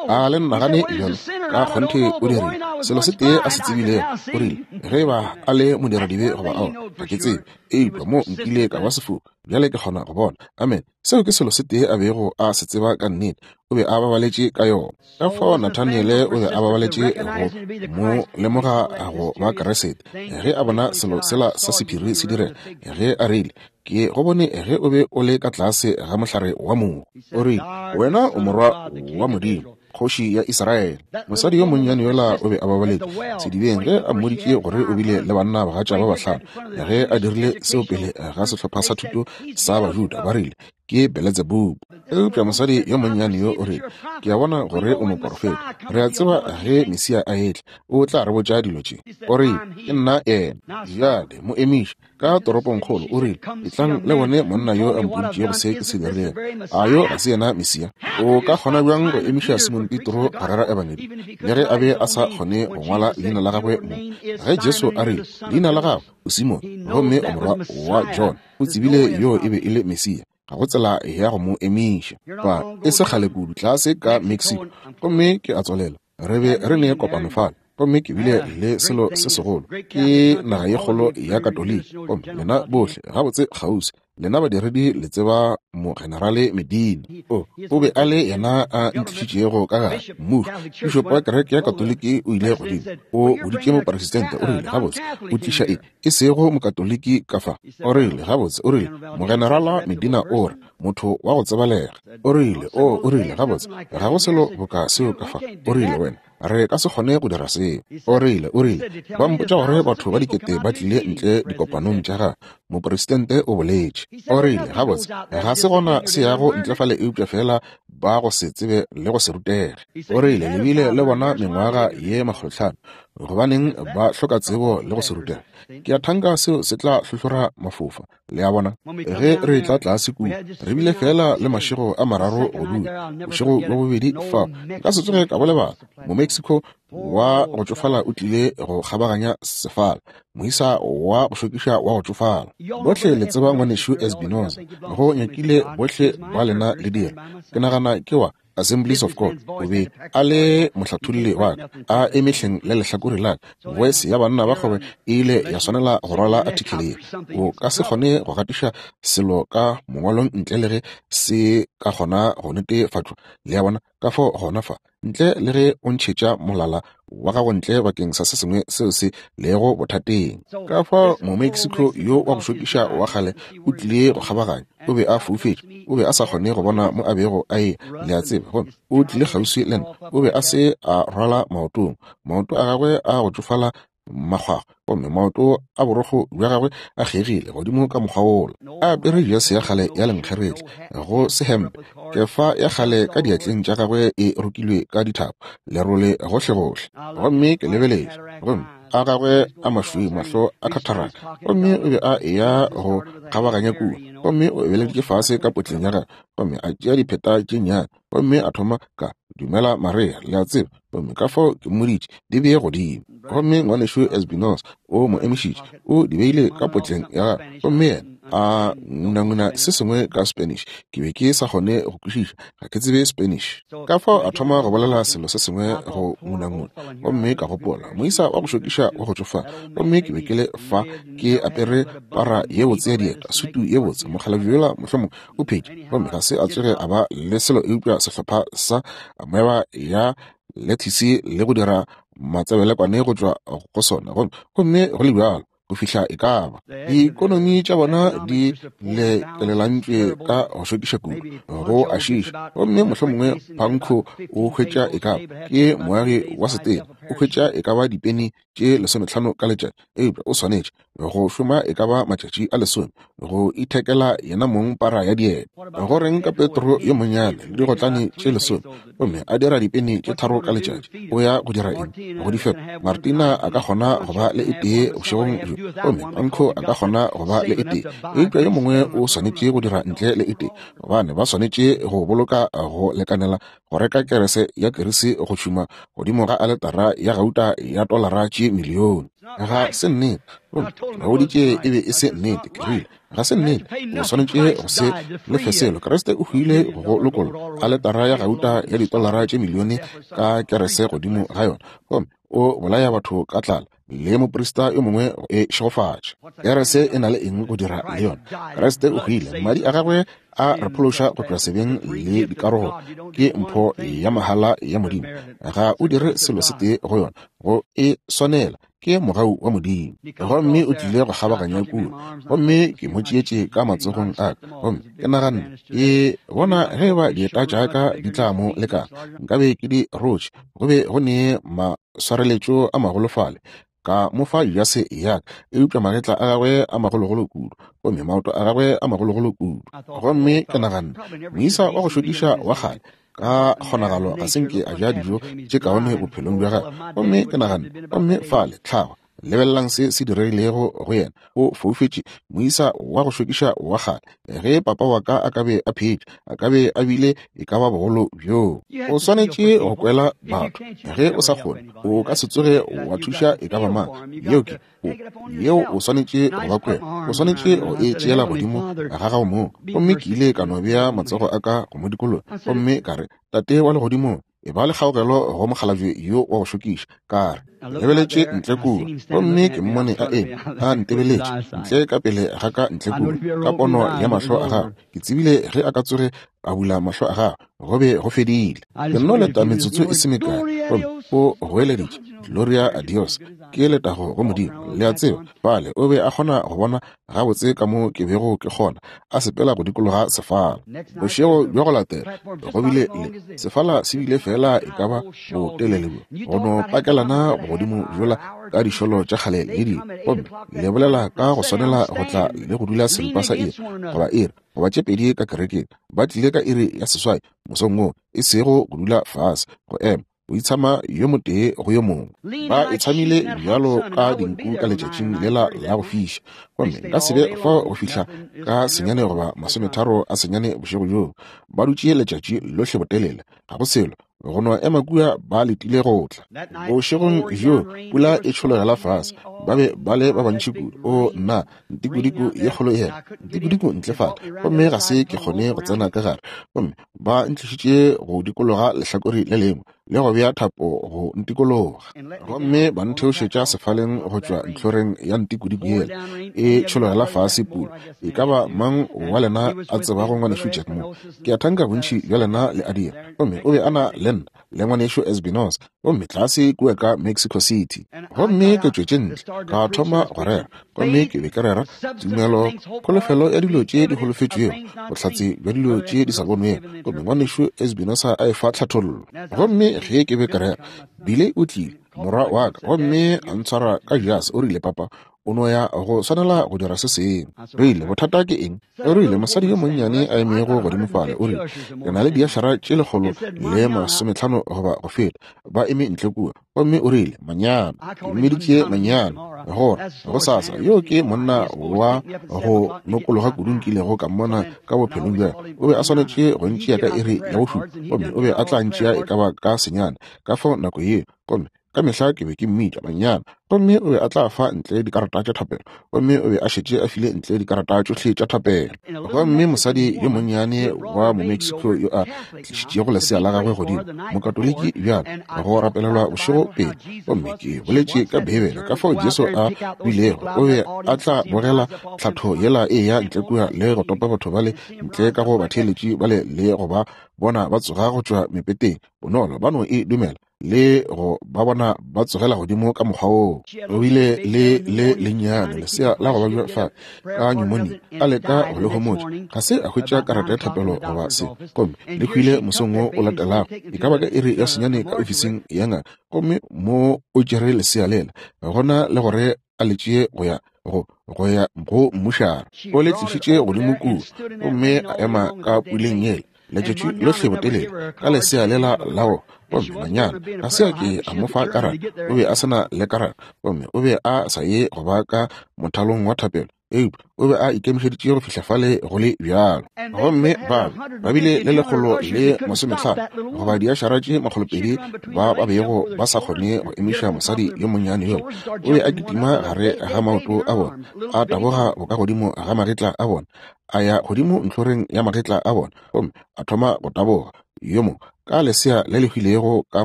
A le nagane bjalo? Ka kgonthe o dirile selo se tee a se tsebilego. O rile, ge ba a le modiradibe goba ao, ga ke tsebe, eupša mo nkile ka ba sefofu, bjale ke kgona go bona. Amen. Seo ke selo se tee a bego a se tseba ka nnete. O be a babaletše ka yona. Ka fao Nathaniele o be a babaletše go mo lemoga go ba Keresete ge a bona selo sela sa sephiri se direga, ge a rile, ke go bone ge o be o le ka tlase ga mohlare wa mogo. O rile, wena o morwa wa Modimo, kgoši ya Israele. Mosadi yo monnyane yola o be a babaletše sedibeng ge a mmoditše gore o bile le banna bagatša ba bahlano. Ge a dirile seo pele ga sehlopha sa thuto sa Bajuda, ba rile, ke Beletsebubu. Eupša mosadi yo monnyane yo o rile, ke a bona gore o moporofeta. Re a tseba ge Mesia a etla, o tla re botša dilo tše. O rile, ke nna yena. Bjale mo emiše ka toropongkgolo. O rile, etlang le bone monna yo a mpoditšego se ke se dirilego. A yo ga se yena Mesia? O ka kgona bjang go emiša Simon Petro go rera ebangedi, le ge a be a sa kgone go ngwala leina la gagwe mo? Ge Jesu a rile, leina la gago o Simon, gomme o morwa wa John, o tsebile yo e be e le Mesia. Ga go tsela ya go mo emiša. Ba e se kgale kudu tlase ka Mexico, gomme ke a tswalela. Re be re ne kopano fale, gomme ke bile le selo se segolo. Ke naga ye kgolo ya Katoliki, gomme lena bohle gabotse kgauswi, lena badiredi le tseba mogenerale Medina. O o be a le yena a ntlišitšego ka gare mmušo. Pišopo wa kereke ya Katoliki o ile godimo, o boditše mopresidente, o rile, gabotse o tliša e e sego mokatoliki ka fa. O rile, gabotse, o rile, mogenerala Medina o re motho wa go tsebalega. O rile, o o rile, gabotse ga go selo boka seo ka fa. O rile, wena re ka se kgone go dira seo. O rile, o rile, ba mpotša gore batho ba dikete ba tlile ntle dikopanong tša gagwe. Mopresidente o boletše. O rile, gabotse ga se gona se yago ntle fale eupša fela ba go se tsebe le go se rutege. O rile, le bile le bona mengwaga ye makgolotlhano, gobaneng ba hloka tsebo le go se rutege? Ke a thanka seo se tla hlohlora mafofa. Le a bona? Ge re tla tlase kua, re bile fela le mašego a mararo go dula, bošego bja bobedi fao. Nka se tsoge ka bo lebala. Mo-Mexico wa go tšofala o tlile go kgabaganya sefala, moisa wa go šokiša wa go tšofala. Bohle le tseba ngwanešu Espinoza, go nyakile bohle ba lena le dira. Ke nagana ke wa Assemblies of God. O be a le mohlatholli wa ka, a emehleng le lehlakore la ka. Voice ya banna ba kgwebo e ile ya swanela go rwala article ye. O ka se kgone go gatiša selo ka mongwalong ntle le ge se ka kgona go netefatšwa. Le a bona? Ka fao gona fa, ntle le ge o ntšhetša molala wa gago ntle bakeng sa se sengwe seo se lego bothateng. Ka fao mo-Mexico yo wa go šokiša wa kgale o tlile go kgabaganya. O be a foufetše, o be a sa kgone go bona mo a bego a e, le a tseba. Gomme o tlile kgauswi le nna. O be a se a rwala maotong, maoto a gagwe a go tšofala makgwakgwa, gomme maoto a borokgo bja gagwe a kgegile godimo ka mokgwa wola. A apere jase ya kgale ya lenkgeretla, go se hempe, kefa ya kgale ka diatleng tša gagwe e rokilwe ka dithapo, lerole gohlegohle. Gomme ke lebeletše, gomme a gagwe a mašweu, mahlo a khatharaka, gomme o be a eya go kgabaganya kua. Gomme o ebeleditše fase ka potleng ya gagwe, gomme a tšea dipheta tše nnyane, gomme a thoma ka dumela Maria, le a tseba. Gomme ka fao ke mmoditše di bee godimo. Gomme ngwanešu Espinoza o mo emišitše, o di beile ka potleng ya gagwe, gomme yena a ngunanguna se sengwe ka Spanish. Ke be ke sa kgone go kwešiša, ga ke tsebe Spanish. Ka fao a thoma go bolela selo se sengwe go ngunanguna, gomme ka gopola moisa wa go šokiša wa go tšofala. Gomme ke be ke le fa ke apere para ye botse ya dieta, sutu ye botse, mokgalabje yola mohlomongwe o phetše, gomme ga se a tsoge a ba le selo eupša sehlopha sa moeba ya lethisi le go dira matsebelekwane go tšwa go sona. Gomme gomme go le bjalo go fihla e ka ba. Dikonomi tša bona di lekelelantšwe ka go šokiša kudu, go a šiiša. Gomme mohlomongwe Panko o hwetša e ka ba, ke moagi wa setena, o hwetša e ka ba dipeni tše lesometlhano ka letšatši, eupša o swanetše go šoma e ka ba matšatši a lesome go ithekela yena mong para ya dieta. Go reng ka Petro yo monnyane le digotlane tše lesome, gomme a dira dipeni tše tharo ka letšatši? O ya go dira eng go di fepa? Martina a ka kgona go ba le e tee bošegong bjo, gomme Panko a ka kgona go ba le e tee, eupša yo mongwe o swanetše go dira ntle le e tee, gobane ba swanetše go boloka go lekanela go reka kerese ya kerisi go tšhuma godimo ga aletara ya gauta ya tolara tše milione. Ga se nnete. Gomme ke ba boditše e be e se nnete. Ke rile, ga se nnete. O swanetše go se lefe selo. Kriste o hwile go lokolla aletara ya gauta ya ditolara tše milione ka kerese godimo ga yona, gomme o bolaya batho ka tlala le moprista yo mongwe go e šegofatša. Kerese e na le eng go dira le yona? Kriste o hwile, madi a gagwe a re phološa go tšwa sebeng le dikarogo. Ke mpho ya mahala ya Modimo. Ga o dire selo se tee go yona, go e swanela. Ke mogau wa Modimo. Gomme o tlile go kgabaganya kua, gomme ke mo tšeetše ka matsogong a ka, gomme ke naganne, ke bona ge ba dieta tša ka di tla mo lekana, nkabe ke di rotše. Go be go ne maswareletšo a magolofale, ka mo fa jase ya ka, eupša magetla a gagwe a magologolo kudu, gomme maoto a gagwe a magologolo kudu. Gomme ke naganne, moisa wa go šokiša wa kgale, ka kgonagalo ga se nke a ja dijo tše kaone bophelong bja gagwe. Gomme ke naganne, gomme fale tlhago, lebelelang se se diregilego go yena. O foufetše, moisa wa go šokiša wa kgale. Ge papa wa ka a ka be a phetše, a ka be a bile e ka ba bogolo bjoo. O swanetše go kwela batho. Ge o sa kgone, o ka se tsoge wa thuša e ka ba mang. Yeo ke o, yeo o swanetše go ba kwela. O swanetše go e tšeela godimo ga gago mong. Gomme ke ile ka no bea matsogo a ka go mo dikologa, gomme ka re, Tate wa legodimong, e ba le kgaogelo go mokgalabje yo wa go šokiša. Ka re, lebeletše ntle kua, gomme ke mmone a eme a ntebeletše ntle ka pele ga ka ntle kua ka pono ya mahlo a gagwe. Ke tsebile ge a ka tsoge a bula mahlo a gagwe, go be go fedile. Ke nno leta metsotso e se mekae, gomme o goeleditše, Gloria a Dios, ke letago go Modimo. Le a tseba, fale o be a kgona go bona gabotse ka mo ke bego ke kgona, a sepela go dikologa sefala. Bošego bja go latela go bile le sefala se bile fela e ka ba botelele bjo, go no pakelana godimo bjola ka dišolo tša kgale le dingwe, gomme le bolela ka go swanela go tla le go dula seripa sa iri goba iri goba tše pedi ka kerekeng. Ba tlile ka iri ya seswai mosong wo, e sego go dula fase, go ema o itshama yo motee go yo mongwe. Ba itshamile bjalo ka dinku ka letšatšing lela la go fiša, gomme nka se be fao go fihla ka senyane goba masometharo a senyane bošego bjoo. Ba dutše letšatši lohle botelele, ga go selo, go no ema kua ba letile go tla. Bošegong bjo pula e tšhologela fase, ba be ba le ba bantši kudu. O nna, ntikodiko ye kgolo yela, ntikodiko ntle fale, gomme ga se ke kgone go tsena ka gare. Gomme ba ntlišitše go dikologa lehlakore le lengwe le go bea thapo go ntikologa, gomme ba ntheošetša sefaleng go tšwa ntlhoreng ya ntikodiko yela e tšhologela fase pula. E ka ba mang wa lena a tsebago ngwanešu Jack mo? Ke a thanka bontši bja lena le a dira. Gomme o be a na le nna le ngwanešu Esbinos, gomme tlase kua ka Mexico City. Gomme ke tšwetše ntle ka thoma go rera, gomme ke be ke rera tumelo, kholofelo ya dilo tše di holofetšwego, bohlatse bja dilo tše di sa bonwego. Gomme ngwanešu Esbinosa a e fa tlhathollo. Gomme ge ke be ke rera, Bile o tlile, morwa wa ka, gomme a ntshwara ka jase. O rile, papa, o no ya go swanela go dira se sengwe. Rile, bothata ke eng? O rile, mosadi yo monnyane a emego godimo fale, o rile, ke na le diašara tše lekgolo le masometlhano goba go feta, ba eme ntle kua. Gomme o rile, manyana, ke mmeditše manyana, gore go sasa yo ke monna wa go nokologa kudu nkilego ka mmona ka bophelong bja. O be a swanetše go ntšea ka iri ya bošupa, gomme o be a tla ntšea e ka ba ka senyane ka fao nako yeo. Gomme ka mehla ke be ke mmitša manyana, gomme o be a tla fa ntle dikarata tša thapelo, gomme o be a šetše a file ntle dikarata tšohle tša thapelo. Gomme mosadi yo monnyane wa Momexico yo a tlišitšego lesea la gagwe godimo, mokatoliki bjalo, go rapelelwa bošego pele. Gomme ke boletše ka Beibele ka fao Jesu a bilego, o be a tla bogela tlhatho yela e ya ntle kua le go topa batho bale ntle ka go batheeletši bale le go ba bona ba tsoga go tšwa mepeteng bonolo, ba no e dumela. le go ba bona ba tsogela godimo ka mokgwa woo. O bile le le lennyane lesea la go babja fa ka pneumonia, a leka go le homotša, ga se a hwetša karata ya thapelo goba se, gomme le hwile mosong wo o latelago, e ka ba ka iri ya senyane ka ofising ya ngaka. Gomme mo o tšere lesea lela gona le gore a le tšee go ya go go ya go mmušara, o le tlišitše godimo kua, gomme a ema ka puleng yela letšatši lohle botelele ka lesea lela la go. Gomme manyana ga se a ke a mo fa karata, o be a se na le karata, gomme o be a sa ye go ba ka mothalong wa thapelo, eupša o be a ikemišeditše go fihla fale go le bjalo. Gomme ba ba bile le lekgolo le masomehlano goba diašara tše makgolopedi ba ba bego ba sa kgone go emiša mosadi yo monnyane yola. O be a kitima gare ga maoto a bona, a taboga bokagodimo ga magetla a bona, a ya godimo ntlhoreng ya magetla a bona, gomme a thoma go taboga yo mongwe ka lesea le le hwilego ka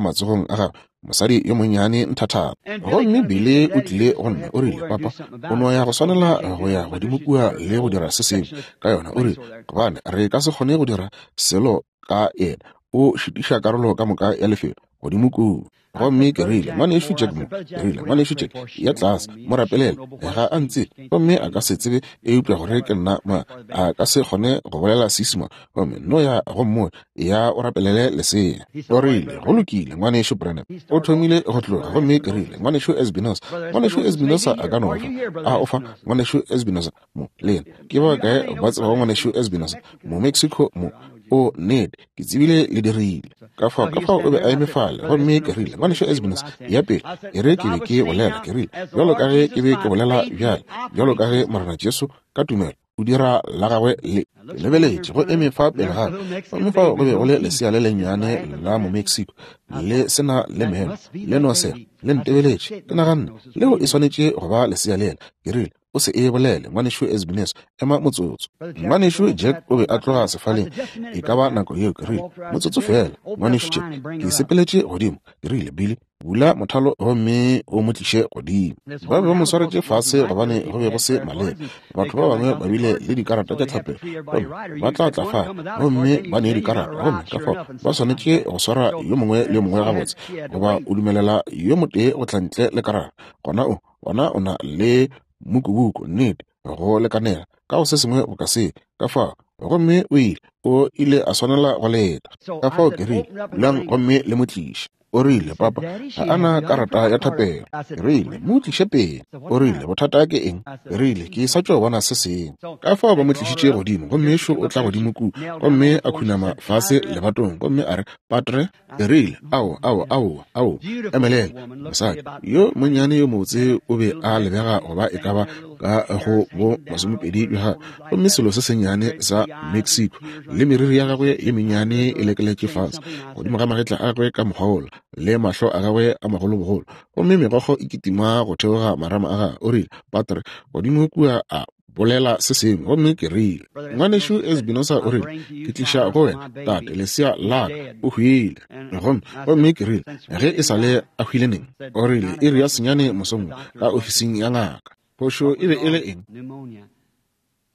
matsogong a gagwe, mosadi yo monnyane nthathana. Gomme Billy o tlile go nna, o rile, papa, o no ya go swanela go ya godimo kua le go dira se sengwe ka yona. O rile, gobane re ka se kgone go dira selo ka yena, o šitiša karolo ka moka ya lefelo godimo kua. Gomme ke rile, ngwanešu Jack mo, ke rile, ngwanešu Jack, ya tlase, mo rapelele, ga a ntse, gomme a ka se tsebe eupša gore ke nna ma, a ka se kgone go bolela Seisemane, gomme no ya go mmoe, ya o rapelele lesea. O rile, go lokile, ngwanešu Branham. O thomile go tloga, gomme ke rile, ngwanešu Espinosa, ngwanešu Espinosa a ka no fa, a o fa, ngwanešu Espinosa mo, le yena, ke ba kae ba tsebago ngwanešu Espinosa mo Mexico mo? O nnete, ke tsebile le dirile. Ka fao, ka fao o be a eme fale, gomme ke rile, ngwanešu Espinosa, ya pele, e re ke be ke bolela, ke rile, bjalo ka ge ke be ke bolela bjale, bjalo ka ge Morena Jesu ka tumelo o dira la gagwe le. Ke lebeletše go eme fa pele ga ka, gomme fao go be go le lesea le lennyane la mo Mexico, le se na le meno, le no sega, le ntebeletše. Ke naganne leo e swanetše go ba lesea lela. Ke rile, o se e bolele, ngwanešu Espinosa, ema motsotso. Ngwanešu Jack o be a tloga sefaleng e ka ba nako yeo. Ke rile, motsotso fela, ngwanešu Jack. Ke sepeletše godimo, ke rile, Billy, bula mothalo gomme o mo tliše godimo. Ba be ba mo swaretše fase gobane go be go se maleba. Batho ba bangwe ba bile le dikarata tša thapelo, gomme ba tla tla fa gomme ba nee dikarata, gomme ka fao ba swanetše go swara yo mongwe le yo mongwe gabotse, goba o dumelela yo motee go tla ntle le karata, gona o gona o na le mokubuku, nnete, go lekanela ka go se sengwe boka se. Ka fao gomme o ile o ile a swanela go leta. Ka fao ke rile, bulang gomme le mo tliše. O rile, papa, ga a na karata ya thapelo. Ke rile, mo tliše pele. O rile, bothata ke eng? Ke rile, ke sa tšo bona se sengwe. Ka fao ba mo tlišitše godimo, gomme šo o tla godimo kua, gomme a khunama fase lebatong, gomme a re, patre. Ke rile, ao, ao, ao, ao, emelela. Mosadi yo monnyane yo mobotse o be a lebega go ba e ka ba ka go bo masomepedi bja gagwe, gomme selo se sennyane sa Mexico, le meriri ya gagwe ye mennyane e lekeletše fase godimo ga magetla a gagwe ka mokgwa wola, le mahlo a gagwe a magolobogolo, gomme megokgo e kitima go theoga marama a gagwe. O rile, patre, godimo kua a bolela se sengwe, gomme ke rile, ngwanešu Espinosa o rile, ke tliša go wena tate lesea la ka, o hwile. Gomme gomme ke rile, ge e sa le a hwile neng? O rile, iri ya senyane mosong ka ofising ya ngaka. Phošo e be e le eng?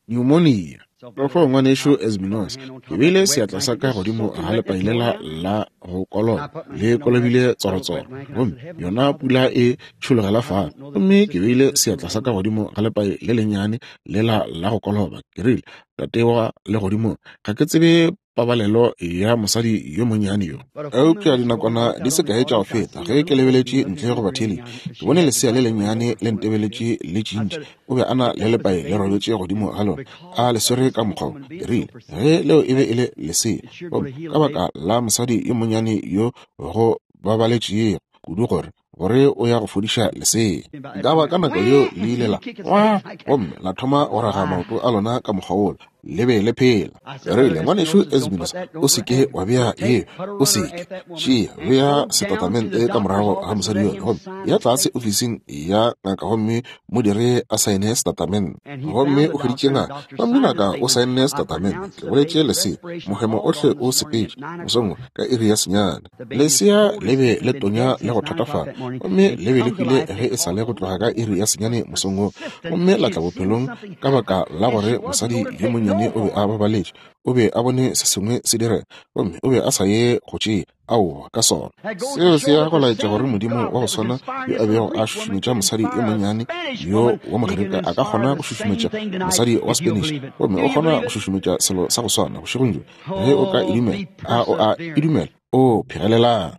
Pneumonia. Ka fao ngwanešu Espinosa, ke beile seatla sa ka godimo ga lepai lela la go koloba, le kolobile tsorotsoro, gomme yona pula e tšhologela fale. Gomme ke beile seatla sa ka godimo ga lepai le lennyane lela la go koloba. Ke rile, tate wa legodimong, ga ke tsebe pabalelo ya mosadi yo monnyane yo. Eupša dinakwana di se kae tša go feta, ge ke lebeletše ntle go batheeletši, ke bone lesea le lennyane le ntebeletše le tšintši. O be a na le lepai le robetše godimo ga lona, a le swere ka mokgwa wo. Ke rile, ge leo e be e le lesea, gomme ka baka la mosadi yo monnyane yo go babaletšego kudu gore gore o ya go fodiša lesea. Nka ba ka nako yeo le ile la wa, gomme la thoma go raga maoto a lona ka mokgwa wola, le be le phela. Ke rile, ngwanešu Espinosa, o se ke wa bea ye, o se ke tšea, bea setatamente ka morago ga mosadi yola, gomme ya tlase ofising ya ngaka, gomme mo dire a saene setatamente. Gomme o hweditše ngaka, gomme ngaka o saenne setatamente. Ke boletše lesea, mohemo ohle o sepetše mosong ka iri ya senyane. Lesea le be le tonya le go thatafala, gomme le be le hwile ge e sa le go tloga ka iri ya senyane mosong wo, gomme la tla bophelong ka baka la gore mosadi yo monnyane monnyane o be a babaletše, o be a bone se sengwe se direga, gomme o be a sa ye go tšea aowa ka sona. Seo se ya go laetša gore Modimo wa go swana yo a bego a šušumetša mosadi yo monnyane yo wa Mogerika a ka kgona go šušumetša mosadi wa Spanish, gomme o kgona go šušumetša selo sa go swana bošegong bjo. Ge o ka e dumela, a o a e dumela? O phegelelang.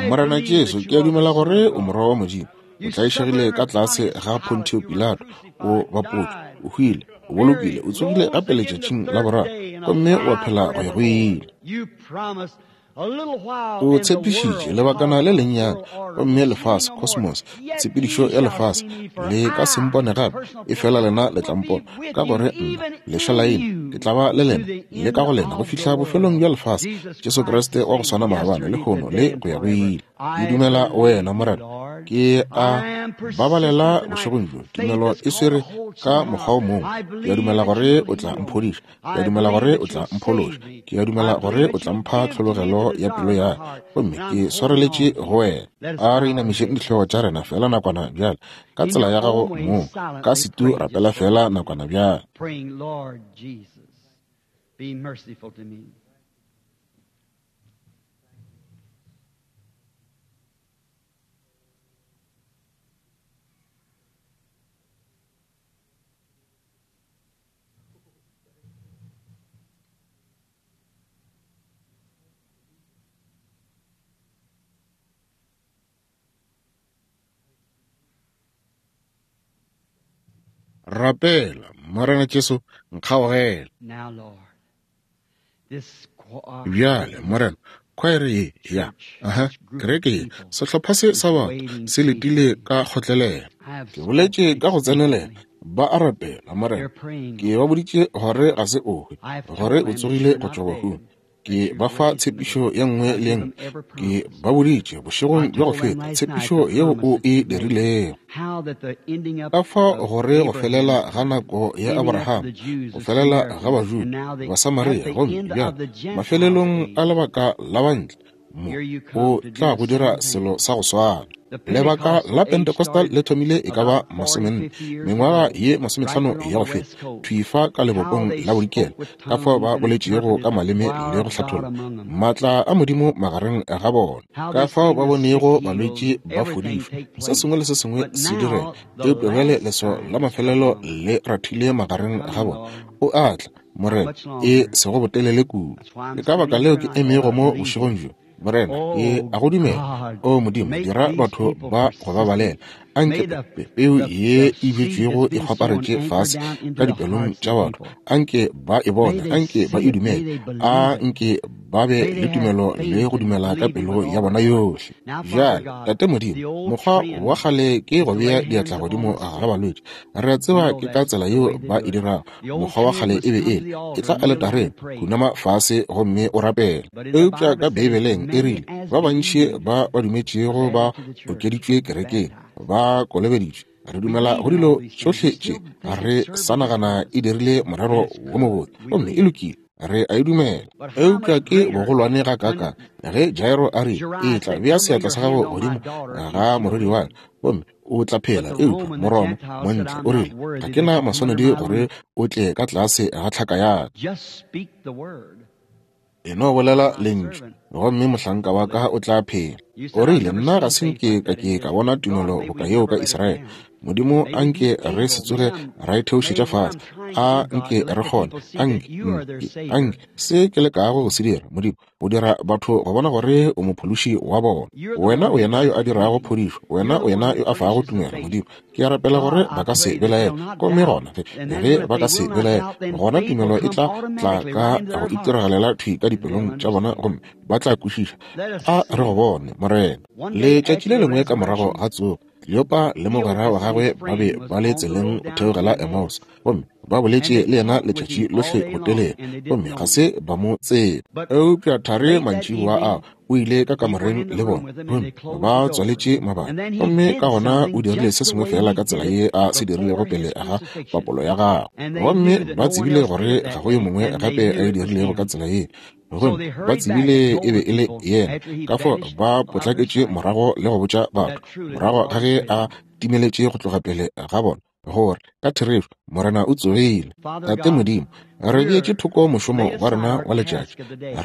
Morena Jesu, ke a dumela gore o morwa wa Modimo. O tlaišegile ka tlase ga Pontio Pilato, o bapotšwe, o hwile, o bolokile, o tsogile gape letšatšing la boraro, gomme wa phela go ya go ile. O tshepišitše lebakana le lennyane, gomme lefase, cosmos, tshepedišo ya lefase, le ka se mpone gape, efela lena le tla mpona, ka gore nna, leša la ena, ke tla ba le lena, le ka go lena, go fihla bofelong bja lefase. Jesu Kriste wa go swana maabane, lehono le go ya go ile. Ke dumela wena, Morena. Ke a babalela bošegong bjo. Tumelo e swere ka mokgwa o mongwe. Ke a dumela gore o tla mphodiša. Ke a dumela gore o tla mphološa. Ke a dumela gore o tla mpha tlhologelo ya pelo ya ka, gomme ke swareletše go wena. A re inamišeng dihlogo tša rena fela nakwana bjale, ka tsela ya gago mong, ka setu rapela fela nakwana bjale. Rapela, Morena Jesu, nkgaogele. Bjale, Morena, khwaere ye ya, aha, kereke ye, sehlopha se sa batho se letile ka kgotlelelo. Ke boletše ka go tsenelela, ba a rapela, Morena. Ke ba boditše gore ga se o hwe, gore o tsogile go tšwa bahung. Ke ba fa tshepišo ye nngwe le ye nngwe. Ke ba boditše bošegong bja go feta tshepišo yeo o e dirilego. Ka fao gore go felela ga nako ya Abraham, go felela ga Bajuda, Basamaria, gomme bjale mafelelong a lebaka la bantle, mo o tla go dira selo sa go swana. Lebaka la Pentecostal le thomile e ka ba masomenne, mengwaga ye masomehlano ya go feta, thwi fa ka lebopong la bodikela, ka fao ba boletšego ka maleme le go hlatholla maatla a Modimo magareng ga bona, ka fao ba bonego balwetši ba fodišwa, se sengwe le se sengwe se direga. Eupša bjale leswao la mafelelo le rathile magareng ga bona. O a tla, Morena, e sego botelele kudu. Ke ka baka leo ke emego mo bošegong bjo. Morena, ke a go dumela. O Modimo, dira batho ba go babalela. Anke peu ye e bjetšwego e kgwaparetše fase ka dipelong tša batho. Anke ba e bone, anke ba e dumele. A nke ba be le tumelo le go dumela ka pelo ya bona yohle. Bjale, Tate Modimo, mokgwa wa kgale ke go bea diatla godimo ga balwetši. Re a tseba ke ka tsela yeo ba e dirago. Mokgwa wa kgale e be e le, ke tla aletareng, khunama fase gomme o rapele. Eupša ka Beibeleng e rile, ba bantši ba ba dumetšego ba okeditšwe kerekeng, ba kolobeditšwe. Re dumela go dilo tšohle tše, re sa nagana e dirile morero wo mobotse, gomme e lokile, re a e dumela. Eupša ke bogolwane ga kaka ge Jairo a re, e tla bea seatla sa gago godimo ga morwedi wa ka, gomme o tla phela. Eupša Moroma montle o rile, ga ke na maswanedi gore o tle ka tlase ga tlhaka ya ka. E no bolela lentšu, gomme mohlanka wa ka o tla phela. O rile, nna ga se nke ka ke ka bona tumelo boka yeo ka Israele. Modimo, a nke re se tsoge ra e theošetša fase. A nke re kgone, a nke, a nke se ke lekago go se dira, Modimo, go dira batho go bona gore o mophološi wa bona. Wena o yena yo a dirago phodišo, wena o yena yo a fago tumelo, Modimo. Ke a rapela gore ba ka se belaele, gomme gona ge ba ka se belaele, gona tumelo e tla tla ka go itiragalela thwi ka dipelong tša bona, gomme ba tla kwešiša. A re go bone, Morena. Letšatši le lengwe ka morago ga tsogo, Kleopa le mogwera wa gagwe ba be ba le tseleng go theogela Emmaus, gomme ba boletše le yena letšatši lohle go telele, gomme ga se ba mo tseba. Eupša thari mantšiboa ao o ile ka kamoreng le bona, gomme ba tswaletše mabati, gomme ka gona o dirile se sengwe fela ka tsela ye a se dirilego pele ga papolo ya gagwe, gomme ba tsebile gore ga go yo mongwe gape a e dirilego ka tsela ye. Gomme ba tsebile e be e le yena, ka fao ba potlaketše morago le go botša batho morago ga ge a timeletše go tloga pele ga bona, gore ka therešo Morena o tsogile. Tate Modimo, re beetše thoko mošomo wa rena wa letšatši,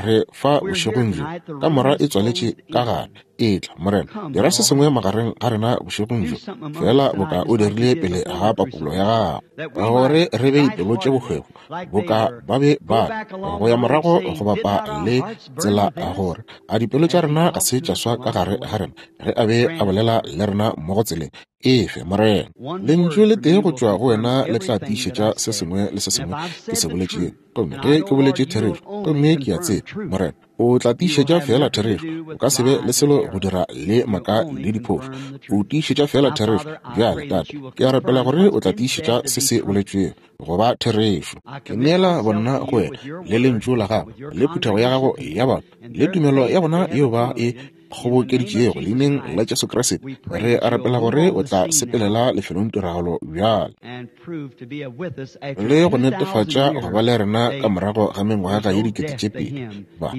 re fa bošegong bjo, kamora e tswaletše ka gare. Etla, Morena, dira se sengwe magareng ga rena bošegong bjo, fela boka o dirile pele ga papolo ya gago, gore re be dipelo tše bohwefo boka ba be ba go ya morago go bapa le tsela, gore a dipelo tša rena ga se tša swa ka gare ga rena ge a be a bolela le rena mo go tseleng. Efe, Morena, lentšu le tee go tšwa go wena le tla tiišetša se sengwe le se sengwe ke se boletšego. Gomme ge ke boletše therešo, gomme ke a tseba, Morena, o tla tiišetša fela therešo. O ka se be le selo go dira le maka le diphošo. O tiišetša fela therešo. Bjale, Tate, ke a rapela gore o tla tiišetša se se boletšwego go ba therešo. Ke neela bonna go wena le lentšu la gago le phuthego ya gago ya batho le tumelo ya bona yeo ba e kgobokeditšego leineng la Jesu Kriste. Re a rapela gore o tla sepelela lefelong tiragalo bjale le go netefatša go ba le rena ka morago ga mengwaga ye dikete tše pedi. Ba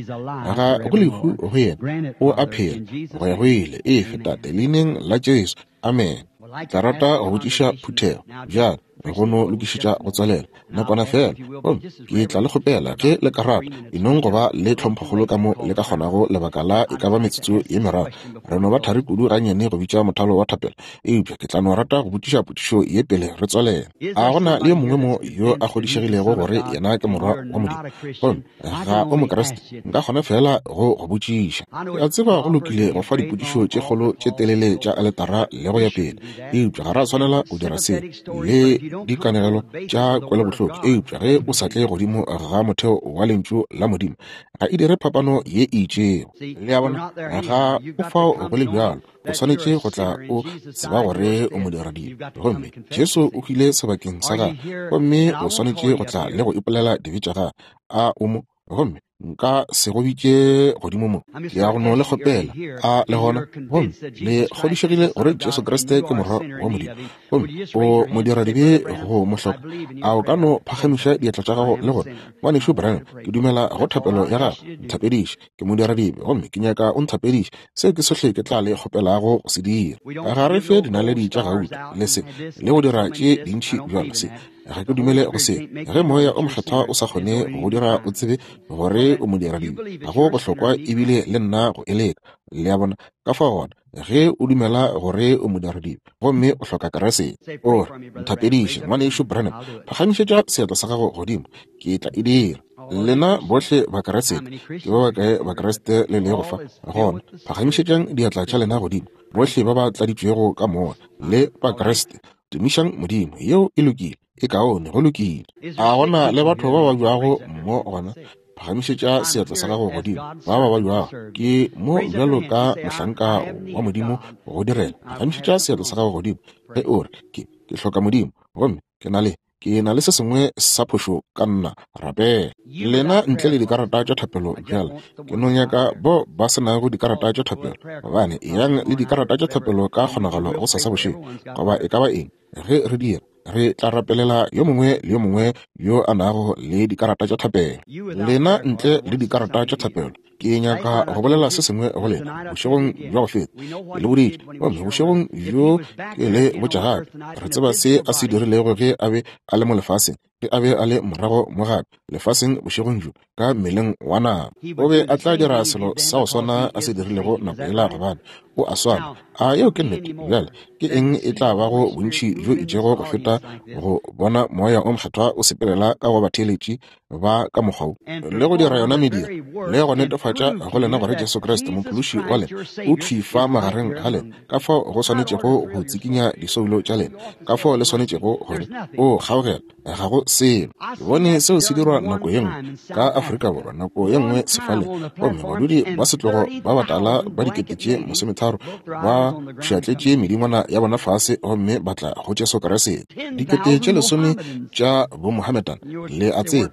ga go lehu go yena, o a phela go ya go ile. Efe, Tate, leineng la Jesu, amen. Tla rata go botšiša phuthego bjale go no lokišetša go tswalela nakwana fela, gomme ke tla le kgopela ge le ka rata enong go ba le tlhomphokgolo ka mo le ka kgonago lebaka la e ka ba metsotso ye meraro. Re no ba thari kudu gannyane go bitša mothalo wa thapelo, eupša ke tla no rata go botšiša potšišo ye pele re tswalela. A gona le yo mongwe mo yo a kgodišegilego gore yena ke morwa wa Modimo gomme ga o Mokriste? Nka kgona fela go go botšiša. Ke a tseba go lokile go fa dipotšišo tše kgolo tše telele tša aletara le go ya pele, eupša ga ra swanela go dira se le dikanegelo tša kwelobohloko. Eupša ge o sa tle godimo ga motheo wa lentšu la Modimo, ga e dire phapano ye e itšego. Le a bona, ga o fao go le bjalo. O swanetše go tla o tseba gore o modiradibe, gomme Jesu o hwile sebakeng sa gago, gomme o swanetše go tla le go ipolela dibe tša gago. A o mo, gomme nka se go bitše godimo mo, ke ya go no le kgopela. A le gona, gomme le kgodišegile gore Jesu Kriste ke morwa wa Modimo, gomme o modiradibe go mo hloka, a o ka no phagamiša diatla tša gago le gore, ngwanešu Branham, ke dumela go thapelo ya gago, nthapediše, ke modiradibe, gomme ke nyaka o nthapediše. Seo ke sohle ke tla le kgopelago go se dira. Ga re fe dinaledi tša gauta le se le go dira tše dintši bjalo se. Ga ke dumele go se. Ge moya o mokgethwa o sa kgone go dira o tsebe gore o modiradibe, ga go bohlokwa ebile le nna go e leka. Le a bona? Ka fao gona, ge o dumela gore o modiradibe gomme o hloka Kriste, o re, nthapediše, ngwanešu Branham, phagamišetša seatla sa gago godimo, ke tla e dira. Lena bohle Bakriste, ke ba bakae Bakriste le lego fa? Gona phagamišetšang diatla tša lena godimo, bohle ba ba tladitšwego ka moya le Bakriste. Tumišang Modimo, yeo e lokile, e kaone, go lokile. A gona le batho ba ba bjago mo gona? Phagamišetša seatla sa gago godimo, ba ba ba bjago. Ke mo bjalo ka mohlanka wa Modimo go direla. Phagamišetša seatla sa gago godimo ge o re, ke ke hloka Modimo, gomme ke na le ke na le se sengwe sa phošo ka nna. Rapela. Lena ntle le dikarata tša thapelo bjale, ke no nyaka bo ba se nago dikarata tša thapelo, gobane eyang le dikarata tša thapelo ka kgonagalo go sasa bošego, goba e ka ba eng. Ge re dira, re tla rapelela yo mongwe le yo mongwe yo a nago le dikarata tša thapelo. Lena ntle le dikarata tša thapelo, ke nyaka go bolela se sengwe go lena bošegong bja go feta. Ke le boditše, gomme bošegong bjo ke le botša gape. Re tseba se a se dirilego ge a be a le mo lefaseng, ge a be a le morago mo gape lefaseng bošegong bjo ka mmeleng wa nama. O be a tla dira selo sa go swana a se dirilego nako yela, gobane o a swana. A yeo ke nnete? Bjale ke eng e tla bago bontši bjo itšego go feta go bona moya o mokgethwa o sepelela ka go batheeletši ba ka mokgwa wo, le go dira yona mediro le go netefatša go lena gore Jesu Kriste mophološi wa lena o thwi fa magareng ga lena, ka fao go swanetšego go tsikinya disoulo tša lena, ka fao le swanetšego gore o kgaogela ga go selo. Ke bone seo se dirwa nako ye nngwe ka Afrika Borwa, nako ye nngwe sefaleng, gomme badudi ba setlogo ba batala ba dikete tše masometharo ba pšhatletše medingwana ya bona fase gomme ba tla go Jesu Kriste. Dikete tše lesome tša bomohammedan, le a tseba,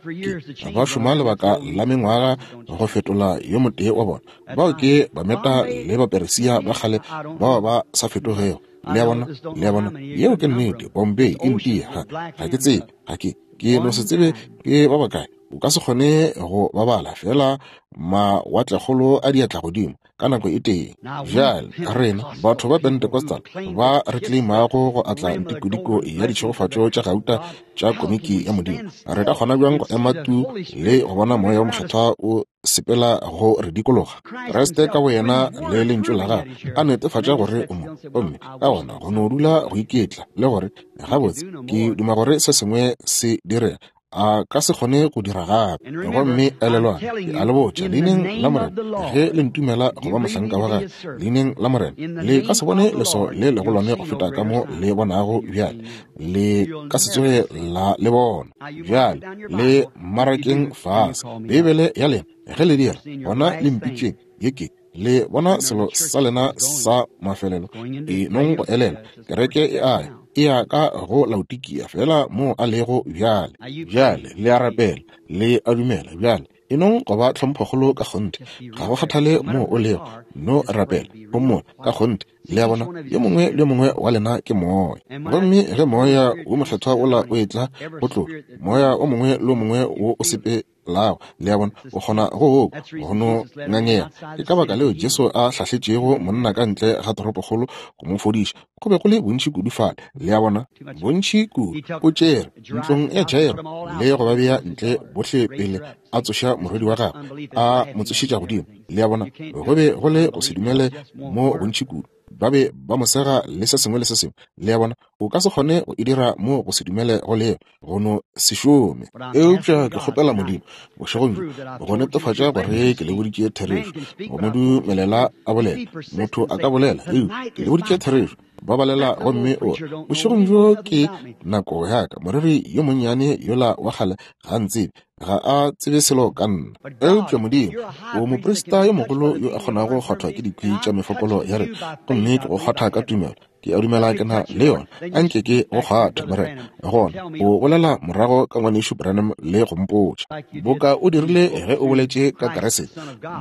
ke ba šoma lebaka la mengwaga go fetola yo motee wa bona. Bao ke Bameta le Baperesia ba kgale bao ba sa fetogego. Le a bona? Le a bona? Yeo ke nnete. Bombay, India, ga, ga ke tsebe, ga ke, ke no se tsebe ke ba bakae. O ka se kgone go babala fela mawatlekgolo a diatla godimo ka nako e tee. Bjale rena batho ba Pentecostal ba re claimago go atla ntikodiko ya ditšhegofatšo tša gauta tša komiki ya Modimo, re ka kgona bjang go ema tu le go bona Moya wo Mokgethwa o sepela go re dikologa? Kriste ka boyena le lentšu la gagwe a netefatša gore o mo, gomme ka gona go no dula go iketla le gore gabotse ke duma gore se sengwe se direga, a ka se kgone go dira gape. Gomme elelwang, ke a le botša, leineng la Morena, ge le ntumela go ba mohlanka wa gagwe, leineng la Morena, le ka se bone leswao le legolwane go feta ka mo le bonago bjale. Le ka se tsoge la le bona bjale. Le marakeng fase Beibele ya lena, ge le dira, gona le mpitšeng ye ke le bona selo sa lena sa mafelelo. E nong go elela, kereke e a ya, e ya ka go Laodikia fela mo a lego bjale. Bjale le a rapela, le a dumela bjale. E nong go ba tlhomphokgolo ka kgonthe, ga go kgathale mo o lego, no rapela gomme ka kgonthe. Le a bona, yo mongwe le yo mongwe wa lena ke moya. Gomme ge Moya wo Mokgethwa wola o etla go tloga, moya o mongwe le o mongwe wo o sepelago, le a bona, o kgona go okwa, go no ngangega. Ke ka baka leo Jesu a hlahletšego monna ka ntle ga toropokgolo go mo fodiša. Go be go le bontši kudu fale, le a bona, bontši kudu. O tšere ntlong ya Jairo le go ba bea ntle bohle pele a tsoša morwedi wa gagwe, a mo tsošetša godimo. Le a bona, go be go le go se dumele mo bontši kudu. Ba be ba mo sega le se sengwe le se sengwe. Le a bona, o ka se kgone go e dira mo go se dumele go leo, go no se šome. Eupša ke kgopela Modimo bošegong bjo go netefatša gore ke le boditše therešo, go mo dumelela a bolela. Motho a ka bolela, eupša ke le boditše therešo. Ba balela gomme o re, bošegong bjo ke nako ya ka. Moreri yo monnyane yola wa kgale ga ntsebe, ga a tsebe selo ka nna. Eupša Modimo, o moprista yo mogolo yo a kgonago go kgwathwa ke dikwi tša mefokolo ya rena, gomme ke go kgwatha ka tumelo. Ke a dumela ke na le yona. Anke ke go kgwathe, Morena. Gona o bolela morago ka ngwanešu Branham le go mpotša, boka o dirile ge o boletše ka Kriste,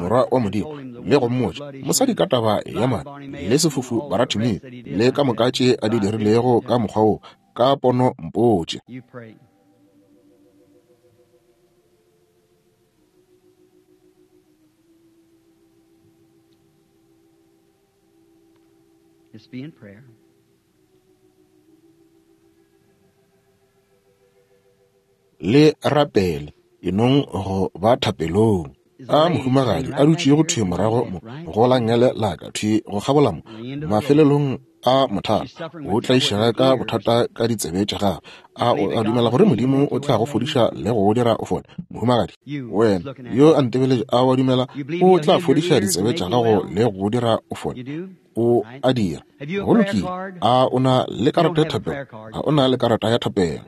Morwa wa Modimo, le go mmotša mosadi ka taba ya madi le sefofu Baratimeo le ka moka tše a di dirilego ka mokgwa wo, ka pono mpotše. Just be in prayer. Le rapele, e nong go ba thapelong. A mohumagadi a dutšego thwi morago mo go la ngele la ka thwi go kgabola mo mafelelong a mothalo, o tlaišega ka bothata ka ditsebe tša gagwe. A o a dumela gore Modimo o tla go fodiša le go dira o fole? Mohumagadi, wena yo a ntebeletše, a wa dumela o tla fodiša ditsebe tša gago le go dira o fole? O a dira. Go lokile. A o na le karata ya thapelo? A o na le karata ya thapelo?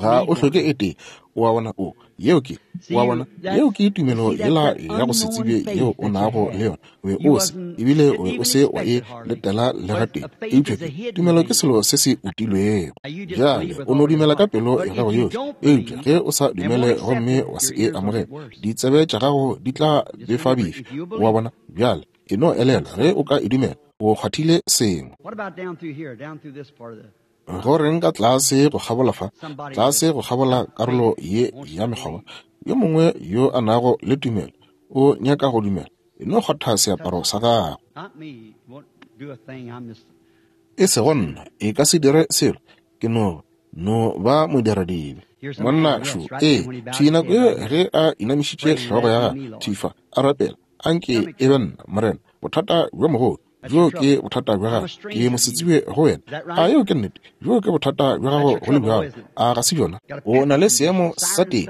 Ga o hloke e tee. O a bona, o yeo ke, o a bona, yeo ke tumelo yela ya go se tsebe yeo o nago le yona. O be o se, ebile o be o se wa e letela le gatee. Eupša ke tumelo ke selo se se utilwego. Bjale o no dumela ka pelo ya gago yohle. Eupša ge o sa dumele gomme wa se e amogele, ditsebe tša gago di tla befabefi. O a bona, bjale e no elelwa, ge o ka e dumela, o kgwathile sengwe. Go reng ka tlase go kgabola fa, tlase go kgabola karolo ye ya mekgoba, yo mongwe yo a nago le tumelo o nyaka go dumela, e no kgwatha seaparo sa gagwe. E sego nna, e ka se dire selo, ke no no ba modiradibe. Monna šo, ee, thwi nako ye ge a inamišitše hlogo ya gagwe thwi fa, a rapela, anke e be nna, Morena, bothata bjo mogolo bjo ke bothata bja gago, ke mosetsebje go wena. A yeo ke nnete? Bjo ke bothata bja gago go le bjalo. A ga se bjona? O na le seemo sa teng,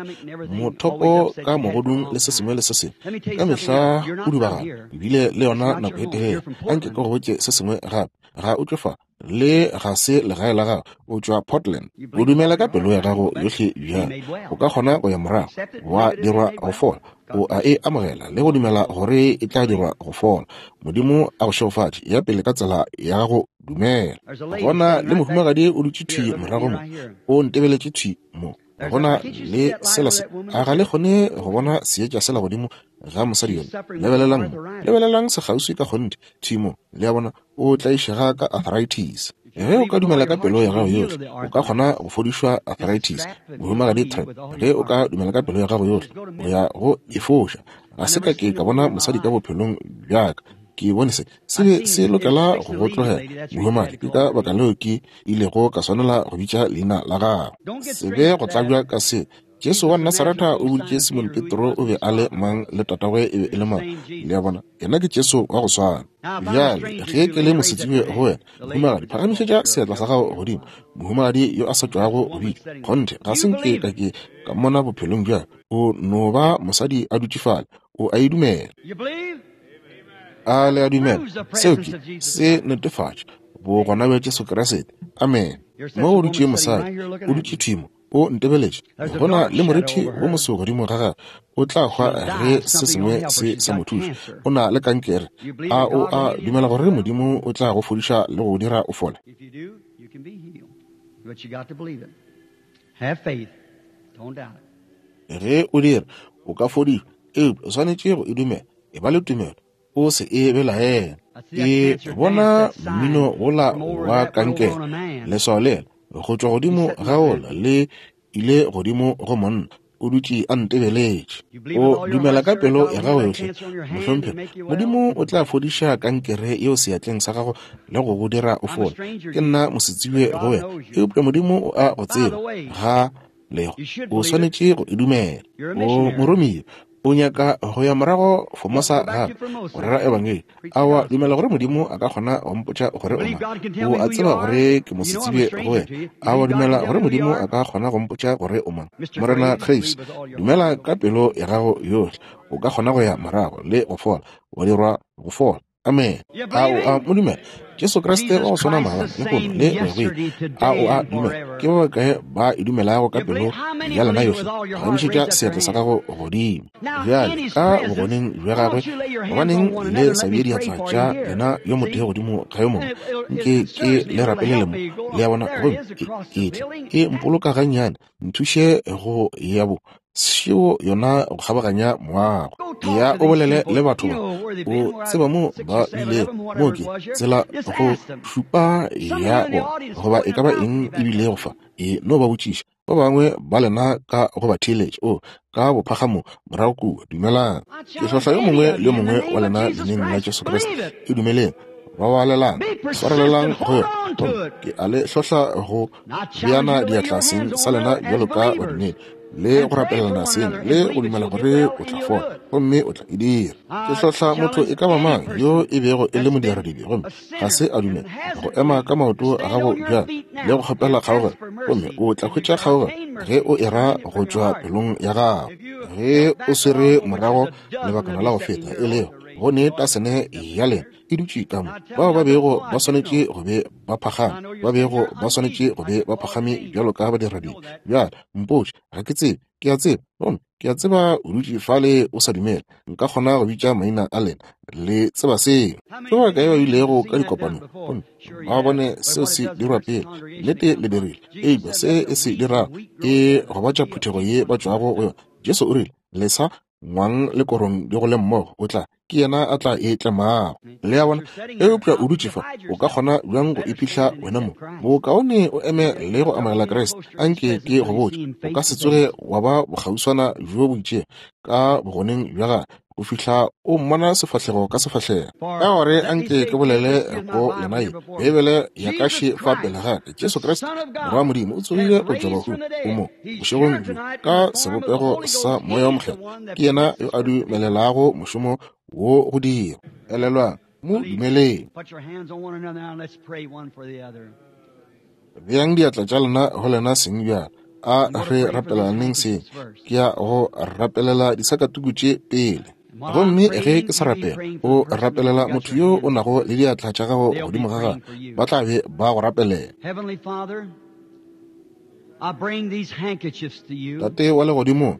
mothopo ka mogodung le se sengwe le se sengwe, ka mehla o dubagana, ebile le yona nako e telele. Anke ke go botše se sengwe gape, ga o tšwe fa, le ga se legae la gago, o tšwa Portland. O dumela ka pelo ya gago yohle bjale, o ka kgona go ya morago wa dirwa go fola. O a e amogela le go dumela gore e tla dirwa go fola. Modimo a go šegofatše. Ya pele ka tsela ya gago, dumela. Gona le mohumagadi o dutše thwi morago mo, o ntebeletše thwi mo. Gona le sela se, a ga le kgone go bona seetša sela godimo ga mosadi yona? Lebelelang mo, lebelelang sekgauswi ka kgonthe thwi mo. Le a bona, o tlaišega ka arthritis. Ge o ka dumela ka pelo ya gago yohle, o ka kgona go fodišwa arthritis, mohumagadi Tripp. Ge o ka dumela ka pelo ya gago yohle, o ya go e foša. Ga se ka ke ka bona mosadi ka bophelong bja ka. Ke bone se se be se lokela go go tlogela, mohumagadi. Ke ka baka leo ke ilego ka swanela go bitša leina la gago. Se be go tlabja ka se. Jesu wa Nasaretha o boditše Simon Petro o be a le mang le tatagwe e be e le mang. Le a bona, yena ke Jesu wa go swana. Bjale, ge ke le mosetsebje go wena, mohumagadi, phagamišetša seatla sa gago godimo. Mohumagadi yo a sa tšwago go bitša, kgonthe, ga se nke ka ke ka mmona bophelong bja. O no ba mosadi a dutše fale, o a e dumela. A le a dumela? Seo ke se netefatša bogona bja Jesu Kriste. Amen. Mo o dutše mosadi, o dutše thimo, o ntebeletše. Go na le morithi wo moso godimo ga gagwe, o tla hwa ge se sengwe se sa mo thuše. O na le kankere. A o a dumela gore Modimo o tla go fodiša le go dira o fole? Ge o dira, o ka fodišwa, eupša o swanetše go e dumela. E ba le tumelo, o se e belaela. Ke bona mmino wola wa kankere, leswao lela go tšwa godimo ga ola le ile godimo go monna, o dutše a ntebeletše. O dumela ka pelo ya gago yohle, mohlomphegi, Modimo o tla fodiša kankere yeo seatleng sa gago le go go dira o fole. Ke nna mosetsebje go wena, eupša Modimo o a go tseba. Ga lego, o swanetše go e dumela. O moromiwa, o nyaka go ya morago Formosa gape go rera ebangedi. Awa, dumela gore Modimo a ka kgona go mpotša gore o mang. O a tseba gore ke mosetsebje go wena. Awa, dumela gore Modimo a ka kgona go mpotša gore o mang. Morena Graves, dumela ka pelo ya gago yohle, o ka kgona go ya morago le go fola, wa dirwa go fola. Amen. A o a mo dumela? Jesu Kriste wa go swana maabane, lehono le go ya go ile. A o a dumela? Ke ba bakae ba e dumelago ka pelo ya lena yohle? Phagamišetša seatla sa gago godimo. Bjale, ka bogoneng bja gagwe, gobaneng le sa bee diatla tša lena yo motee godimo ga yo mongwe? Nke ke le rapelele mo. Le a bona? Gomme ke tle e mpoloka gannyane, nthuše go ya bo šeo yona go kgabaganya moago. Ya o bolele le batho ba, o tseba mo ba bilego, mo ke tsela go šupa ya bona, goba e ka ba eng e bilego fa. E no ba botšiša ba bangwe ba lena ka go ba theeletša, o ka bophagamo morago kua. Dumelang. Ke hlohla yo mongwe le yo mongwe wa lena leineng la Jesu Kriste. E dumeleng. Babalelang, swarelelang go yona. Ke a le hlohla go beana diatla seng sa lena bjalo ka badumedi, le go rapelelana seng, le go dumela gore o tla fola, gomme o tla e dira. Ke hlohla motho e ka ba mang yo e bego e le modiradibe gomme ga se a dumela go ema ka maoto a gago bjalo le go kgopela kgaogelo, gomme o tla hwetša kgaogelo ge o e ra go tšwa pelong ya gago. Ge o swere morago lebakana la go feta, e lego go ne tasene ya lena e dutše ka mo, bao ba bego ba swanetše go be ba phagame, ba bego ba swanetše go be ba phagame bjalo ka badiradibe. Bjale mpotše, ga ke tsebe, ke a tseba, gomme ke a tseba o dutše fale o sa dumela. Nka kgona go bitša maina a lena, le tseba seo. Ke ba kae ba bilego ka dikopanong gomme ba bone seo se dirwa pele? Nnete le dirile, eupša se e se dirago e gobatša phuthego ye ba tšwago go yona. Jesu o rile, lesa ngwang le korong di gole mmogo, o tla ke yena a tla e tlemago. Le a bona? Eupša o dutše fa, o ka kgona bjang go iphihla wena mo? Bokaone o eme le go amogela Kriste. Anke ke go botše, o ka se tsoge wa ba bokgauswana bjo bo itšego ka bogoneng bja gagwe go fihla o mmona sefahlego ka sefahlego. Ka gore anke ke bolele go lena ye, Beibele ya ka še fa pele ga ka, Jesu Kriste Morwa wa Modimo o tsogile go tšwa bahung, o mo bošegong bjo ka sebopego sa Moya wo Mokgethwa. Ke yena yo a dumelelago mošomo wo go dira. Elelwang, mo dumeleng. Beang diatla tša lena go lena seng bjalo. A re rapelaneng seng. Ke ya go rapelela disakatuku tše pele. Gomme ge ke sa rapela, o rapelela motho yo o nago le diatla tša gago godimo ga gagwe, ba tla be ba go rapelela. Tate wa legodimo,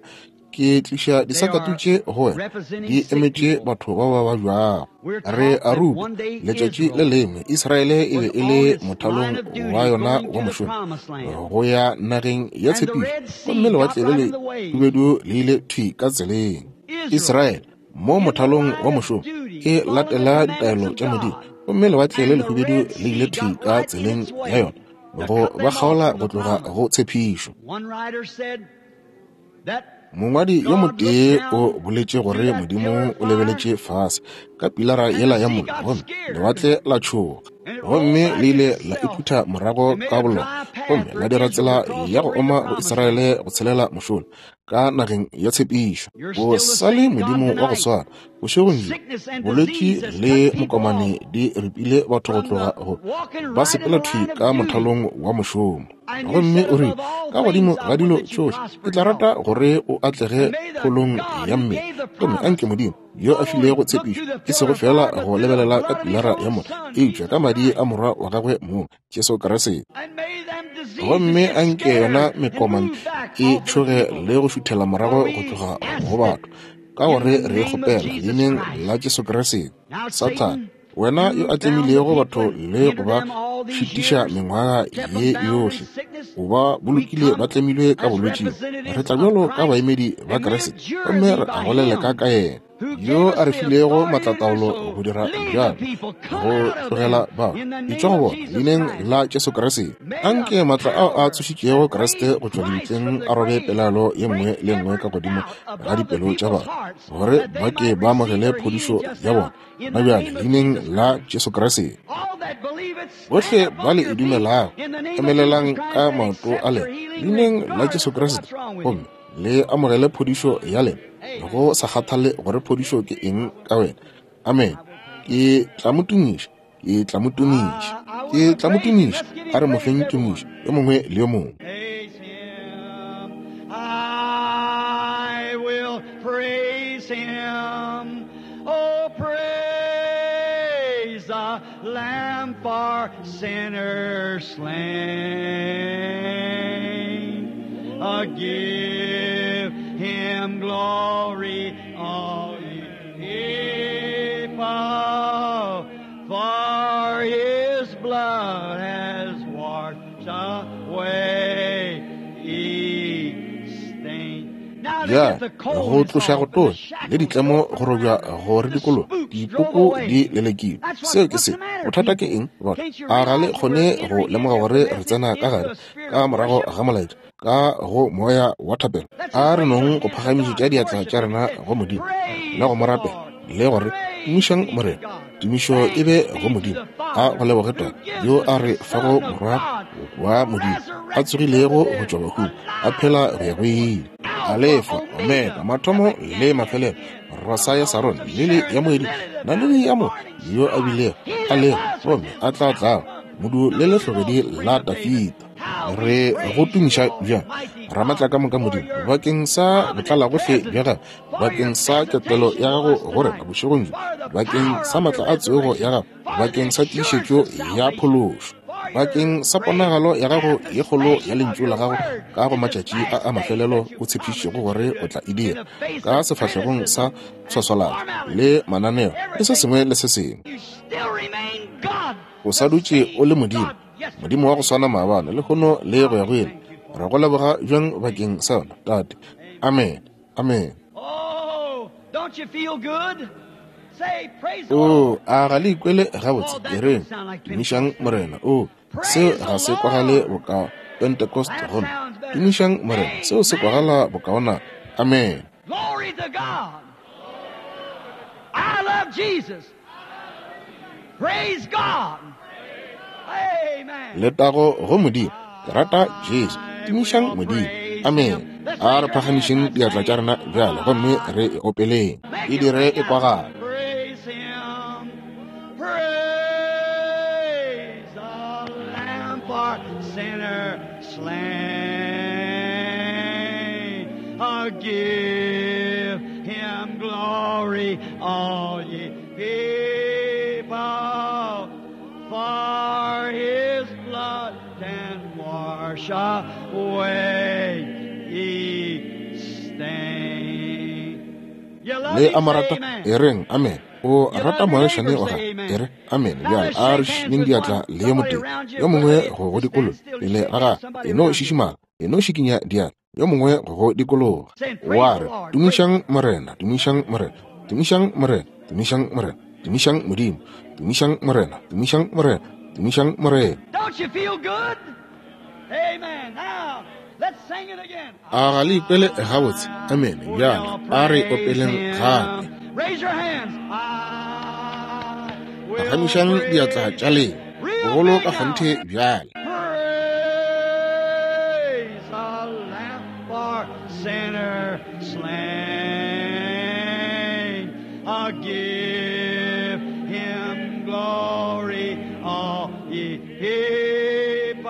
ke tliša disakatu tše go wena, di emetše batho ba ba babjago. Re a rutwa letšatši le lengwe Israele e be e le mothalong wa yona wa mošomo go ya nageng ya tshepišo, gomme lewatle le le hubedu le ile thwi ka tseleng. Israele mo mothalong wa mošomo e latela ditaelo tša Modimo, Gomme lewatle le lehubedu le ile thwi ka tseleng ya yona go ba kgaola go tloga go tshepišo. Mongwadi yo motee o boletše gore Modimo o lebeletše fase ka pilara yela ya mollo, gomme lewatle la tšhoga, gomme le ile la iphutha morago ka bolona, gomme la dira tsela ya go oma go Israele go tshelela mošola ka nageng ya tshepišo. O sa le Modimo wa go swana bošegong bjo. Bolwetši le mokomane di ripile batho go tloga go ba sepela thwi ka mothalong wa mošomo. Gomme o rile, ka godimo ga dilo tšohle ke tla rata gore o atlege kgolong ya mmele. Gomme anke Modimo yo a filego tshepišo e sego fela go lebelela ka pilara ya mollo, eupša ka madi a morwa wa gagwe mong Jesu Kriste. Gomme anke yona mekomane e tšhoge le go šuthela morago go tloga go batho, ka gore re kgopela leineng la Jesu Kriste. Sathane, wena yo a tlemilego batho le go ba šitiša mengwaga ye yohle, o ba bolokile ba tlemilwe ka bolwetšing. Re tla bjalo ka baemedi ba Kriste, gomme re a go leleka ka yena yo a re filego maatlataolo go dira bjalo, go tlogela bao etšwa go bona leineng la Jesu Kriste. Anke maatla ao a tsošitšego Kriste go tšwa lebitleng a robe pelaelo ye nngwe le nngwe ka godimo ga dipelo tša batho, gore ba ke ba amogele phodišo ya bona na bjale leineng la Jesu Kriste. Bohle ba le e dumelago, emelelang ka maoto a lena leineng la Jesu Kriste, gomme le amogele phodišo ya lena, go sa kgathale gore phodišo ke eng ka wena. Amen. Ke tla mo tumiša, ke tla mo tumiša, ke tla mo tumiša. A re mo feng tumišo yo mongwe le yo mongwe. I will praise him. Oh, praise the Lamb for sinners slain. Uh, give him glory, all ye people, for his blood has washed away each stain. Ya go tloša go tonya le ditlemo go robja go re dikologa, dipoko di lelekilwe. Seo ke se. Bothata ke eng batho? A ga le kgone go lemoga gore re tsena ka gare ka morago ga molaetša ka go moya wa thapelo? A re nong go phagamišetša diatla tša rena go Modimo le go mo rapela le gore tumišang Morena. Tumišo e be go Modimo, a go leboge Tate yo a re fago morwa wa Modimo a tsogilego go tšwa bahung, a phela go ya go ile. Alefa, Omega, mathomo le mafelelo, rosa ya Sarone, lili ya moedi, naledi ya mo yo a bilego a lego gomme a tla tlago, modu le lehlogedi la Dafita. Re go tumiša bjang Ramatla ka moka Modimo bakeng sa botlalagohle bja gago, bakeng sa ketelo ya gago go rena bošegong bjo, bakeng sa maatla a tsogo ya gago, bakeng sa tiišetšo ya phološo, bakeng sa ponagalo ya gago ye kgolo ya lentšu la gago ka go matšatši a a mafelelo o tshepišitšego gore o tla e dira, ka sefahlegong sa tshwaswalano le mananeo le se sengwe le se sengwe. O sa dutše o le Modimo, Modimo wa go swana maabane, lehono le go ya go ile. Re go leboga bjang bakeng sa yona, Tate. Amen. Amen. O a ga le ikwele gabotse? E reng, tumišang Morena. O seo ga se kwagale boka Pentecost gomme tumišang Morena, seo se kwagala bokaona. Amen. Glory to God. I love Jesus. Praise God. Amen. Letago go Modimo. Ke rata Jesu. Tumišang Modimo. Amen. A re phagamišeng diatla tša rena bjale gomme re e opeleng. E dire e kwagala. Praise him. Praise the Lamb for sinner slain. Uh, give him glory, all ye people, for his blood can wash away each stain. You love Le him, a mo say rata, amen. e reng amen. O rata moagišane wa gago, e re amen. Bjale a re šišinyeng diatla le yo motee yo mongwe go go dikologa pele ga gagwe. E no šišimala, e no šikinya diatla yo mongwe go go dikologa. Wa re, tumišang Morena, tumišang Morena, tumišang Morena, tumišang Morena. Tumišang Modimo, tumišang Morena, tumišang Morena, tumišang Morena. Don't you feel good? Amen. Now, let's sing it again. A ga le ikwele gabotse? Amene. Bjale a re opeleng gape. Raise your hands. I will Phagamišang diatla tša lena bogolo ka kgonthe bjale. Praise the Lamb for sinner slain. Uh, give him glory, all ye people,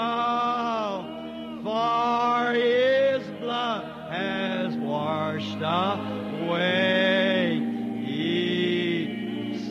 for his blood has washed away ye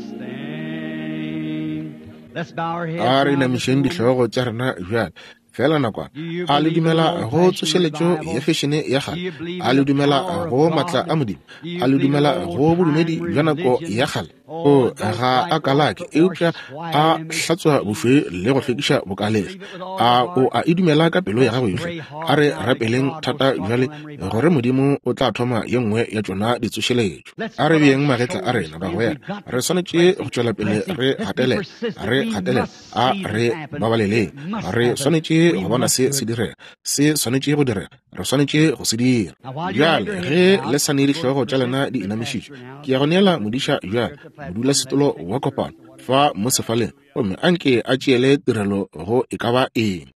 stain. Let's bow our heads. A re now just a inamišeng moment. dihlogo tša rena bjale fela nakwana. A le dumela go tsošeletšo ya fešene ya kgale? A le dumela go maatla a Modimo? A le dumela go bodumedi bja nako ya kgale? O ga a kalake, eupša a hlatswa bošweu le go hlwekiša bokalegi. A o a e dumela ka pelo ya gago yohle? A re rapeleng thata bjale gore Modimo o tla thoma ye nngwe ya tšona ditsošeletšo. A re beeng magetla a rena, bagwera. Re swanetše go tšwela pele re gatelela, re gatelela. A re babaleleng. Re swanetše go bona se se direga, se swanetše go direga, re swanetše go se dira. Bjale ge le sa ne dihlogo tša lena di inamišitšwe, ke ya go neela modiša bjale, modulasetulo wa kopano fa mo sefaleng, gomme anke a tšeele tirelo go e ka ba eng.